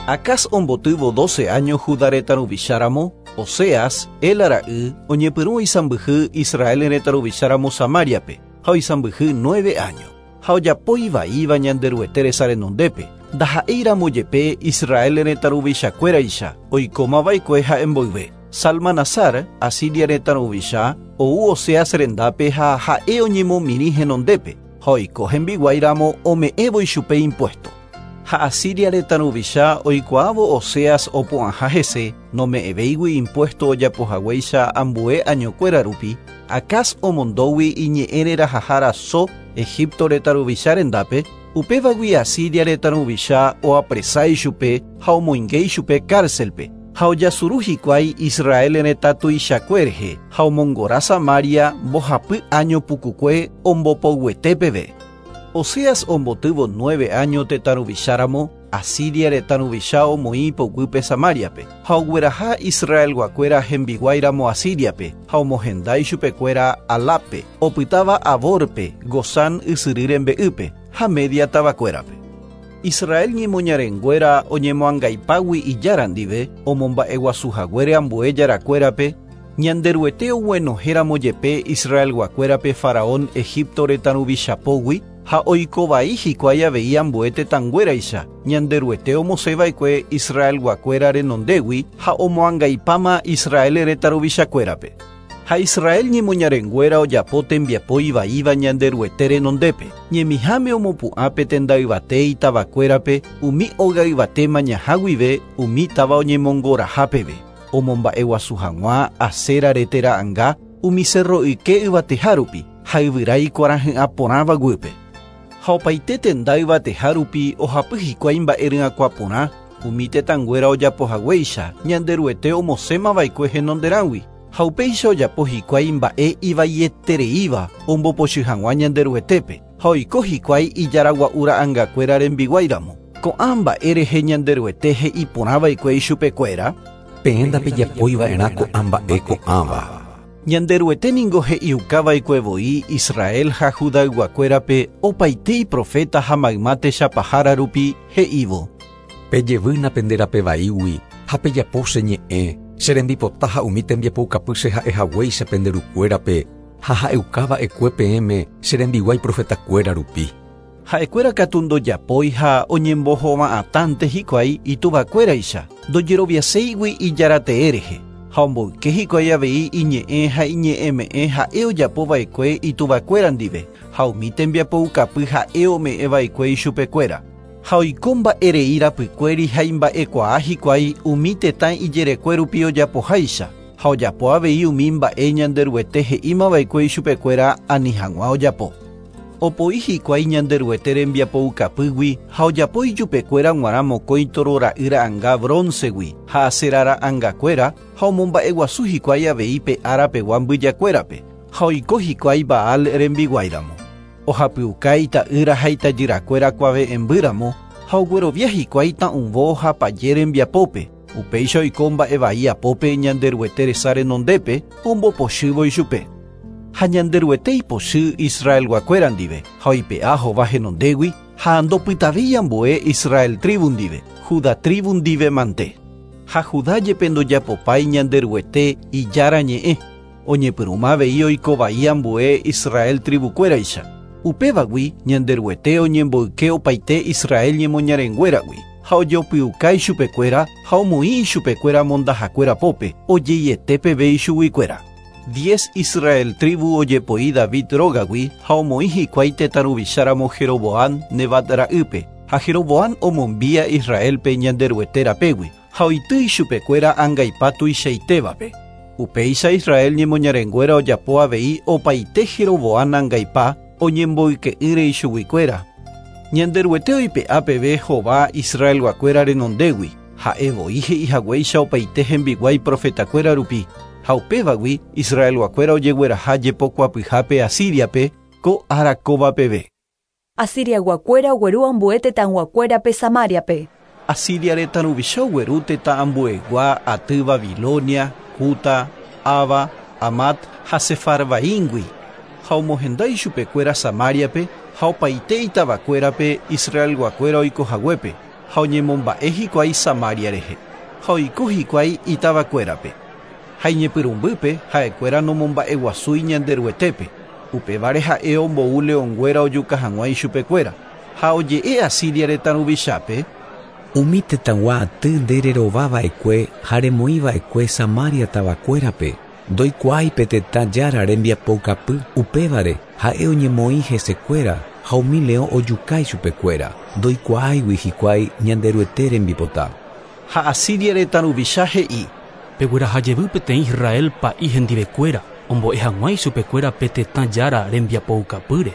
Acaz ombotývo doce años Judá retã ruvicháramo, Oseas, Ela ra'y, oñepyrũ oisãmbyhy Israel retã ruvicháramo Samariape, ha oisãmbyhy nueve años. Ha ojapo ivaíva Ñanderuete resa renondépe, ndaha'éiramo jepe Israel retã ruvichakuéraicha oikómava'ekue ha'e mboyve. Salmanasar, Asiria retã ruvicha, ou Oseas rendápe ha ha'e oñemomirĩ henondépe, ha oiko hembiguáiramo ome'ẽvo ichupe impuesto. Ha Asiria retã ruvicha oikuaávo Oseas opu'ãha hese, nome'ẽvéigui impuesto ojapohaguéicha ambue añokuéra rupi, Acaz omondógui iñe'ẽ rerahahára So Egipto retã ruvicha rendápe, upévagui Asiria retã ruvicha oapresa ichupe ha omoinge ichupe cárcelpe, ha ojasuru hikuái Israel retã tuichakue rehe ha omongora Samaria mbohapy año pukukue ombopoguete peve. Oseas ombotývo nueve año tetã ruvicháramo, Asiria retã ruvicha omoĩ ipoguýpe Samariape, ha ogueraha Israelguakuéra hembiguáiramo Asiriape, ha omohenda ichupekuéra Alápe, opytáva Aborpe, Gozán ysyry rembe'ýpe, ha Media tavakuérape. Israel ñemoñarenguéra oñemoangaipágui ijára ndive, omomba'eguasuhaguére ambue jarakuérape, Ñanderuete oguenohéramo jepe Israelguakuérape faraón Egipto retã ruvichapógui, Ha oikovai hikuái avei ambue tetãnguéraicha, Ñanderuete omosẽva'ekue Israelguakuéra renondégui ha omoangaipáma Israel retã ruvichakuérape. Ha Israel ñemoñarenguéra ojapo tembiapo ivaíva Ñanderuete renondépe. Ñemiháme omopu'ã pe tenda yvate itavakuérape umi óga yvate mañaha guive umi táva oñemongoraha peve. Omomba'eguasu hag̃ua Asera rete ra'ãnga umi cerro yke yvateha rupi ha yvyra ikuarahy'ã porãva guýpe. Ha opaite tenda yvateha rupi ohapy hikuái mba'e ry'ãkua porã umi tetãnguéra ojapohaguéicha Ñanderuete omosẽmava'ekue henonderãgui. Ha upéicha ojapo hikuái mba'e ivaietereíva ombopochy hag̃ua Ñanderuetépe ha oiko hikuái ijaragua'u ra'ãngakuéra rembiguáiramo. Ko'ã mba'e rehe Ñanderuete he'i porãva'ekue ichupekuéra: Peẽ ndapejapoiva'erã ko'ã mba'e ko'ãva. Ñanderuete ningo he'iukava'ekue voi Israel ha Judayguakuérape opaite iprofeta ha mayma techapahára rupi he'ívo: Pejevýna pende rape vaígui ha pejapo che ñe'ẽ, che rembipota ha umi tembiapoukapy che ha'ehaguéicha pende rukuérape ha ha'eukava'ekue peẽme che rembiguái profetakuéra rupi. Ha'ekuéra katu ndojapói ha oñembohova'atãnte hikuái ituvakuéraicha, ndojeroviaséigui ijaratee rehe. Ha omboyke hikuái avei iñe'ẽ ha iñe'ẽme'ẽ ha'e ojapova'ekue ituvakuéra ndive ha umi tembiapoukapy ha'e ome'ẽva'ekue ichupekuéra. Ha oiko mba'erei rapykuéri ha imba'ekuaa hikuái umi tetã ijerekue rupi ojapoháicha ha ojapo avei umi mba'e Ñanderuete he'ímava'ekue ichupekuéra ani hag̃ua ojapo. Opoi hikuái Ñanderuete rembiapoukapýgui ha ojapo ijupekuéra g̃uarã mokõi toro ra'y ra'ãnga broncegui ha Asera ra'ãngakuéra ha omomba'eguasu hikuái avei pe árapegua mbyjakuérape ha oiko hikuái Baal rembiguáiramo. Ohapyuka ita'ýra ha itajyrakuéra kuave'ẽmbýramo ha oguerovia hikuái ta'ũvo ha paje rembiapópe. Upéicha oiko mba'evai apópe Ñanderuete resa renondépe ombopochývo ichupe. Ha Ñanderuete ipochy Israelguakuéra ndive ha oipe'a hova henondégui ha ndopytavéi ambue Israel tribu ndive, Judá tribu ndive mante. Ha Judá jepe ndojapopái Ñanderuete ijára ñe'ẽ, oñepyrũma avei oikovai ambue Israel tribukuéraicha. Upévagui Ñanderuete oñemboyke opaite Israel ñemoñarenguéragui ha ojopyuka ichupekuéra ha omoĩ ichupekuéra mondahakuéra pópe ojeiete peve ichuguikuéra. Diez Israel tribu ojepoi David rógagui ha omoĩ hikuái tetã ruvicháramo Jeroboam Nebat ra'ýpe ha Jeroboam omombía Israelpe Ñanderuete rapégui ha oity ichupekuéra angaipa tuichaitévape. Upéicha Israel ñemoñarenguéra ojapo avei opaite Jeroboam angaipa oñemboyke'ỹre ichuguikuéra. Ñanderuete oipe'a peve hova Israelguakuéra renondégui ha'e voi he'ihaguéicha opaite hembiguái profetakuéra rupi. Ha upévagui Israelguakuéra ojegueraha jepokuapyhápe Asiriape ko ára kóva peve. Asiriaguakuéra ogueru ambue tetãguakuérape Samariape. Asiria retã ruvicha ogueru tetã ambuegua aty Babilonia, Kuta, Ava, Amat ha Sefarvaíngui ha omohenda ichupekuéra Samariape ha opaite itavakuérape Israelguakuéra oikohaguépe ha oñemomba'e hikuái Samaria rehe ha oiko hikuái itavakuérape. Ha iñepyrũmbýpe ha'ekuéra nomomba'eguasúi Ñanderuetépe, upévare ha'e ombou leõnguéra ojuka hag̃ua ichupekuéra ha oje'e Asiria retã ruvichápe: Umi tetãgua aty nde rerovava'ekue ha remoĩva'ekue Samaria tavakuérape ndoikuaái pe tetã jára rembiapoukapy upévare ha'e oñemoĩ hesekuéra ha umi leõ ojuka ichupekuéra ndoikuaáigui hikuái Ñanderuete rembipota. Ha Asiria retã ruvicha he'i: Pegueraha jevy peteĩ Israel pa'i hendivekuéra ombo'e hag̃ua ichupekuéra pe tetã jára rembiapoukapýre.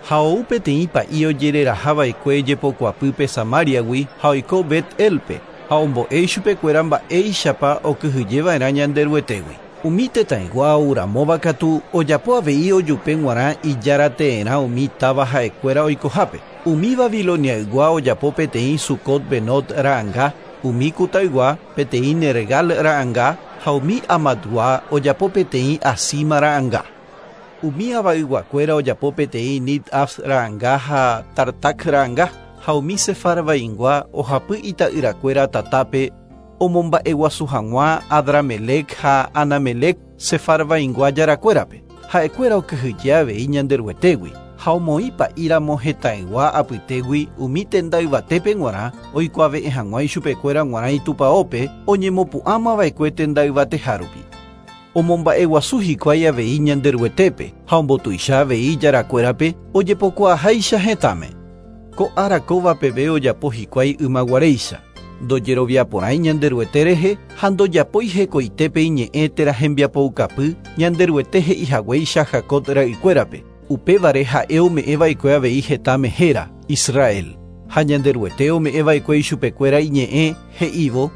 Ha ou peteĩ pa'i ojererahava'ekue jepokuapýpe Samariagui ha oiko Bet-elpe ha ombo'e ichupekuéra mba'éichapa okyhyjeva'erã Ñanderuetégui. Umi tetãygua ouramóva katu ojapo avei ojupe g̃uarã ijarateerã umi táva ha'ekuéra oikohápe. Umi Babiloniaygua ojapo peteĩ Sucot Benot ra'ãnga, umi Kutaygua peteĩ Nergal ra'ãnga ha umi Amatgua ojapo peteĩ Asima ra'ãnga. Umi Avayguakuéra ojapo peteĩ Nid-Af ra'ãnga ha Tartak ra'ãnga ha umi Sefarvaingua ohapy ita'yrakuéra tatápe omomba'eguasu hag̃ua Adramelec ha Anamelec Sefarvaingua jarakuérape. Ha'ekuéra okyhyje avei Ñanderuetégui Ha omoĩ pa'íramo hetãygua apytégui umi tenda yvatépe g̃uarã oikuave'ẽ hag̃ua ichupekuéra g̃uarã itupãópe oñemopu'ãmava'ekue tenda yvateha rupi. Omomba'eguasu hikuái avei Ñanderuetépe ha ombotuicha avei ijarakuérape ojepokuaaháicha hetãme. Ko ára kóva peve ojapo hikuái ymaguaréicha. Ndojeroviaporãi Ñanderuete rehe ha ndojapói hekoitépe iñe'ẽ térã hembiapoukapy Ñanderuete he'ihaguéicha Jacob ra'ykuérape. Upévare ha'e ome'ẽva'ekue avei hetãme héra, Israel. Ha Ñanderuete ome'ẽva'ekue ichupekuéra iñe'ẽ he'ívo: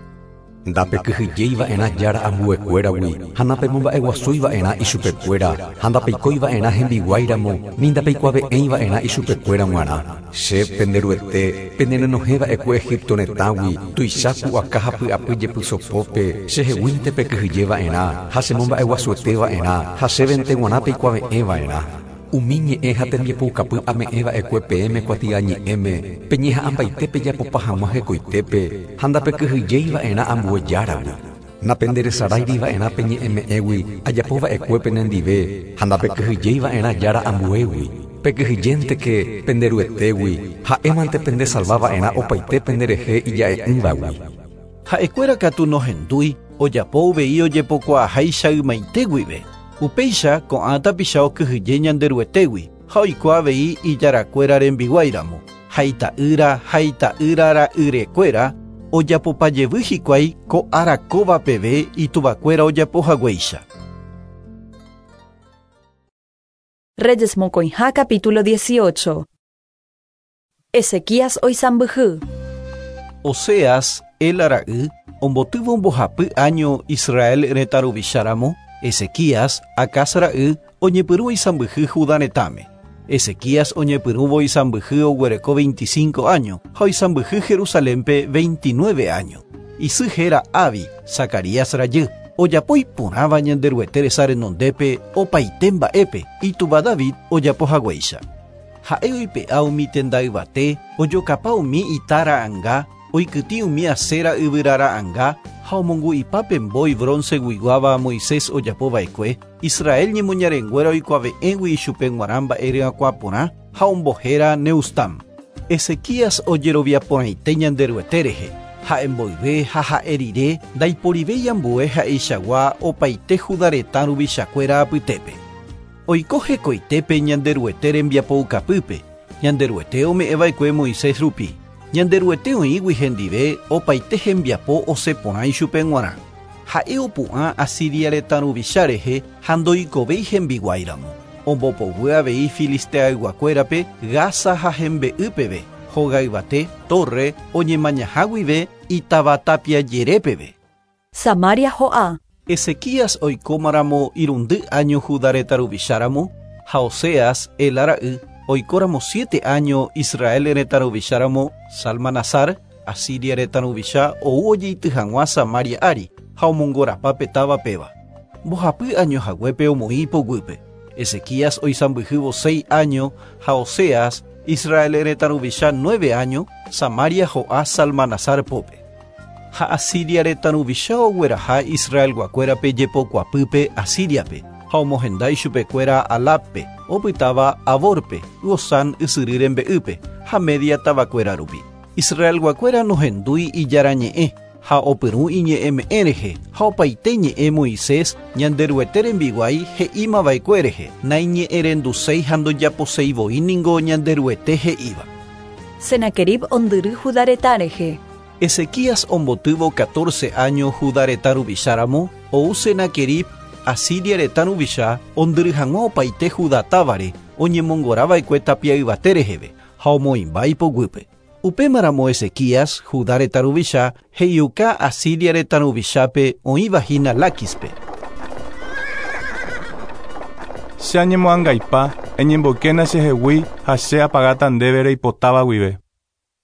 Ndapekyhyjeiva'erã jára ambuekuéragui ha napemomba'eguasúiva'erã ichupekuéra ha ndapeikóiva'erã hembiguáiramo ni ndapeikuave'ẽiva'erã ichupekuéra g̃uarã. Che penderuete penerenohẽva'ekue Egipto retãgui tuicha pu'aka ha py'apy jepysopópe cheheguínte pekyhyjeva'erã ha chemomba'eguasueteva'erã ha chévente g̃uarã peikuave'ẽva'erã. Umi ñe'ẽ ha tembiapoukapy ame'ẽva'ekue peẽme kuatiañe'ẽme peñeha'ãmbaite pejapopa hag̃ua hekoitépe ha ndapekyhyjeiva'erã ambue járagui. Napenderesaráiriva'erã peñe'ẽme'ẽgui ajapova'ekue penendive ha ndapekyhyjeiva'erã jára ambuégui. Pekyhyjénteke penderuetégui ha'émante pendesalvava'erã opaite penderehe ija'e'ỹvagui. Ha'ekuéra katu nohendúi ojapo uvei ojepokuaaháicha ymaite guive. Upéicha ko'ã tapicha okyhyje Ñanderuetégui ha oiko avei ijarakuéra rembiguáiramo. Ha ita'ýra ha ita'ýra ra'yrekuéra ojapopajevy hikuái ko ára kóva peve ituvakuéra ojapohaguéicha. Reyes mokõiha capítulo dieciocho. Ezequías oisãmbyhy. Oseas, Ela ra'y, ombotývo mbohapy año Israel retã ruvicháramo, Ezequías, Acaz ra'y, oñepyrũ oisãmbyhy Judá retãme. Ezequías oñepyrũvo oisãmbyhy oguereko veinticinco año ha oisãmbyhy Jerusalénpe veintinueve año. Isy héra Abi, Zacarías rajy. Ojapo iporãva Ñanderuete resa renondépe opaite mba'épe itúva David ojapohaguéicha. Ha'e oipe'a umi tenda yvate, ojokapa umi ita ra'ãnga, oikytĩ umi Asera yvyra ra'ãnga ha omongu'ipa mbói bronce guiguáva Moisés ojapova'ekue, Israel ñemoñarenguéra oikuave'ẽgui ichupe g̃uarã mba'e ryakuã porã ha ombohéra Neustam. Ezequías ojeroviaporãite Ñanderuete rehe. Ha'e mboyve ha ha'e rire ndaiporivéi ambue ha'eichagua opaite Judá retã ruvichakuéra apytépe. Oiko hekoitépe Ñanderuete rembiapoukapýpe, Ñanderuete ome'ẽva'ekue Moisés rupi. Ñanderuete oĩgui hendive opaite hembiapo osẽporã ichupe g̃uarã. Ha'e opu'ã Asiria retã ruvicha rehe ha ndoikovéi hembiguáiramo. Ombopoguy avei Filisteayguakuérape Gaza ha hembe'y peve, hóga yvate, torre, oñemañaha guive itavatapia jere peve. Samaria ho'a. Ezequías oikómaramo irundy año Judá retã ruvicháramo, ha Oseas, Ela ra'y, oikóramo siete año Israel retã ruvicháramo, Salmanasar, Asiria retã ruvicha ou ojeity hag̃ua Samaria ári ha omongorapa pe táva péva. Mbohapy año haguépe omoĩ ipoguýpe. Ezequías oisãmbyhývo seis año ha Oseas, Israel retã ruvicha nueve año, Samaria ho'a Salmanasar pópe. Ha Asiria retã ruvicha ogueraha Israelguakuérape jepokuapýpe Asiriape ha omohenda ichupekuéra Alápe, opytáva Aborpe, Gozán ysyry rembe'ýpe ha Media tavakuéra rupi. Israelguakuéra nohendúi ijarañe'ẽ ha opyrũ iñe'ẽme'ẽ rehe ha opaite ñe'ẽ Moisés Ñanderuete rembiguái he'ímava'ekue rehe naiñe'ẽrenduséi ha ndojaposeivoi ningo Ñanderuete he'íva. Senaquerib ondyry Judá retã rehe. Ezequías ombotývo catorce año Judá retã ruvicháramo, ou Senaquerib Asiria retã ruvicha ondyry hag̃ua opaite Judá távare oñemongorava'ekue tapia yvate reheve ha omoĩmba ipoguýpe. Upémaramo Ezequías, Judá retã ruvicha, he'iuka Asiria retã ruvichápe oĩvahína Láquispe. Che añemoangaipa, eñemboykéna chehegui ha che apagáta ndéve reipotáva guive.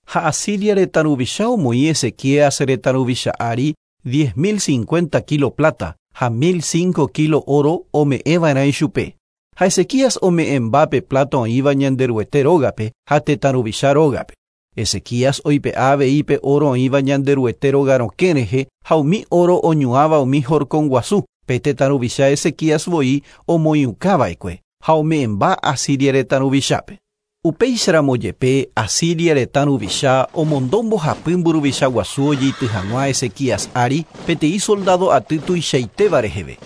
Ha Asiria retã ruvicha omoĩ Ezequías retã ruvicha ári diez mil cincuenta kilo plata ha mil cinco kilo oro ome'ẽva'erã ichupe. Ha Ezequías ome'ẽmba pe plata oĩva Ñanderuete rógape ha tetã ruvicha rógape. Ezequías oipe'a avei pe oro oĩva Ñanderuete róga rokẽ rehe ha umi oro oñuãva umi horkon guasu, pe tetã ruvicha Ezequías voi omoĩukava'ekue. Ha ome'ẽmba Asiria retã ruvichápe. Upéicharamo jepe Asiria retã ruvicha omondo mbohapy mburuvicha guasu ojeity hag̃ua Ezequías ári peteĩ soldado aty tuichaitéva reheve.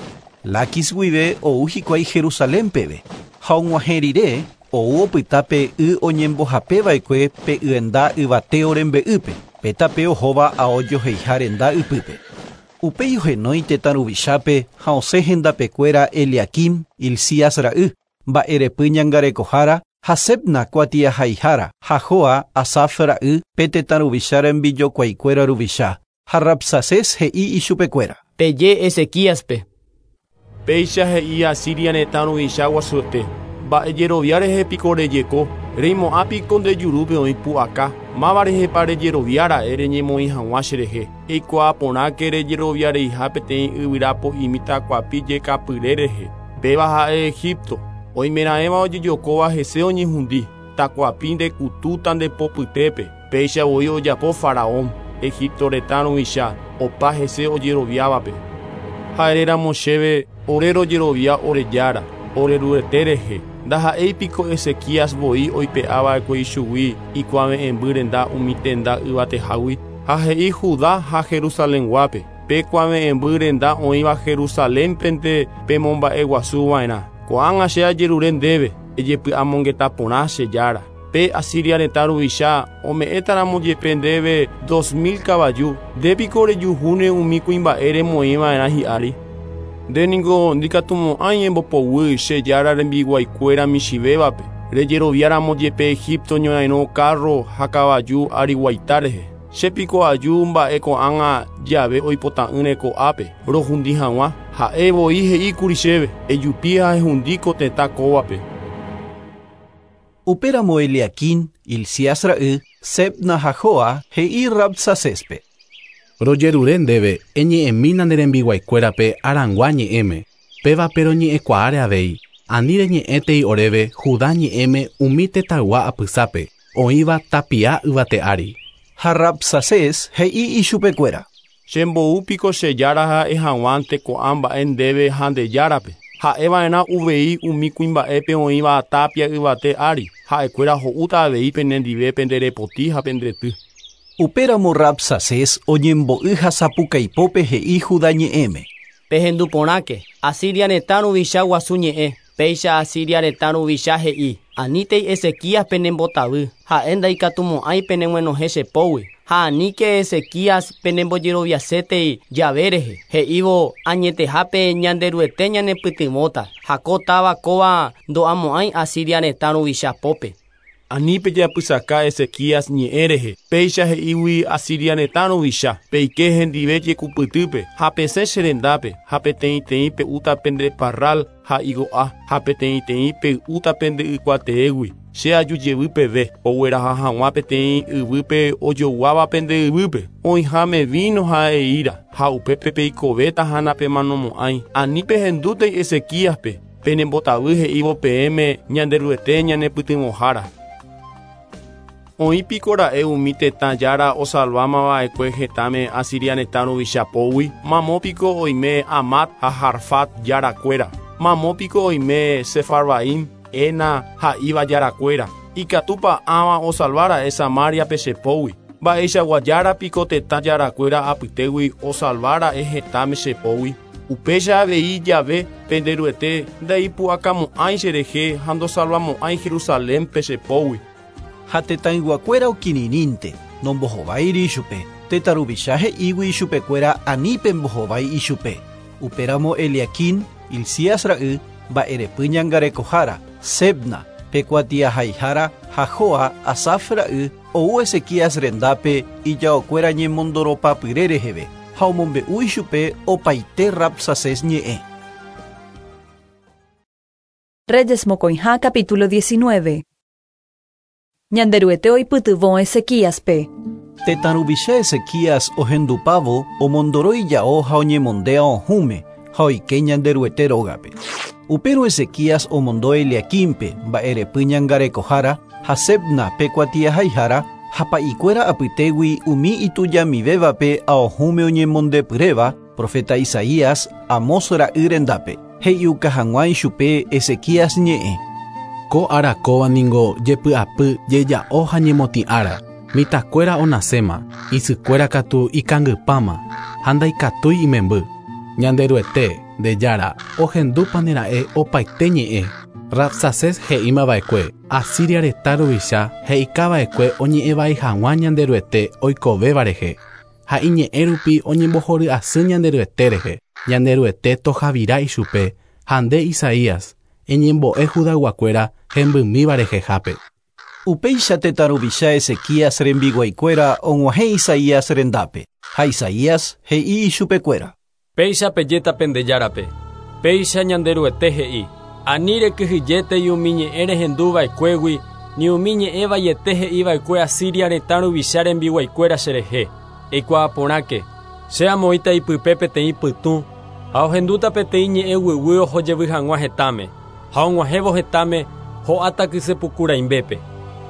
Lakis guive ou hikuái Jerusalén peve. Ha og̃uahẽ rire ou opyta pe y oñembohapeva'ekue pe yenda yvateo rembe'ýpe, pe tape ohóva aojoheiha renda ypýpe. Upéi ohenói tetã ruvichápe ha osẽ hendapekuéra Eliaquim, Hilcías ra'y, mba'erepy ñangarekohára ha Sebna kuatiahaihára ha Joa Asaf ra'y pe tetã ruvicha rembijokuaikuéra ruvicha ha Rabsacés he'i ichupekuéra. Peje Ezequíaspe. Péicha he'i Asiria retã ruvicha guasuete. Mba'ejerovia rehe piko rejeko, reimo'ã piko ndejurúpe oĩ pu'aka, máva rehepa rejeroviára'e reñemoĩ hag̃ua cherehe. Eikuaa porãke rejeroviareiha peteĩ yvyra po'imi takuapi jekapyre rehe. Péva ha'e Egipto, oimeraẽva ojejokóva hese oñehundi, takuapi ndekutúta ndepopytépe. Péicha voi ojapo Faraón, Egipto retã ruvicha, opa hese ojeroviávape. Ha'éramo chéve ore rojerovia ore jára, ore Ruete rehe. Ndaha'éi piko Ezequías voi oipe'ava'ekue ichugui ikuave'ẽmby renda umi tenda yvatehágui ha he'i Judá ha Jerusalenguápe. Pe kuave'ẽmby renda oĩva Jerusalénpente pemomba'eguasuva'erã. Ko'ág̃a che ajerure ndéve ejepy'amongeta porã che jára. Pe Asiria retã ruvicha ome'ẽtaramo jepe ndéve dos mil kavaju, ndépiko rejuhúne umi kuimba'e remoĩva'erã hi'ári. Nde niko ndikatumo'ãi embopoguy che jára rembiguaikuéra michĩvévape, rejeroviáramo jepe Egipto ñorairõ carro ha kavaju ariguaita rehe. Che piko aju mba'e ko'ág̃a jave oipota'ỹre ko'ápe rohundi hag̃ua, ha'e voi he'íkuri chéve, ejupi ha ehundi ko tetã kóvape. Upéramo Eliaquim, Hilcías ra'y, Sebna ha Joa he'i Rabsacéspe. Rojerure ndéve eñe'ẽmína ne rembiguaikuérape arangua ñe'ẽme, pévape roñe'ẽkuaáre avei, ani reñe'ẽtei oréve Judá ñe'ẽme umi tetãygua apysápe, oĩva tapia yvate ári. Ha Rabsacés he'i ichupekuéra. Chemboúpiko che jára ha'e hag̃uánte ko'ã mba'e ndéve ha nde járape. Ha'eva'erã uvei umi kuimba'épe oĩva tapia yvate ári, ha'ekuéra ho'úta avei penendive penderepoti ha pendrety. Upéramo Rabsacés oñembo'y ha sapukaipópe he'i Judá ñe'ẽme. Pehendu porãke, Asiria retã ruvicha guasu ñe'ẽ, péicha Asiria retã ruvicha he'i, anítei Ezequías penembotavy, ha'e ndaikatumo'ãi peneguenohẽ chepógui, ha aníke Ezequías penembojeroviasétei jave rehe, he'ívo añetehápe Ñanderuete ñanepytyvõta, ha ko táva kóva ndo'amo'ãi Asiria retã ruvicha pópe. Ani pejapysaka Ezequías ñe'ẽ rehe, péicha he'ígui Asiria retã ruvicha, peike hendive jekupytýpe, ha pesẽ che rendápe, ha peteĩteĩ pe'úta pende parral ha igo'a, ha peteĩteĩ pey'úta pende ykuateégui. Che aju jevy peve, ogueraha hag̃ua peteĩ yvýpe ojoguáva pende yvýpe, oĩháme vino ha eíra, ha upépe peikovéta ha napemanomo'ãi. Ani pehendútei Ezequíaspe, penembotavy he'ívo peẽme Ñanderuete ñanepytyvõhára. Oĩ piko ra'e umi tetã jára osalvámava'ekue hetãme Asiria retã ruvicha pógui, mamo piko oime Amat ha Harfat jarakuéra, mamo piko oime Sefarvaim, Ena ha Iva jarakuéra. Ikatúpa ãva osalvára'e Samariape che pógui. Mba'eichagua jára piko tetã jarakuéra apytégui osalvára'e hetãme che pógui. Upéicha avei jave Penderuete ndaipu'akamo'ãi cherehe ha ndosalvamo'ãi Jerusalénpe che pógui. Ha tetãyguakuéra okirirĩnte, nombohováiri ichupe, tetã ruvicha he'ígui ichupekuéra ani pembohovái ichupe. Upéramo Eliaquim, Hilcías ra'y, mba'erepy ñangarekohára, Sebna, pe kuatiahaihára ha Joa Asaf ra'y ou Ezequías rendápe ijaokuéra ñemondoropapyre reheve ha omombe'u ichupe opaite Rabsacés ñe'ẽ. Reyes mokõiha capítulo diecinueve. Ñanderuete oipytyvõ Ezequíaspe. Tetã ruvicha Ezequías ohendupávo omondoro ijao ha oñemondéa ohũme ha oike Ñanderuete rógape. Upérõ Ezequías omondo Eliaquímpe mba'erepy ñangarekohára ha Sebna pe kuatiahaihára ha pa'ikuéra apytégui umi itujamivévape aohũme oñemondepyréva profeta Isaías Amós ra'y rendápe. He'iuka hag̃ua ichupe Ezequías ñe'ẽ. Ko ára kóva ningo jepy'apy jeja'o ha ñemotĩ ára. Mitãkuéra onaséma, isykuéra katu ikangypáma ha ndaikatúi imemby. Ñanderuete, nde Jára, ohendúpanera'e opaite ñe'ẽ. Rabsaces he'ímava'ekue Asiria retã ruvicha he'ikava'ekue oñe'ẽvai hag̃ua Ñanderuete oikovéva rehe ha iñe'ẽ rupi oñembohory'asy Ñanderuete rehe. Ñanderuete tohavira ichupe ha nde Isaías eñembo'e Judayguakuéra hembymíva rehehápe. Upéicha tetã ruvicha Ezequías rembiguaikuéra og̃uahẽ Isaías rendápe ha Isaías he'i ichupekuéra. Péicha pejéta pende Járape. Péicha Ñanderuete he'i. Ani rekyhyjétei umi ñe'ẽ rehenduva'ekuégui ni umi ñe'ẽ vaiete he'iva'ekue Asiria retã ruvicha rembiguaikuéra cherehe. Eikuaa porãke, che amoĩta ipype peteĩ pytũ ha ohendúta peteĩ ñe'ẽ guyguy ohojevy hag̃ua hetãme ha og̃uahẽvo hetãme ho'áta kysepukuraimbépe.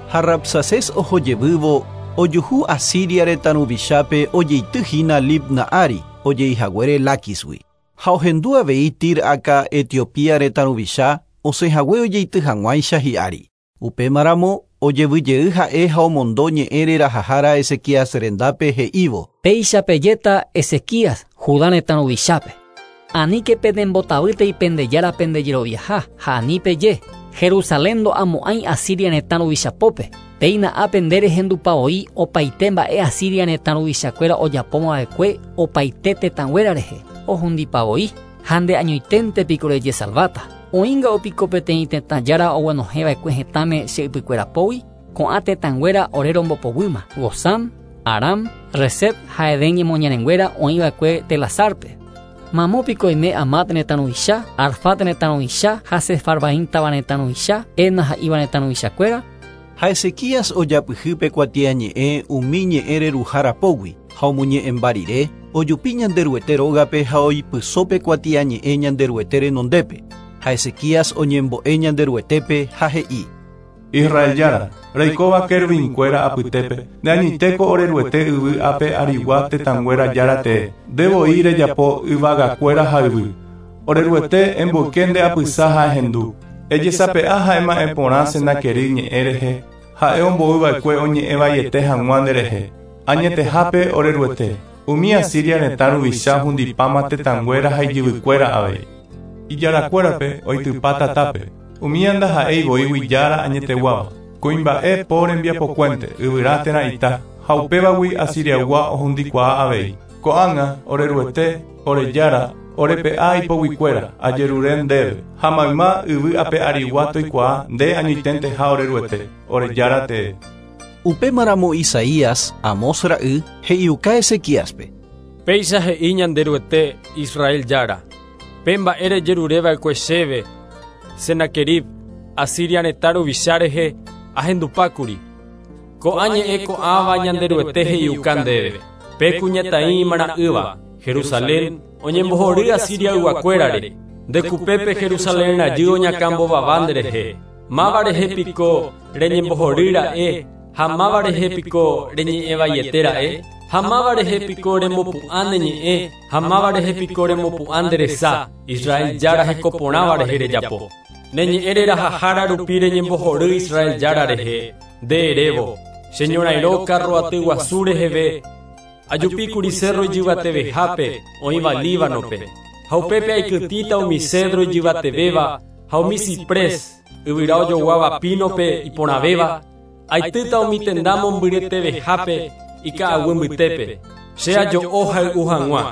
Ha Rabsaces ohojevývo ojuhu Asiria retã ruvichápe ojeityhína Libna ári ojeihaguére Láquisgui. Ha ohendu avei Tir-aka Etiopía retã ruvicha osẽhague ojeity hag̃uáicha hi'ári. Upémaramo ojevyjey ha'e ha omondo ñe'ẽ rerahahára Ezequías rendápe he'ívo. Péicha pejéta Ezequías Judá retã ruvichápe. Aníke pendembotavýtei pende Jára pendejeroviaha ha ani peje Jerusalén ndo'amo'ãi Asiria retã ruvichapópe. Péina ápe nde rehendupavoi opaite mba'e Asiria retã ruvichakuéra ojapómava'ekue opaite tetãnguéra rehe ohundipavoi ha nde añoiténte piko rejesalváta. Oĩnga opiko peteĩ tetã Jára oguenohẽva'ekue hetãme che ypykuérapógui ko'ã tetãnguéra ore rombopoguýma Gozán, Aram, Resep ha Edén ñemoñarenguéra oĩva'ekue Telasárpe. Mamo piko oime Amat retã ruvicha, Arfat retã ruvicha ha Sefarvaim táva retã ruvicha, Ena ha Iva retã ruvichakuéra. Ha Ezequías ojapyhýpe kuatiañe'ẽ umi ñe'ẽ reruhárapógui ha omoñe'ẽmba rire ojupi Ñanderuete rógape ha oipysópe kuatiañe'ẽ Ñanderuete renondépe. Ha Ezequías oñembo'e Ñanderuetépe ha he'i. Israel Jára, reikóva querubinkuéra apytépe, nde añoitéko oreruete yvy ápe arigua tetãnguéra Jára tee, nde voi rejapo yvagakuéra ha yvy. Oreruete emboyke nde apysa ha ehendu. Ejesape'a ha ema'ẽ porã Senaquerib ñe'ẽ rehe, ha'e omboyva'ekue oñe'ẽvaiete hag̃ua nderehe. Añetehápe oreruete, umi Asiria retã ruvicha hundipáma tetãnguéra ha ijyvykuéra avei. Ijarakuérape oitypa tatápe. Umi andaha'éi voígui Jára añeteguáva. Kuimba'e po rembiapokuénte yvyra térã ita ha upévagui Asiriaygua ohundikuaa avei. Ko'ág̃a oreruete, ore Jára, orepe'a ipoguikuéra ajerure ndéve ha mayma yvy ape arigua toikuaa nde añoiténteha oreruete, ore Jára tee. Upémaramo Isaías, Amós ra'y, he'iuka Ezequíaspe. Péicha he'i Ñanderuete Israel Jára. Pe mba'e rejerureva'ekue chéve Senaquerib Asiria retã ruvicha rehe ahendupákuri. Ko'ã ñe'ẽ ko'ãva Ñanderuete he'iuka ndéve. Pe kuñataĩ imara'ỹva Jerusalén oñembohory Asiriayguakuérare. Ndekupépe Jerusalén rajy oñakãmbovava nderehe. Máva rehe piko reñembohorýra'e ha máva rehe piko reñe'ẽvaiete ra'e. Ha máva rehe piko remopu'ã ne ñe'ẽ ha máva rehe piko remopu'ã nde resa Israel Jára hekoporãva rehe rejapo. Ne ñe'ẽ rerahahára rupi reñembohory Israel Jára rehe nde erévo che ñorairõ carro aty guasu reheve ajupíkuri cerro ijyvatevehápe oĩva Líbanope ha upépe aikytĩta umi cedro ijyvatevéva ha umi ciprés yvyra ojoguáva pínope iporãvéva aitýta umi tenda mombyretevehápe ika'aguy mbytépe che ajo'o hay'u hag̃ua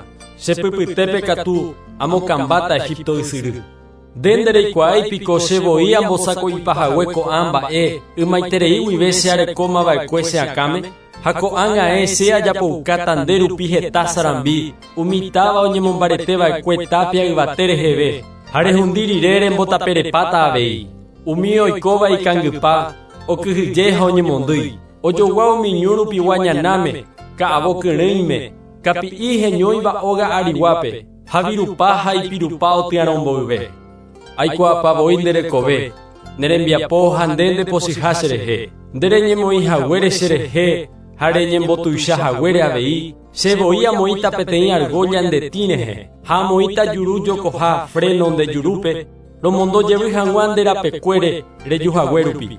che pypytépe katu amokambáta Egipto ysyry. Nde ndereikuaái piko che voi ambosako'ipahague ko'ã mba'e ymaiterei guive che arekómava'ekue che akãme ha ko'ág̃ae che ajapoukáta nde rupi heta sarambi umi táva oñemombareteva'ekue tapia yvate reheve ha rehundi rire rembotaperepáta avei. Umi oikóva ikangypa okyhyje ha oñemondýi ojogua umi ñu rupigua ñanáme ka'avo kyrỹime kapi'i heñóiva óga ariguápe ha virupa ha ipirupa otyarõmboyve. Aikuaapavoi nde rekove ne rembiapo ha nde ndepochyha cherehe nde reñemoĩhaguére cherehe Ha reñembotuicha haguére avei, che voi amoĩta peteĩ argolla nde tĩ rehe, ha amoĩta juru jokoha freno nde jurúpe, romondo jevy hag̃ua nde rapekuére rejuhague rupi.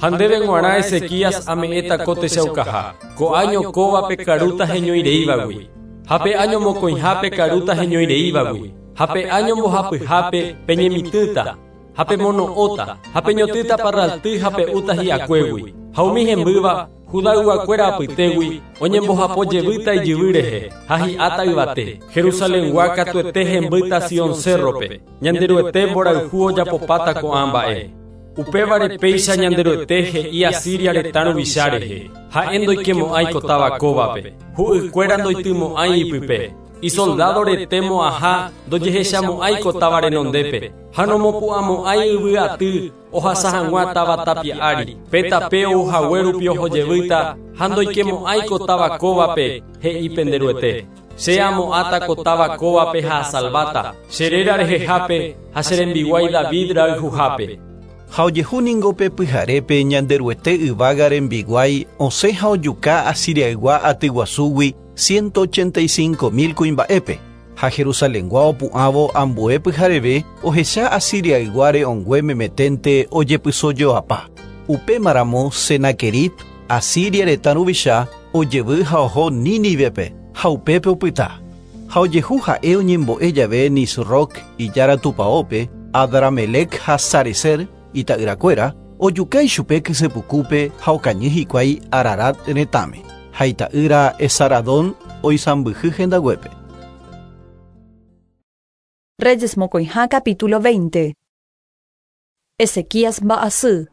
Ha ndéve g̃uarã Ezequías ame'ẽta ko techaukaha, ko año kóvape karúta heñoireívagui, ha pe año mokõihápe karúta heñoireívagui, ha pe año mbohapyhápe peñemitỹta, ha pemono'õta, ha peñotỹta parralty ha pe'úta hi'akuégui, ha umi hembýva Judayguakuéra apytégui oñembohapo jevýta ijyvy rehe ha hi'áta yvate. Jerusalengua katuete hembýta Sion cerrope, Ñanderuete mborayhu ojapopáta ko'ã mba'e. Upévare péicha Ñanderuete he'i Asiria retã ruvicha rehe, ha'e ndoikemo'ãi ko táva kóvape, hu'ykuéra ndoitymo'ãi ipype, isoldado rete mo'ãha ndojehechamo'ãi ko táva renondépe, ha nomopu'ãmo'ãi yvy aty ohasa hag̃ua táva tapia ári, pe tape ouhague rupi ohojevýta ha ndoikemo'ãi ko táva kóvape, he'i penderuete. Che amo'ãta ko táva kóvape ha asalváta, che réra rehehápe ha che rembiguái David rayhuhápe. Ha ojehu ningo pe pyharépe Ñanderuete yvága rembiguái osẽ ha ojuka Asiriaygua atyguasúgui ciento ochenta y cinco mil kuimba'épe, ha Jerusalengua opu'ãvo ambue pyhareve ohecha Asiriaygua re'õngue memeténte ojepysojoapa. Upémaramo Senaquerib, Asiria retã ruvicha, ojevy ha oho Nínivepe ha upépe opyta. Ha ojehu ha'e oñembo'e jave Nisroc ijára tupãópe, Adramelec ha Sarecer ita'yrakuéra, ojuka ichupe kysepukúpe ha okañy hikuái Ararat retãme. Ha ita'ýra Esaradón oisãmbyhy hendaguépe. Reyes mokõiha capítulo veinte. Ezequías mba'asy.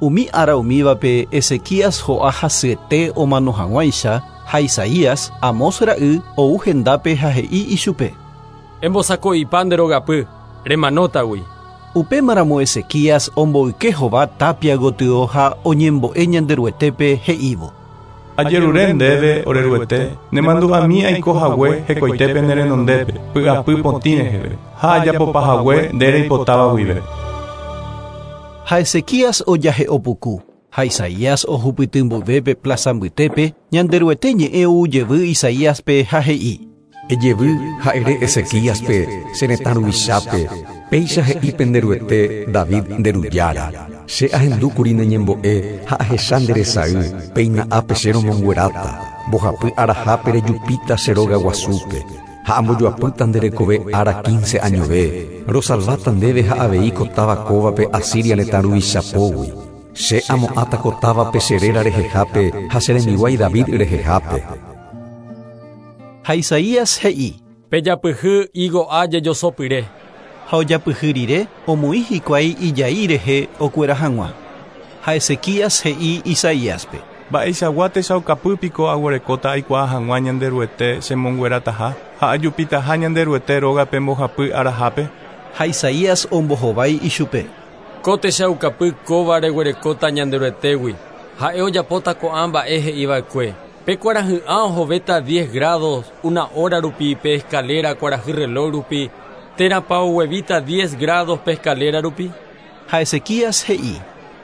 Umi ára umívape Ezequías ho'a hasyete omano hag̃uáicha ha Isaías, Amós ra'y, ou hendápe ha he'i ichupe. Embosako'ipa nde rogapy, remanótagui. Upémaramo Ezequías omboyke hova tapia gotyo ha oñembo'e Ñanderuetépe he'ívo. Ajerure ndéve oreruete, nemandu'ami aiko hague hekoitépe ne renondépe, py'apy potĩ reheve, ha ajapopa hague nde reipotáva guive. Ha Ezequías ojahe'opuku, ha Isaías ohupytymboyvépe plaza mbytépe, Ñanderuete ñe'ẽ ou jevy Isaíaspe ha he'i. Ejevy ha ere Ezequíaspe, che retã ruvichápe, péicha he'i penderuete David nde rujára. Che ahendúkuri ne ñembo'e ha ahecha nde resay, péina ápe che romongueráta, mbohapy arahápe rejupíta che róga guasúpe, ha ambojoapýta nde rekove ára quince añove, rosalváta ndéve ha avei ko táva kóvape Asiria retã ruvicha pógui. Che amo'ãta ko távape che réra rehehápe ha che rembiguái David rehehápe. Ha Isaías he'i. Pejapyhy higo'a jejosopyre. Ha ojapyhy rire omoĩ hikuái ijai rehe okuera hag̃ua. Ha Ezequías he'i Isaíaspe. Mba'eichagua techaukapýpiko aguerekóta aikuaa hag̃ua Ñanderuete chemonguerataha ha ajupitaha Ñanderuete rógape mbohapy arahápe. Ha Isaías ombohovái ichupe. Ko techaukapy kóva reguerekóta Ñanderuetégui, ha'e ojapóta ko'ã mba'e he'iva'ekue. Pe kuarahy'ã ohovéta diez grados una hora rupi pe escalera kuarahy reloj rupi, térãpa oguevíta diez grados pe escalera rupi. Ha Ezequías he'i.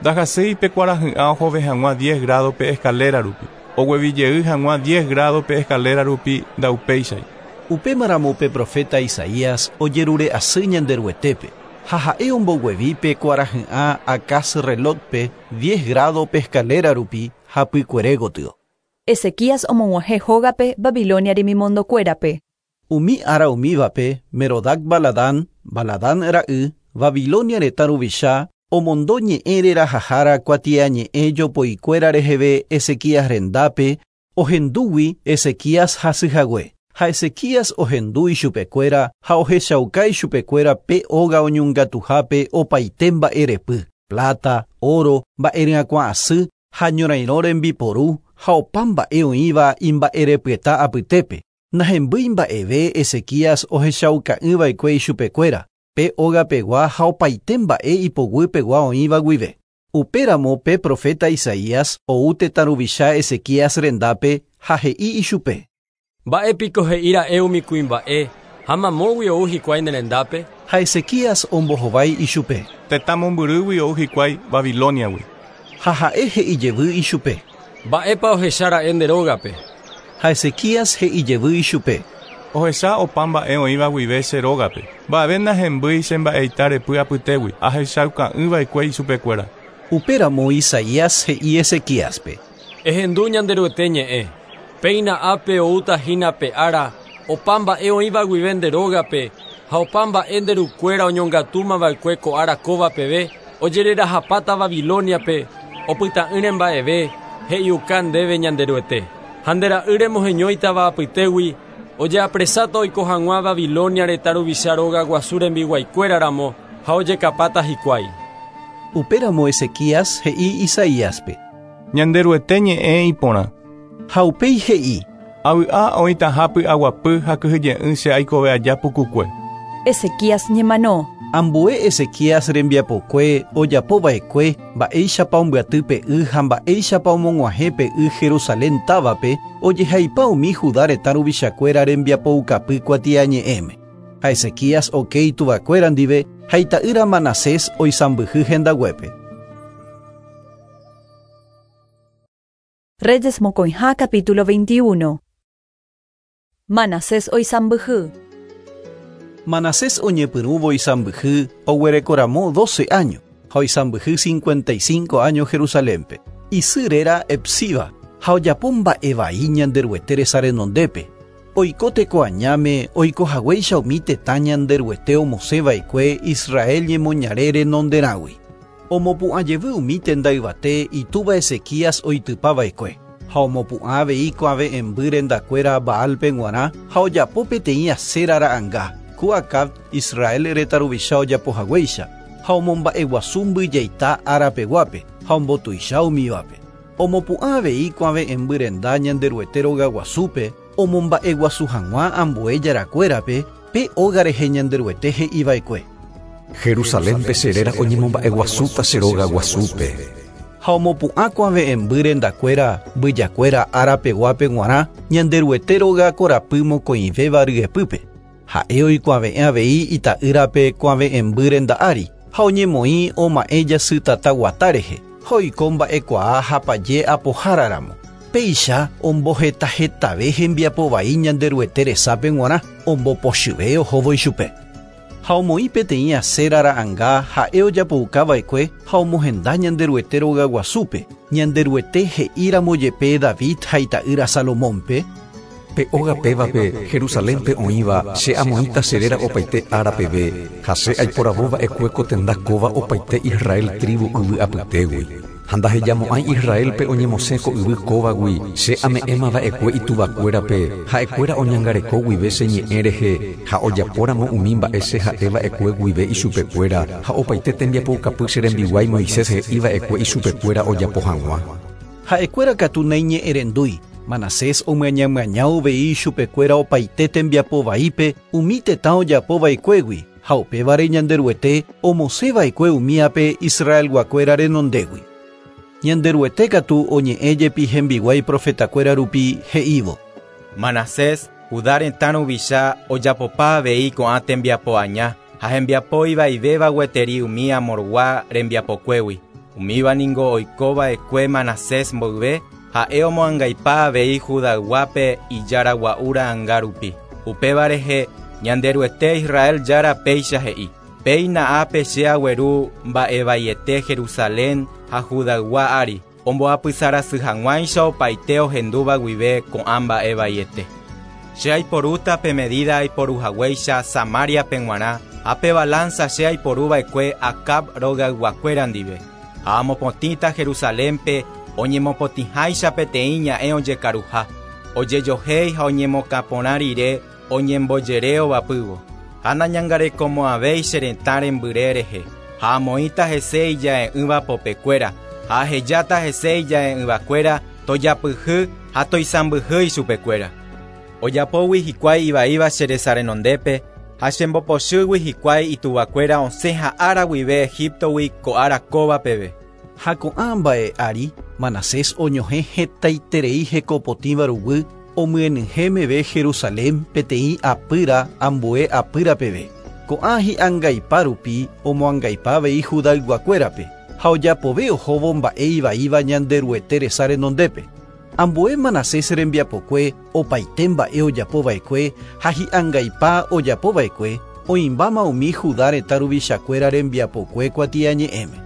Ndahasýi pe kuarahy'ã ohove hag̃ua diez grados pe escalera rupi, oguevijey hag̃ua diez grados pe escalera rupi ndaupéichai. Upémaramo pe profeta Isaías ojerure asy Ñanderuetépe, ha ha'e omboguevi pe kuarahy'ã Acaz relojpe diez grados pe escalera rupi hapykuere gotyo. Ezequías omog̃uahẽ hógape Babilonia remimondokuérape. Umi ára umívape Merodac Baladán, Baladán ra'y, Babilonia retã ruvicha, omondo ñe'ẽ rerahahára kuatiañe'ẽ jopoikuéra reheve Ezequías rendápe, ohendúgui Ezequías hasyhague. Ha Ezequías ohendu ichupekuéra ha ohechauka ichupekuéra pe óga oñongatuhápe opaite mba'erepy, plata, oro, mba'eryakuã asy ha ñorairõ rembiporu ha opa mba'e oĩva imba'erepyeta apytépe. Nahembýi mba'eve Ezequías ohechauka'ỹva'ekue ichupekuéra, pe ógapegua ha opaite mba'e ipoguýpegua oĩva guive. Upéramo pe profeta Isaías ou tetã ruvicha Ezequías rendápe ha he'i ichupe. Mba'épiko he'íra'e umi kuimba'e ha mamógui ou hikuái ne rendápe. Ha Ezequías ombohovái ichupe. Tetã mombyrýgui ou hikuái Babiloniagui. Ha ha'e he'i jevy ichupe. Mba'épa ohechára'e nde rógape. Ha Ezequías he'i jevy ichupe. Ohecha opa mba'e oĩva guive che rógape. Mba'eve nahembýi che mba'eita repy apytégui ahechauka'ỹva'ekue ichupekuéra. Upéramo Isaías he'i Ezequíaspe. Ehendu Ñanderuete ñe'ẽ. Péina ápe oúta hína pe ára opa mba'e oĩva guive nde rógape ha opa mba'e nde rukuéra oñongatúmava'ekue ko ára kóva peve ojererahapáta Babiloniape opyta'ỹre mba'eve he'iuka ndéve Ñanderuete. Ha nde ra'y remoheñóitava apytégui ojeapresáta oiko hag̃ua Babilonia retã ruvicha róga guasu rembiguaikuéraramo ha ojekapáta hikuái. Upéramo Ezequías he'i Isaíaspe. Ñanderuete ñe'ẽ iporã. Ha upéi he'i. Avy'a oĩtaha py'aguapy ha kyhyje'ỹ che aikove aja pukukue. Ezequías ñemano. Ambue Ezequías rembiapokue ojapova'ekue mba'éichapa ombyaty pe y ha mba'éichapa omog̃uahẽ pe y Jerusalén távape ojehaipa umi Judá retã ruvichakuéra rembiapoukapy kuatiañe'ẽme. Ha Ezequías oke ituvakuéra ndive ha ita'ýra Manasés oisãmbyhy hendaguépe. Reyes mokõiha capítulo veintiuno. Manasés oisãmbyhy. Manasés oñepyrũvo oisãmbyhy oguerekoramo doce años ha oisãmbyhy cincuenta y cinco años Jerusalénpe. Isy réra Hepsiba ha ojapo mba'evai Ñanderuete resa renondépe. Oiko teko añáme oikohaguéicha umi tetã Ñanderuete omosẽva'ekue Israel ñemoñare renonderãgui. Omopu'ãjevy umi tenda yvate itúva Ezequías oitypava'ekue. Ha omopu'ã avei kuave'ẽmby rendakuéra Baalpe g̃uarã ha ojapo peteĩ Asera ra'ãnga. Ku Acab Israel retã ruvicha ojapohaguéicha ha omomba'eguasu mbyjaita árapeguápe ha ombotuicha umívape. Omopu'ã avei kuave'ẽmby renda Ñanderuete rogaguasúpe omomba'eguasu hag̃ua ambue jarakuérape pe óga rehe Ñanderuete he'iva'ekue. Jerusalénpe che réra oñemomba'eguasúta che rogaguasúpe. Ha omopu'ã kuave'ẽmby rendakuéra mbyjakuéra árapeguápe g̃uarã Ñanderuete róga korapy mokõivéva ryepýpe. Ha'e oikuave'ẽ avei ita'ýrape kuave'ẽmby renda ári ha oñemoĩ oma'ẽ jasy tata guata rehe ha oiko mba'ekuaa ha paje apoháraramo. Péicha ombohetahetave hembiapovai Ñanderuete resápe g̃uarã ombopochyve ohóvo ichupe. Ha omoĩ peteĩ Asera ra'ãnga ha'e ojapoukava'ekue ha omohenda Ñanderuete rogaguasúpe. Ñanderuete he'íramo jepe David ha ita'ýra Salomónpe. Pe óga pévape Jerusalénpe oĩva che amoĩta che réra opaite árapeve ha che aiporavóva'ekue ko tenda kóva opaite Israel tribu yvy apytégui. Ha ndahejamo'ãi Israelpe oñemosẽ ko yvy kóvagui che ame'ẽmava'ekue ituvakuérape ha'ekuéra oñangareko guive che ñe'ẽ rehe ha ojapóramo umi mba'e che ha'eva'ekue guive ichupekuéra ha opaite tembiapoukapy che rembiguái Moisés he'iva'ekue ichupekuéra ojapo hag̃ua. Ha'ekuéra katu naiñe'ẽrendúi. Manasés omyañamyaña uvei ichupekuéra opaite tembiapovaípe umi tetã ojapova'ekuégui ha upévare Ñanderuete omosẽva'ekue umíape Israelguakuéra renondégui. Ñanderuete katu oñe'ẽ jepi hembiguái profetakuéra rupi he'ívo. Manasés, Judá retã ruvicha ojapopa avei ko'ã tembiapo aña ha hembiapo ivaivéva gueteri umi Amorgua rembiapokuégui. Umíva ningo oikova'ekue Manasés mboyve ha'e omoangaipa avei Judayguápe ijaragua'u ra'ãnga rupi. Upéva rehe Ñanderuete Israel jára péicha he'i. Péina ápe che agueru mba'evaiete Jerusalén ha Judaygua ári omboapysarasy hag̃uáicha opaite ohendúva guive ko'ã mba'evaiete. Che aiporúta pe medida aiporuhaguéicha Samariape g̃uarã ha pe balanza che aiporuva'ekue Acab rogayguakuéra ndive. Ha amopotĩta Jerusalénpe oñemopotĩháicha peteĩ ña'ẽ ojekaruha, ojejohéi ha oñemokãporã rire oñembojere ovapývo. Ha nañangarekomo'ãvéi che retã rembyre rehe, ha amoĩta hese ija'e'ỹva popekuéra, ha ahejáta hese ija'e'ỹvakuéra tojapyhy ha toisãmbyhy ichupekuéra. Ojapógui hikuái ivaíva che resa renondépe ha chembopochýgui hikuái ituvakuéra osẽ ha'ára guive Egiptogui ko ára kóva peve. Ha ko'ã mba'e ári Manasés oñohẽ hetaiterei hekopotĩva ruguy omyenyhẽ meve Jerusalén peteĩ apýra ambue apýra peve. Ko'ã hi'angaipa rupi omoangaipa avei Judayguakuérape Ha ojapove ohóvo mba'e ivaíva Ñanderuete resa renondépe. Ambue Manasés rembiapokue opaite mba'e ojapova'ekue ha hi'angaipa ojapova'ekue oĩmbáma umi Judá retã ruvichakuéra rembiapokue kuatiañe'ẽme.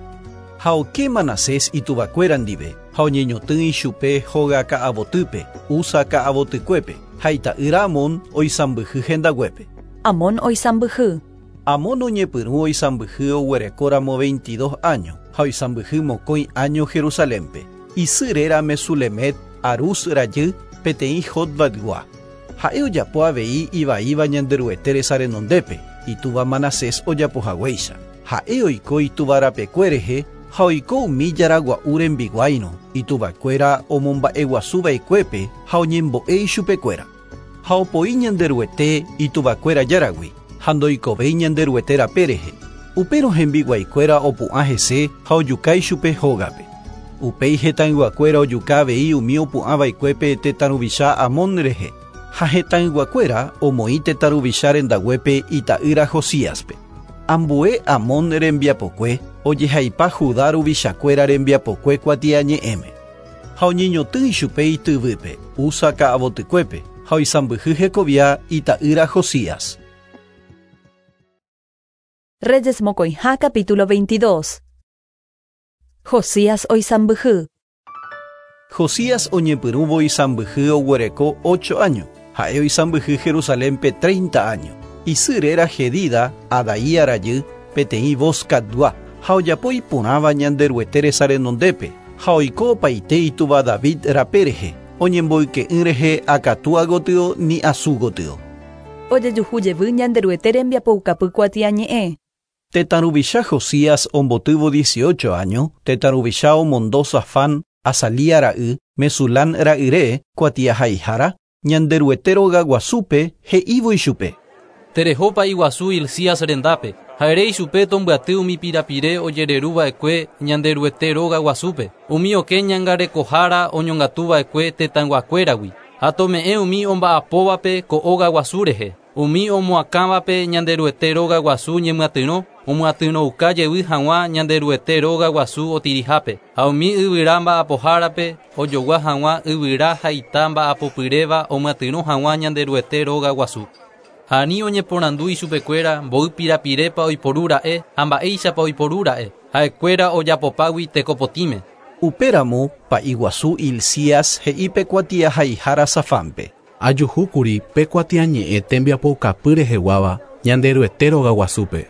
Ha oke Manasés ituvakuéra ndive ha oñeñotỹ ichupe hóga ka'avotýpe, Usa ka'avotykuépe ha ita'ýra Amón oisãmbyhy hendaguépe. Amón oisãmbyhy. Amón oñepyrũ oisãmbyhy oguerekóramo veintidós años ha oisãmbyhy mokõi año Jerusalénpe. Isy réra Mesulemet Arús rajy peteĩ Jotbatgua. Ha'e ojapo avei ivaíva Ñanderuete resa renondépe, itúva Manasés ojapohaguéicha. Ha'e oiko itúva rapekue rehe ha oiko umi jaragua'u rembiguáirõ, ituvakuéra omomba'eguasuva'ekuépe ha oñembo'e ichupekuéra. Ha opoi Ñanderuete ituvakuéra járagui ha ndoikovéi Ñanderuete rape rehe. Upérõ hembiguaikuéra opu'ã hese ha ojuka ichupe hógape. Upéi hetãyguakuéra ojuka avei umi opu'ãva'ekuépe tetã ruvicha Amón rehe. Ha hetãyguakuéra omoĩ tetã ruvicha rendaguépe ita'ýra Josíaspe. Ambue Amón rembiapokue ojehaipa Judá ruvichakuéra rembiapokue kuatiañe'ẽme. Ha oñeñotỹ ichupe ityvýpe, Usa ka'avotykuépe, ha oisãmbyhy hekovia ita'ýra Josías. Reyes mokõiha capítulo veintidós. Josías oisãmbyhy. Josías oñepyrũvo isãmbyhy oguereko ocho años. Ha'e oisãmbyhy Jerusalénpe treinta años. Isy réra Jedida, Adaía rajy, peteĩ Boscatgua, ha ojapo iporãva Ñanderuete resa renondépe, ha oiko opaite itúva David rape rehe, oñemboyke'ỹ rehe akatúa gotyo ni asu gotyo. Ojejuhu jevy Ñanderuete rembiapoukapy kuatiañe'ẽ. Tetã ruvicha Josías ombotývo dieciocho años, tetã ruvicha omondo Safán, Azalía ra'y, Mesulán ra'yre, kuatiahaihára, Ñanderuete rogaguasúpe he'ívo ichupe. Terehopa iguasu Hilcías rendápe, ha ere ichupe tombyaty umi pirapire ojereruva'ekue Ñanderuete rogaguasúpe, umi okẽ ñangarekohára oñongatuva'ekue tetãyguakuéragui, ha tome'ẽ umi omba'apóvape ko ógaguasu rehe, umi omoakãvape Ñanderuete rogaguasu ñemyatyrõ, omyatyrõuka jevy hag̃ua Ñanderuete rogaguasu otirihápe, ha umi yvyra mba'apohárape ojogua hag̃ua yvyra ha ita mba'apopyréva omyatyrõ hag̃ua Ñanderuete rogaguasu. Ha ani oñeporandu ichupekuéra mboy pirapirépa oiporúra'e ha mba'éichapa oiporúra'e, ha'ekuéra ojapopágui tekopotĩme. Upéramo pa'iguasu Hilcías he'i pe kuatiahaihára Safánpe. Ajuhúkuri pe kuatiañe'ẽ tembiapoukapy reheguáva Ñanderuete rogaguasúpe.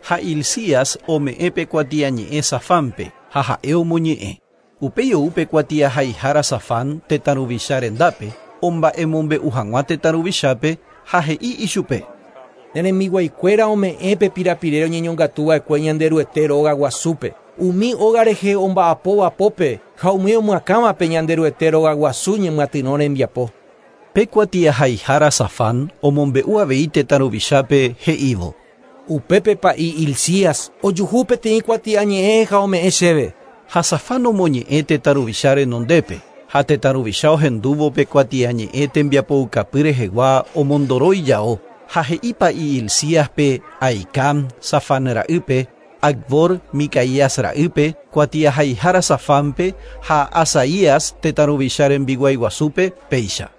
Ha Hilcías ome'ẽ pe kuatiañe'ẽ Safánpe ha ha'e omoñe'ẽ. Upéi ou pe kuatiahaihára Safán tetã ruvicha rendápe omba'emombe'u hag̃ua tetã ruvichápe ha he'i ichupe. Ne rembiguaikuéra ome'ẽ pe pirapire oñeñongatuva'ekue Ñanderuete rogaguasúpe. Umi óga rehe omba'apóvapópe ha umi omyakãvape Ñanderuete rogaguasu ñemyatyrõ rembiapo. Pe kuatiahaihára Safán omombe'u avei tetã ruvichápe he'ívo. Upépe pa'i Hilcías ojuhu peteĩ kuatiañe'ẽ ha ome'ẽ chéve. Ha Safán omoñe'ẽ tetã ruvicha renondépe, ha tetã ruvicha ohendúvo pe kuatiañe'ẽ tembiapoukapy rehegua omondoro ijao, ha he'i pa'i Hilcíaspe Ahicam Safán ra'ýpe, Acbor Micaías ra'ýpe, kuatiahaihára Safánpe ha Asaías tetã ruvicha rembiguaiguasúpe péicha.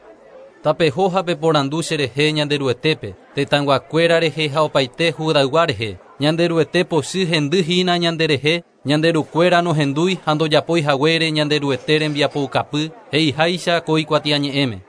Tapeho ha peporandu cherehe Ñanderuetépe, tetãyguakuéra rehe ha opaite Judaygua rehe, Ñanderuete pochy hendy hína ñanderehe, Ñanderukuéra nohendúi ha ndojapói haguére Ñanderuete rembiapoukapy he'iháicha ko ikuatiañe'ẽme.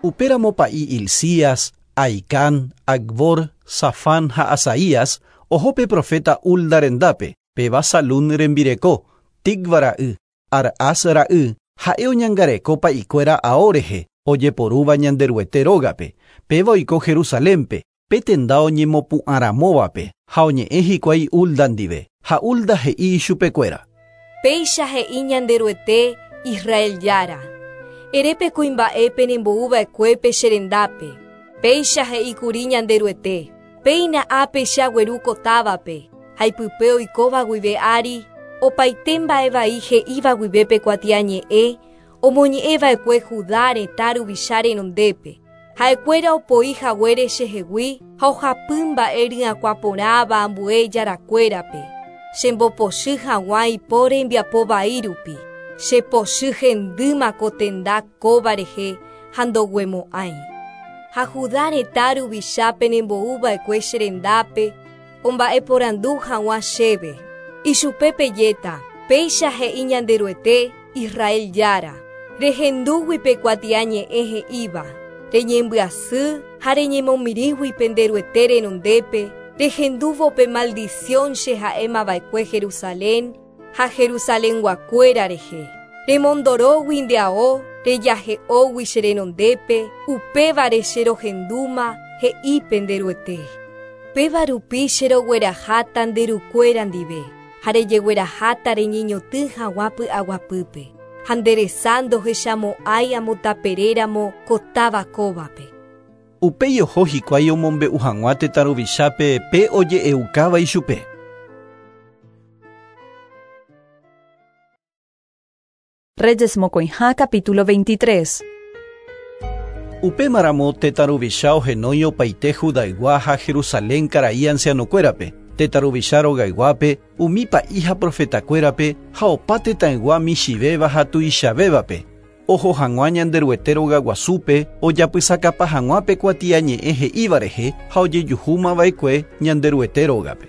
Upéramo pa'i Hilcías, Ahicam, Acbor, Safán ha Asaías oho pe profeta Hulda rendápe, péva Salún rembireko, Tikva ra'y, Arhas ra'y, ha'e oñangareko pa'ikuéra ao rehe, ojeporúva Ñanderuete rógape, péva oiko Jerusalénpe, pe tenda oñemopu'ãramóvape, ha oñe'ẽ hikuái Hulda ndive, ha Hulda he'i ichupekuéra. Péicha he'i Ñanderuete Israel jára. Ere pe kuimba'épe nembo'uva'ekuépe che rendápe. Péicha he'íkuri Ñanderuete. Péina ápe che agueru ko távape, ha ipype oikóva guive ári, opaite mba'e vai he'íva guive pe kuatiañe'ẽ, omoñe'ẽva'ekue Judá retã ruvicha renondépe. Ha'ekuéra opoi haguére chehegui ha ohapy mba'e ryakuã porãva ambue jarakuérape. Chembopochy hag̃ua ipo rembiapo vai rupi. Chepochy hendýma ko tenda kóva rehe ha ndoguemo'ãi. Ha Judá retã ruvicha penembo'uva'ekue che rendápe omba'eporandu hag̃ua chéve. Ichupe pejéta, péicha he'i Ñanderuete Israel Jára. Rehendúgui pe kuatiañe'ẽ he'íva, reñembyasy ha reñemomirĩgui penderuete renondépe, rehendúvo pe maldición che ha'émava'ekue Jerusalén ha Jerusalenguakuéra rehe. Remondorógui nde ao, rejahe'ógui che renondépe, upévare che rohendúma he'i penderuete. Péva rupi che rogueraháta nde rukuéra ndive, ha rejegueraháta reñeñotỹ hag̃ua py'aguapýpe. Ha nderesa ndohechamo'ãi amotaperéramo ko táva kóvape. Upéi oho hikuái omombe'u hag̃ua tetã ruvichápe pe oje'eukáva ichupe. Reyes mokõiha capítulo veintitrés. Upémaramo tetã ruvicha ohenói opaite Judaygua ha Jerusalén karai ancianokuérape, tetã ruvicha rogayguápe, umi pa'i ha profetakuérape ha opa tetãygua michĩvéva ha tuichavévape. Oho hag̃ua Ñanderuete rogaguasúpe ojapysakapa hag̃ua pe kuatiañe'ẽ he'íva rehe ha ojejuhúmava'ekue Ñanderuete rógape.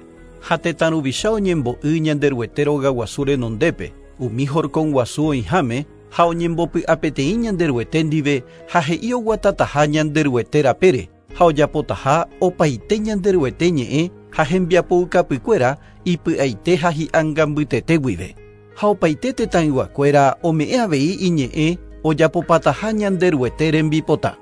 Ha tetã ruvicha oñembo'y Ñanderuete rogaguasu renondépe, umi horkon guasu oĩháme ha oñembopy'apeteĩ Ñanderuete ndive ha he'i oguatataha Ñanderuete rapére ha ojapotaha opaite Ñanderuete ñe'ẽ ha hembiapoukapykuéra ipy'aite ha hi'angambytete guive. Ha opaite tetãyguakuéra ome'ẽ avei iñe'ẽ ojapopataha Ñanderuete rembipota.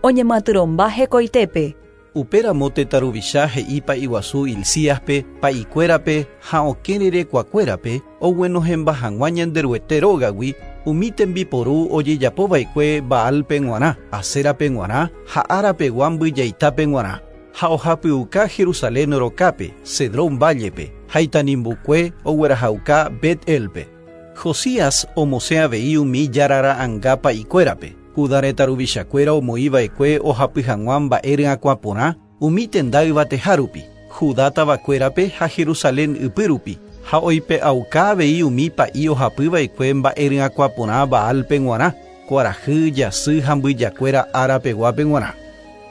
Oñematyrõmba hekoitépe. Upéramo tetã ruvicha he'i pa'iguasu Hilcíaspe, pa'ikuérape ha okẽ rerekuakuérape oguenohẽmba hag̃ua Ñanderuete rógagui umi tembiporu ojejapova'ekue Baalpe g̃uarã, Aserape g̃uarã ha árapegua mbyjaitápe g̃uarã. Ha ohapyuka Jerusalén rokápe, Cedrón vállepe, ha itanimbukue oguerahauka Bet-elpe. Josías omosẽ avei umi jarara'ãnga pa'ikuérape. Judá retã ruvichakuéra omoĩva'ekue ohapy hag̃ua mba'e ryakuã porã umi tenda yvateha rupi, Judá tavakuérape ha Jerusalén ypýrupi, ha oipe'auka avei umi pa'i ohapyva'ekue mba'e ryakuã porã Baalpe g̃uarã, kuarahy, jasy ha mbyjakuéra árapeguápe g̃uarã.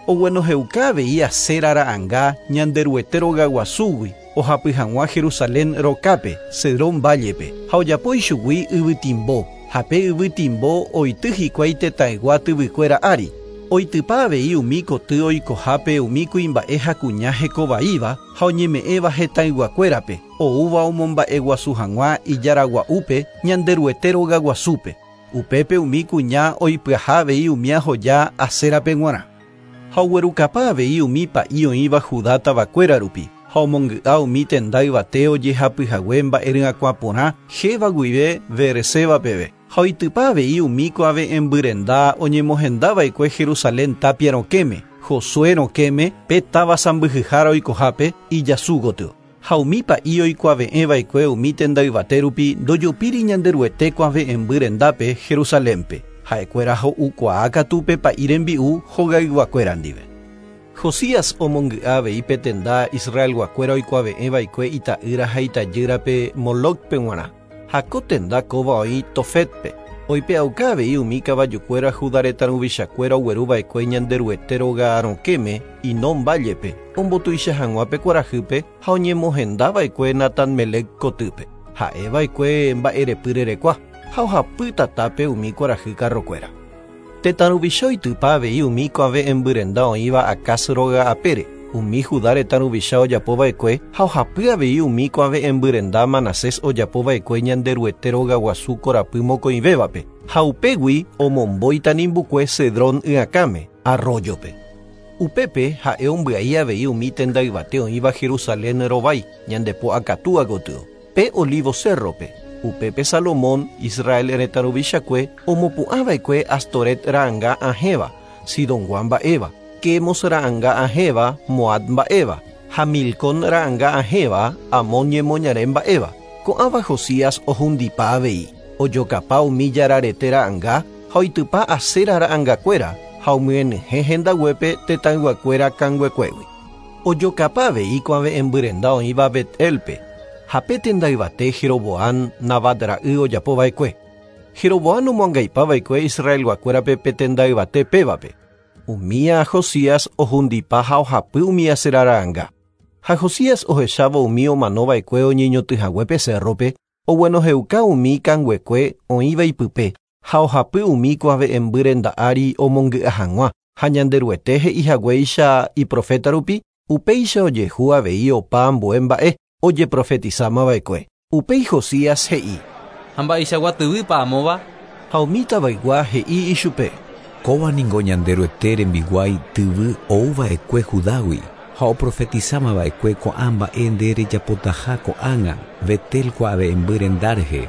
Oguenohẽuka avei Asera ra'ãnga Ñanderuete rogaguasúgui ohapy hag̃ua Jerusalén rokápe, Cedrón vállepe, ha ojapo ichugui yvytimbo, ha pe yvytimbo oity hikuái tetãygua tyvykuéra ári. Oitypa avei umi koty oikohápe umi kuimba'e ha kuña hekovaíva ha oñeme'ẽva hetãyguakuérape, oúva omomba'eguasu hag̃ua ijaragua'úpe Ñanderuete rogaguasúpe. Upépe umi kuña oipyaha avei umi ahoja Aserape g̃uarã. Ha oguerukapa avei umi pa'i oĩva Judá tavakuéra rupi, ha omongy'a umi tenda yvate ojehapyhague mba'e ryakuã porã héva guive Beerseba peve. Ha oitypa avei umi kuave'ẽmbyrenda oñemohendava'ekue Jerusalén tapia rokẽme, Josué rokẽme pe táva sãmbyhyhára oikohápe ijasu gotyo. Ha umi pa'i oikuave'ẽva'ekue umi tenda yvate rupi ndojopíri Ñanderuete kuave'ẽmby rendápe Jerusalénpe. Ha'ekuéra ho'ukuaa katu pe pa'i rembi'u hogayguakuéra ndive. Josías omongy'a avei pe tenda Israelguakuéra oikuave'ẽva'ekue ita'ýra ha itajýrape Molocpe g̃uarã. Ha ko tenda kóva oĩ Tofetpe. Oipe'auka avei umi kavajukuéra Judá retã ruvichakuéra ogueruva'ekue Ñanderuete róga rokẽme Hinón vállepe, ombotuicha hag̃ua pe kuarahýpe ha oñemohendava'ekue Natanmelec kotýpe. Ha'eva'ekue mba'erepy rerekua ha ohapy tatápe umi kuarahy karrokuéra. Tetã ruvicha oitypa avei umi kuave'ẽmbyrenda oĩva Acaz róga apére, umi Judá retã ruvicha ojapova'ekue ha ohapy avei umi kuave'ẽmbyrenda Manasés ojapova'ekue Ñanderuete rogaguasu korapy mokõivévape, ha upégui omombo itanimbukue Cedrón y'akãme, arroyope. Upépe ha'e ombyai avei umi tenda yvate oĩva Jerusalén rovái, ñandepo akatúa gotyo, pe Olivo Cerrope. Upépe Salomón, Israel retã ruvichakue, omopu'ãva'ekue Astoret ra'ãnga ahẽva, Sidongua mba'éva, Quemos ra'ãnga ahẽva, Moab mba'éva, ha Milcón ra'ãnga ahẽva, Amón ñemoñare mba'éva. Ko'ãva Josías ohundipa avei, ojokapa umi jararete ra'ãnga ha oitypa Asera ra'ãngakuéra ha omyenyhẽ hendaguépe tetãyguakuéra kanguekuégui. Ojokapa avei kuave'ẽmbyrenda oĩva Bet-elpe, Ha pe tenda yvate Jeroboam Nabat ra'y ojapova'ekue. Jeroboam omoangaipava'ekue Israelguakuérape pe tenda yvate pévape. Umía Josías ohundipa ha ohapy umi aserara'ãnga. Ha Josías ohechávo umi omanova'ekue oñeñotỹhaguépe cerrope, oguenohẽuka umi kanguekue oĩva ipype, ha ohapy umi kuave'ẽmby renda ári omongy'a hag̃ua, ha Ñanderuete he'ihaguéicha iprofeta rupi, upéicha ojehu avei opa ambue mba'e ojeprofetizamava'ekue. Upéi Josías he'i: Ha mba'eichagua tyvýpa amóva? Ha umi tavaygua he'i ichupe: Kóva ningo Ñanderuete rembiguái tyvy ouva'ekue Judágui ha oprofetizamava'ekue ko'ã mba'e nde rejapotaha ko'ág̃a Betel kuave'ẽmby renda rehe.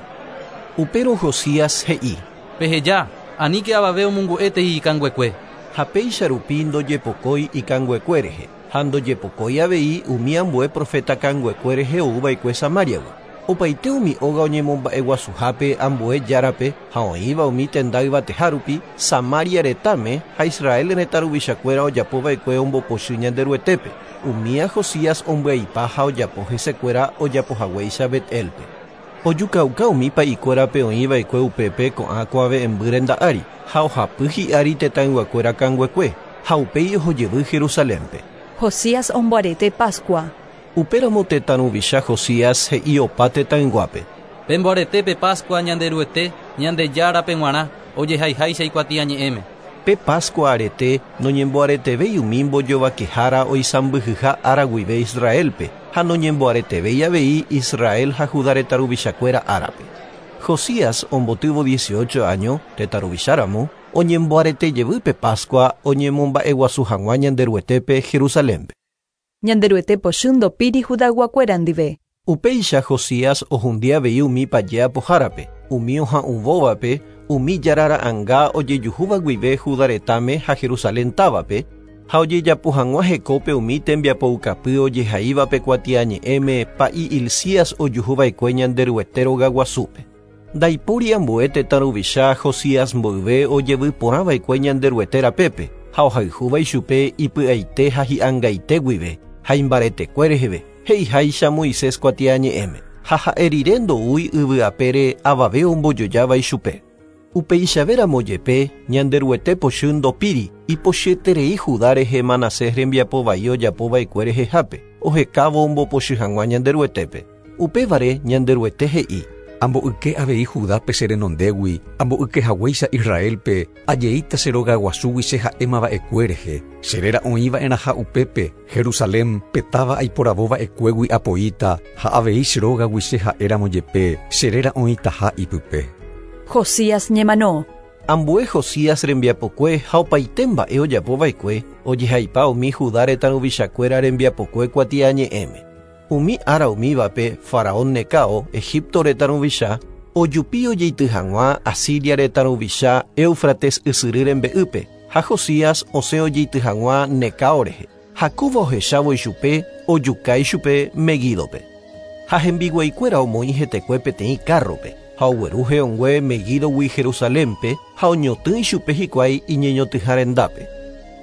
Upérõ Josías he'i: Peheja, aníke avave omongu'étei ikanguekue. Ha péicha rupi ndojepokói ikanguekue rehe, ha ndojepokói avei umi ambue profeta kanguekue rehe ouva'ekue Samariagui. Opaite umi óga oñemomba'eguasuhápe ambue járape ha oĩva umi tenda yvateha rupi Samaria retãme ha Israel retã ruvichakuéra ojapova'ekue ombopochy Ñanderuetépe. Umía Josías ombyaipa ha ojapo hesekuéra ojapohaguéicha Betelpe. Ojukauka umi pa'ikuérape oĩva'ekue upépe ko'ã kuave'ẽmby renda ári ha ohapy hi'ári tetãyguakuéra kanguekue ha upéi ohojevy Jerusalénpe. Josías omboarete Pascua. Upéramo tetã ruvicha Josías he'i opa tetãyguápe: Pemboaretépe Pascua Ñanderuete Ñandejárape g̃uarã ojehaiháicha ikuatiañe'ẽme. Pe Pascua arete noñemboaretevéi umi mbojovakehára oisãmbyhyha ára guive Israelpe ha noñemboaretevéi avei Israel ha Judá retã ruvichakuéra árape. Josías ombotývo dieciocho año tetã ruvicháramo oñemboaretejevy pe Pascua oñemomba'eguasu hag̃ua Ñanderuetépe Jerusalénpe. Ñanderuete pochy ndopíri Judayguakuéra ndive. Upéicha Josías ohundi avei umi paje apohárape, umi oha'uvóvape, umi jarara'ãnga ojejuhúva guive Judá retãme ha Jerusalén távape, ha ojejapo hag̃ua hekópe umi tembiapoukapy ojehaívape kuatiañe'ẽme pa'i Hilcías ojuhuva'ekue Ñanderuete rogaguasúpe. Ndaipóri ambue tetã ruvicha Josías mboyve ojevy porãva'ekue Ñanderuete rapépe ha ohayhúva ichupe ipy'aite ha hi'angaite guive ha imbaretekue reheve he'iháicha Moisés kuatiañe'ẽme ha ha'e rire ndoúi yvyapére avave ombojojáva ichupe. Upeichavéramo jepe Ñanderuete pochy ndopíri ipochyeterei Judá rehe Manasés rembiapovai ojapova'ekue rehehápe ohekávo ombopochy hag̃ua Ñanderuetépe. Upévare Ñanderuete he'i: Amboyke avei Judápe che renondégui, amboykehaguéicha Israelpe, ajeíta che rogaguasúgui che ha'émava'ekue rehe. Che réra oĩva'erãha upépe, Jerusalén pe táva aiporavova'ekuégui apoíta ha avei che rógagui che ha'éramo jepe, che réra oĩtaha ipype. Josías ñemano. Ambue Josías rembiapokue ha opaite mba'e ojapova'ekue ojehaipa umi Judá retã ruvichakuéra rembiapokue kuatiañe'ẽme. Umi ára umívape Faraón Necao, Egipto retã ruvicha, ojupi ojeity hag̃ua Asiria retã ruvicha Éufrates ysyry rembe'ýpe ha Josías osẽ ojeity hag̃ua Necao rehe. Ha kóva ohechávo ichupe ojuka ichupe Megídope. Ha hembiguaikuéra omoĩ hetekue peteĩ kárrope ha ogueru he'õngue Megídogui Jerusalénpe ha oñotỹ ichupe hikuái iñeñotỹha rendápe.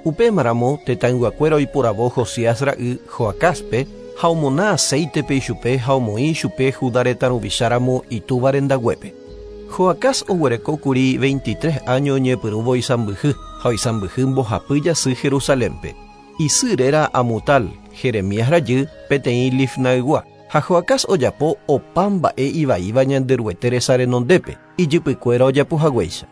Upémaramo tetãyguakuéra oiporavo Josías ra'y Joacáspe ha omona aceitepe ichupe ha omoĩ ichupe Judá retã ruvicháramo itúva rendaguépe. Joacás oguerekókuri veintitrés año oñepyrũvo isãmbyhy ha oisãmbyhy mbohapy jasy Jerusalénpe. Isy réra Amutal, Jeremías rajy, peteĩ Lifnaygua. Ha Joacás ojapo opa mba'e ivaíva Ñanderuete resa renondépe, ijypykuéra ojapohaguéicha.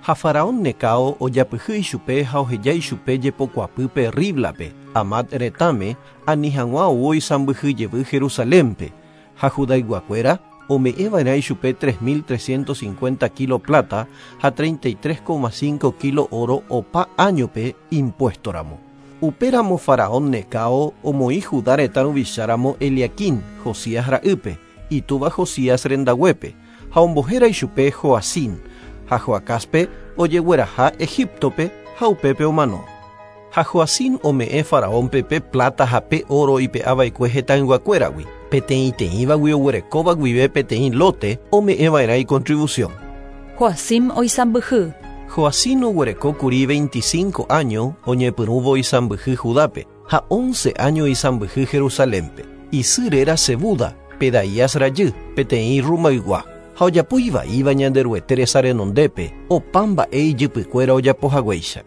Ha Faraón Necao ojapyhy ichupe ha oheja ichupe jepokuapýpe Riblape, Amat retãme, ani hag̃ua ou oisãmbyhy jevy Jerusalénpe, ha Judayguakuéra ome'ẽva'erã ichupe tres mil trescientos cincuenta kilo plata ha treinta y tres coma cinco kilo oro opa áñope impuestoramo. Upéramo Faraón Necao omoĩ Judá retã ruvicháramo Eliaquim, Josías ra'ýpe, itúva Josías rendaguépe, ha ombohéra ichupe Joacim, ha Joacáspe ojegueraha Egiptope ha upépe omano. Ha Joacim ome'ẽ Faraónpe pe plata ha pe oro ipe'ava'ekue hetãyguakuéragui, peteĩteĩvagui oguerekóva guive peteĩ lote ome'ẽva'erã icontribución. Joacim oisãmbyhy. Joacim oguerekókuri veinticinco año oñepyrũvo isãmbyhy Judápe ha once año isãmbyhy Jerusalénpe. Isy réra Sebuda, Pedaías rajy, peteĩ Rumaygua. Ha ojapo ivaíva Ñanderuete resa renondépe, opa mba'e ijypykuéra ojapohaguéicha.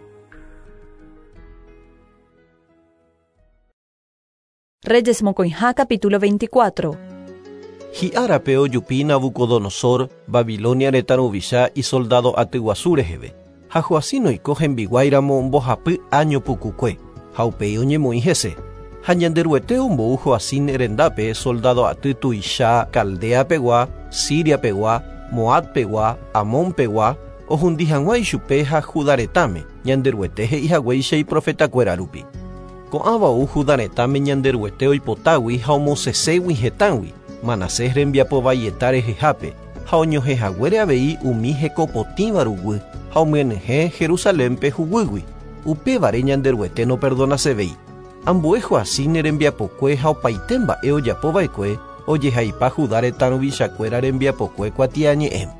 Reyes mokõiha capítulo veinticuatro. Hi'árape ojupi Nabucodonosor, Babilonia retã ruvicha isoldado aty guasu reheve. Ha Joacim oiko hembiguáiramo mbohapy año pukukue, ha upéi oñemoĩ hese. Ha Ñanderuete ombou Joacim rendápe soldado aty tuicha Caldea-pegua, Siria-pegua, Moab-pegua, Amón-pegua, ohundi hag̃ua ichupe ha Judá retãme, Ñanderuete he'ihaguéicha iprofetakuéra rupi. Ko'ãva ou Judá retãme Ñanderuete oipotágui ha omoseségui hetãgui, Manasés rembiapo vaieta rehehápe, ha oñohẽhaguére avei umi hekopotĩva ruguy ha omyenyhẽ Jerusalénpe huguýgui. Upévare Ñanderuete noperdonasevéi. Ambue Joacim rembiapokue ha opaite mba'e ojapova'ekue ojehaipa Judá retã ruvichakuéra rembiapokue kuatiañe'ẽme.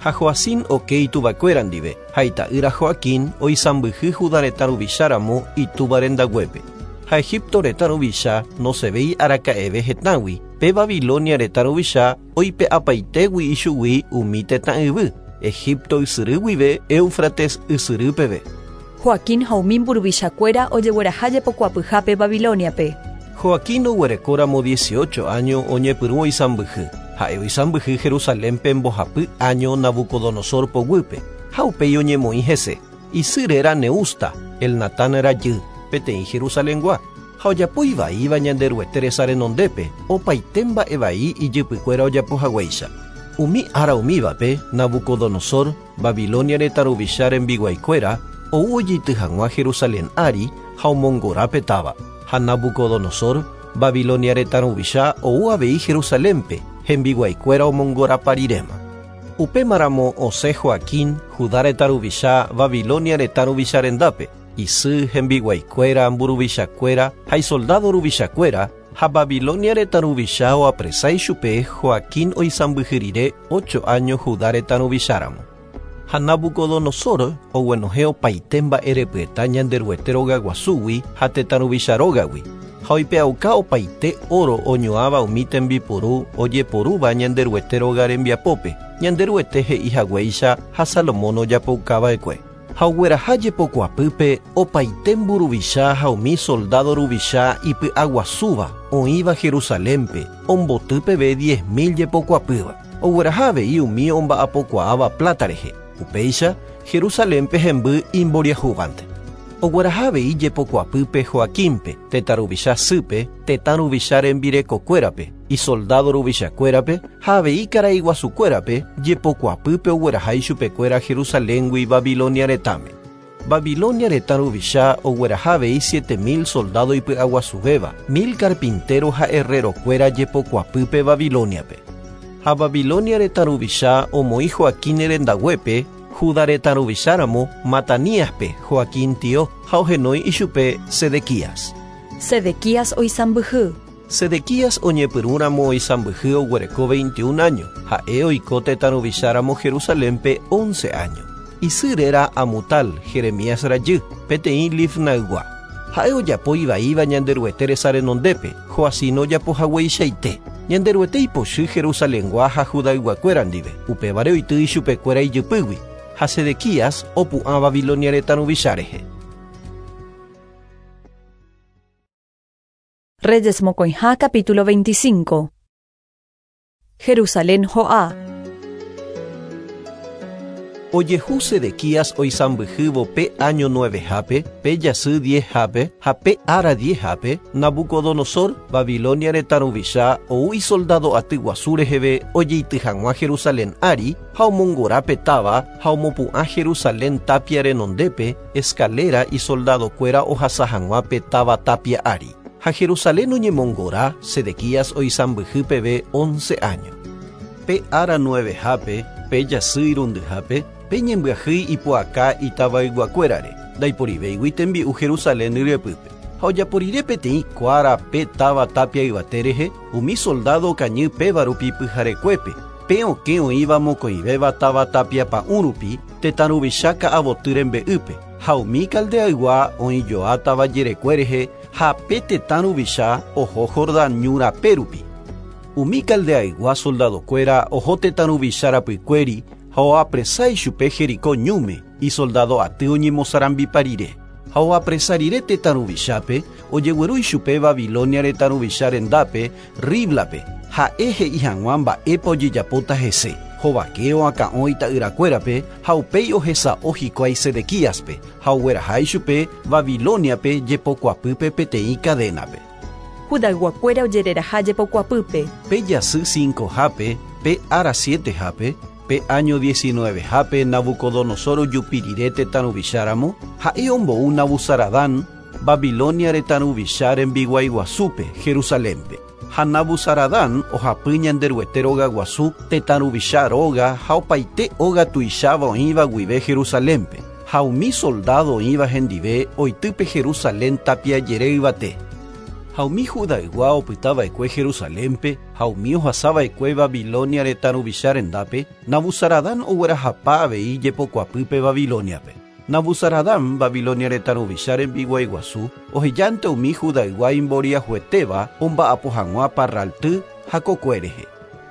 Ha Joacim oke ituvakuéra ndive, ha ita'ýra Joaquín oisãmbyhy Judá retã ruvicháramo itúva rendaguépe. Ha Egipto retã ruvicha nosevéi araka'eve hetãgui, pe Babilonia retã ruvicha oipe'apaitégui ichugui umi tetã yvy, Egipto ysyry guive Éufrates ysyry peve. Joaquín ha umi mburuvichakuéra ojegueraha jepokuapyhápe Babiloniape. Joaquín oguerekóramo dieciocho año oñepyrũ oisãmbyhy. Ha'e oisãmbyhy Jerusalénpe mbohapy año Nabucodonosor poguýpe, ha upéi oñemoĩ hese. Isy réra Neusta, Elnatán rajy, peteĩ Jerusalengua. Ha ojapo ivaíva Ñanderuete resa renondépe, opaite mba'e vai ijypykuéra ojapohaguéicha. Umi ára umívape, Nabucodonosor, Babilonia retã ruvicha rembiguaikuéra, ou ojeity hag̃ua Jerusalén ári ha omongorápe táva. Ha Nabucodonosor, Babilonia retã ruvicha ou avei Jerusalénpe, hembiguaikuéra omongoraparirema. Upémaramo osẽ Joaquín, Judá retã ruvicha, Babilonia retã ruvicha rendápe, isy hembiguaikuéra, mburuvichakuéra ha isoldado ruvichakuéra, ha Babilonia retã ruvicha oapresa ichupe Joaquín oisãmbyhy rire ocho año Judá retã ruvicháramo. Ha Nabucodonosor oguenohẽ opaite mba'erepyeta Ñanderuete rogaguasúgui ha tetã ruvicha rógagui, ha oipe'auka opaite oro oñoãva umi tembiporu ojeporúva Ñanderuete róga rembiapópe, Ñanderuete he'ihaguéicha ha Salomón ojapoukava'ekue. Ha ogueraha jepokuapýpe opaite mburuvicha ha umi soldado ruvicha ipy'aguasúva oĩva Jerusalénpe, omboty peve diez mil jepokuapýva. Ogueraha avei umi omba'apokuaáva plata rehe. Upéicha, Jerusalénpe hemby imboriahúvante. Ogueraha avei jepokuapýpe Joaquínpe, tetã ruvicha sýpe, tetã ruvicha rembirekokuérape, isoldado ruvichakuérape ha avei karaiguasukuérape jepokuapýpe ogueraha ichupekuéra Jerusaléngui Babilonia retãme. Babilonia retã ruvicha ogueraha avei siete mil soldado ipy'aguasuvéva, mil carpintero ha herrerokuéra jepokuapýpe Babiloniape. Ha Babilonia retã ruvicha omoĩ Joaquín rendaguépe, Judá retã ruvicháramo Mataníaspe Joaquín tio ha ohenói ichupe Sedequías. Sedequías oisãmbyhy. Sedequías oñepyrũramo oisãmbyhy oguereko veintiún año, ha'e oiko tetã ruvicháramo Jerusalénpe once año. Isy réra Amutal, Jeremías rajy, peteĩ Libnaygua. Ha'e ojapo ivaíva Ñanderuete resa renondépe, Joacim ojapohagueichaite. Ñanderuete ipochy Jerusalengua ha Judayguakuéra ndive, upévare oity ichupekuéra ijypýgui, ha Sedequías opu'ã Babilonia retã ruvicha rehe. Reyes mokõiha capítulo veinticinco. Jerusalén ho'a. Ojehu Sedequías oisãmbyhývo pe año nuevehápe, pe jasy diezhápe ha pe ára diezhápe, Nabucodonosor, Babilonia retã ruvicha ou isoldado aty guasu reheve ojeity hag̃ua Jerusalén ári ha omongorápe táva ha omopu'ã Jerusalén tapia renondépe escalera isoldadokuéra ohasa hag̃ua pe táva tapia ári. Ha Jerusalén oñemongora Sedequías oisãmbyhy peve once año. Pe ára nuevehápe, pe jasy irundyhápe, pe ñembyahýi ipu'aka itavayguakuérare, ndaiporivéigui tembi'u Jerusalén ryepýpe. Ha ojaporire peteĩ kuára pe táva tapia yvate rehe, umi soldado okañy péva rupi pyharekuépe, pe okẽ oĩva mokõivéva táva tapia pa'ũ rupi, tetã ruvicha ka'avoty rembe'ýpe, ha umi Caldeaygua oĩjoa táva jerekue rehe ha pe tetã ruvicha oho Jordán ñu rape rupi. Umi Caldeaygua soldadokuéra oho tetã ruvicha rapykuéri ha oapresa ichupe Jericó ñúme isoldado aty oñemosarambipa rire. Ha oapresa rire tetã ruvichápe ojegueru ichupe Babilonia retã ruvicha rendápe Riblape ha'e he'i hag̃ua mba'épa ojejapóta hese. Hovake oakã'o ita'yrakuérape ha upéi ohesa'o hikuái Sedequíaspe ha ogueraha ichupe Babiloniape jepokuapýpe peteĩ cadenape. Judayguakuéra ojereraha jepokuapýpe. Pe jasy cincohápe, pe ára sietehápe, pe año diecinuevehápe Nabucodonosor ojupi rire tetã ruvicháramo, ha'e ombou Nabuzaradán, Babilonia retã ruvicha rembiguaiguasúpe, Jerusalénpe. Ha Nabuzaradán ohapy Ñanderuete rogaguasu tetã ruvicha róga ha opaite óga tuicháva oĩva guive Jerusalénpe. Ha umi soldado oĩva hendive oitýpe Jerusalén tapia jere yvate. Ha umi Judaygua opytava'ekue Jerusalénpe ha umi ohasava'ekue Babilonia retã ruvicha rendápe, Nabuzaradán oguerahapa avei jepokuapýpe Babiloniape. Nabuzaradán Babilonia retã ruvicha rembiguaiguasu ohejánte umi Judaygua imboriahuetéva omba'apo hag̃ua parralty ha kokue rehe.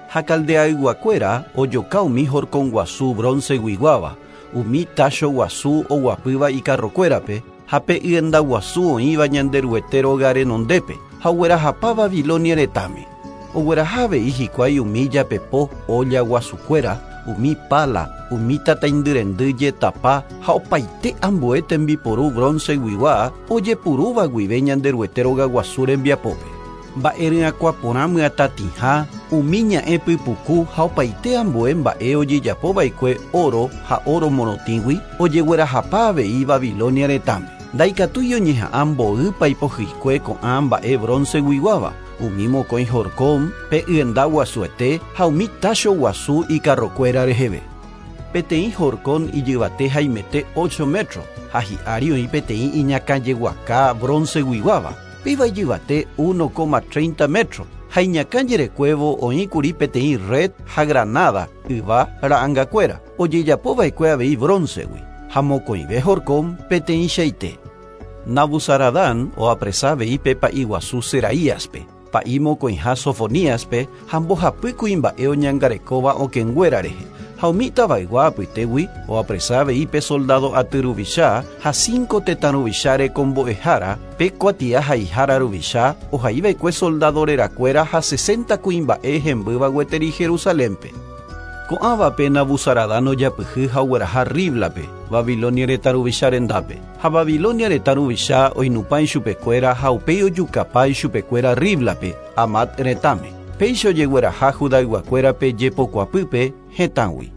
Ha Caldeayguakuéra ojoka umi horconguasu bronceguiguáva, umi tacho guasu oguapýva ikarrokuérape, ha pe yendaguasu oĩva Ñanderuete róga renondépe ha oguerahapa Babilonia retãme. Ogueraha avei hikuái umi japepo olla guasukuéra, umi pala, umi tataindyrendy jetapa ha opaite ambue tembiporu bronceguigua ojepurúva guive Ñanderuete rogaguasu rembiapópe. Mba'e ryakuã myatatĩha, umi ña'ẽ pypuku ha opaite ambue mba'e ojejapova'ekue oro ha oro morotĩgui ojeguerahapa avei Babilonia retãme. Ndaikatúi oñeha'ã mboýpa ipohyikue ko'ã mba'e bronceguiguáva, umi mokõi horcón, pe yenda guasuete ha umi tacho guasu ikarrokuéra reheve. Peteĩ horcón ijyvate haimete ocho metro ha hi'ári oĩ peteĩ iñakãjeguaka bronceguiguáva, péva ijyvate uno coma treinta metro ha iñakãjerekuévo oĩkuri peteĩ red ha granada yva ra'angakuéra ojejapova'ekue avei broncegui ha mokõive horcón peteĩchaite. Nabuzaradán oapresa avei pe pa'i guasu Seraíaspe, pa'i mokõiha Sofoníaspe ha mbohapy kuimba'e oñangarekóva okẽnguéra rehe. Ha umi tavaygua apytégui oapresa avei pe soldado aty ruvicha ha cinco tetã ruvicha rekombo'ehára, pe kuatia haihára ruvicha ohaiva'ekue soldado rerakuéra ha sesenta kuimba'e hembýva gueteri Jerusalénpe. Ko'ãvape Nabuzaradán ojapyhy ha ogueraha Riblape, Babilonia retã ruvicha rendápe. Ha Babilonia retã ruvicha oinupã ichupekuéra ha upéi ojukapa ichupekuéra Riblape, Amat retãme. Péicha ojegueraha Judayguakuérape jepokuapýpe hetãgui.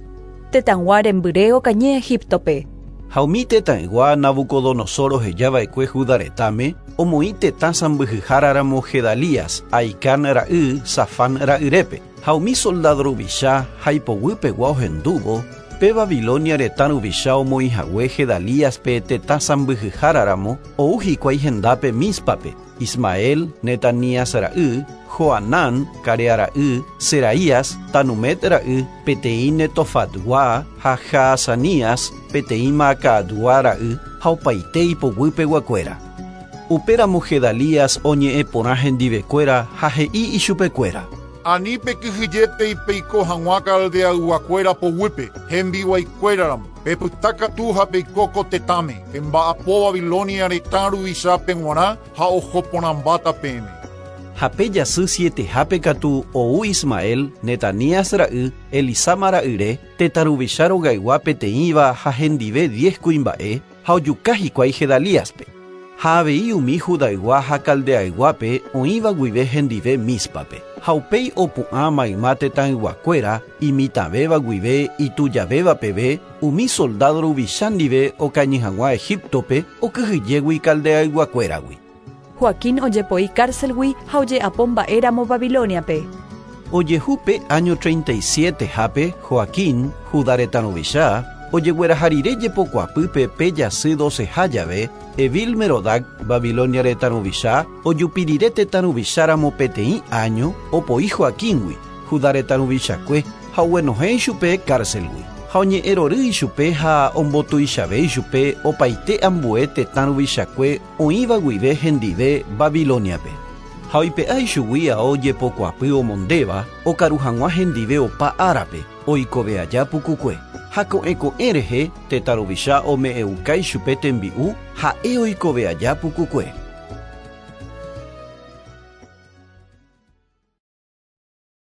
Tetãygua rembyre okañy Egiptope. Ha umi tetãygua Nabucodonosor ohejava'ekue Judá retãme omoĩ tetã sãmbyhyháraramo Gedalías, Ahicán ra'y, Safán ra'yrépe. Ha umi soldado ruvicha ha ipoguýpegua ohendúvo, pe Babilonia retã ruvicha omoĩhague Gedalíaspe tetã sãmbyhyháraramo ou hikuái hendápe Míspape, Ismael, Netanías ra'y, Joanán, Carea ra'y, Seraías, Tanumet ra'y, peteĩ Netofatgua ha Jaazanías, peteĩ Maacatgua ra'y ha opaite ipoguýpeguakuéra. Upéramo Gedalías oñe'ẽ porã hendivekuéra ha he'i ichupekuéra. Ani pekyhyjete ipeiko hag̃ua Caldeayguakuéra poguýpe, hembiguaikuéraramo, pepytakatu ha peiko ko tetãme, pemba'apo Babilonia retã ruvichápe g̃uarã ha ohoporãmbáta peẽme. Ha pe jasy sietehápe katu ou Ismael, Netanías ra'y, Elisama ra'yre, tetã ruvicha rogaygua peteĩva ha hendive diez kuimba'e ha ojuka hikuái Gedalíaspe. Ha avei umi Judaygua ha Caldeayguápe oĩva guive hendive Míspape. Ha upéi opu'ã mayma tetãyguakuéra imitãvéva guive itujavéva peve umi soldado ruvicha ndive okañy hag̃ua Egiptope okyhyjégui Caldeayguakuéragui. Joaquín ojepoi cárcelgui ha oje'apo mba'éramo Babiloniape. Ojehu pe año treinta y sietehápe Joaquín, Judá retã ruvicha, ojegueraha rire jepokuapýpe pe jasy doceha jave, Evil Merodac, Babilonia retã ruvicha, ojupi rire tetã ruvicháramo peteĩ año opoi Joaquíngui, Judá retã ruvichakue ha oguenohẽ ichupe cárcelgui. Ha oñe'ẽrory ichupe ha ombotuichave ichupe opaite ambue tetã ruvichakue oĩva guive hendive Babiloniape. Ha Ha oipe'a ichugui ao jepokuapy omondéva okaru hag̃ua hendive opa árape oikove aja pukukue. Ha ko'ẽ ko'ẽ rehe tetã ruvicha ome'ẽuka ichupe tembi'u ha'e oikove aja pukukue.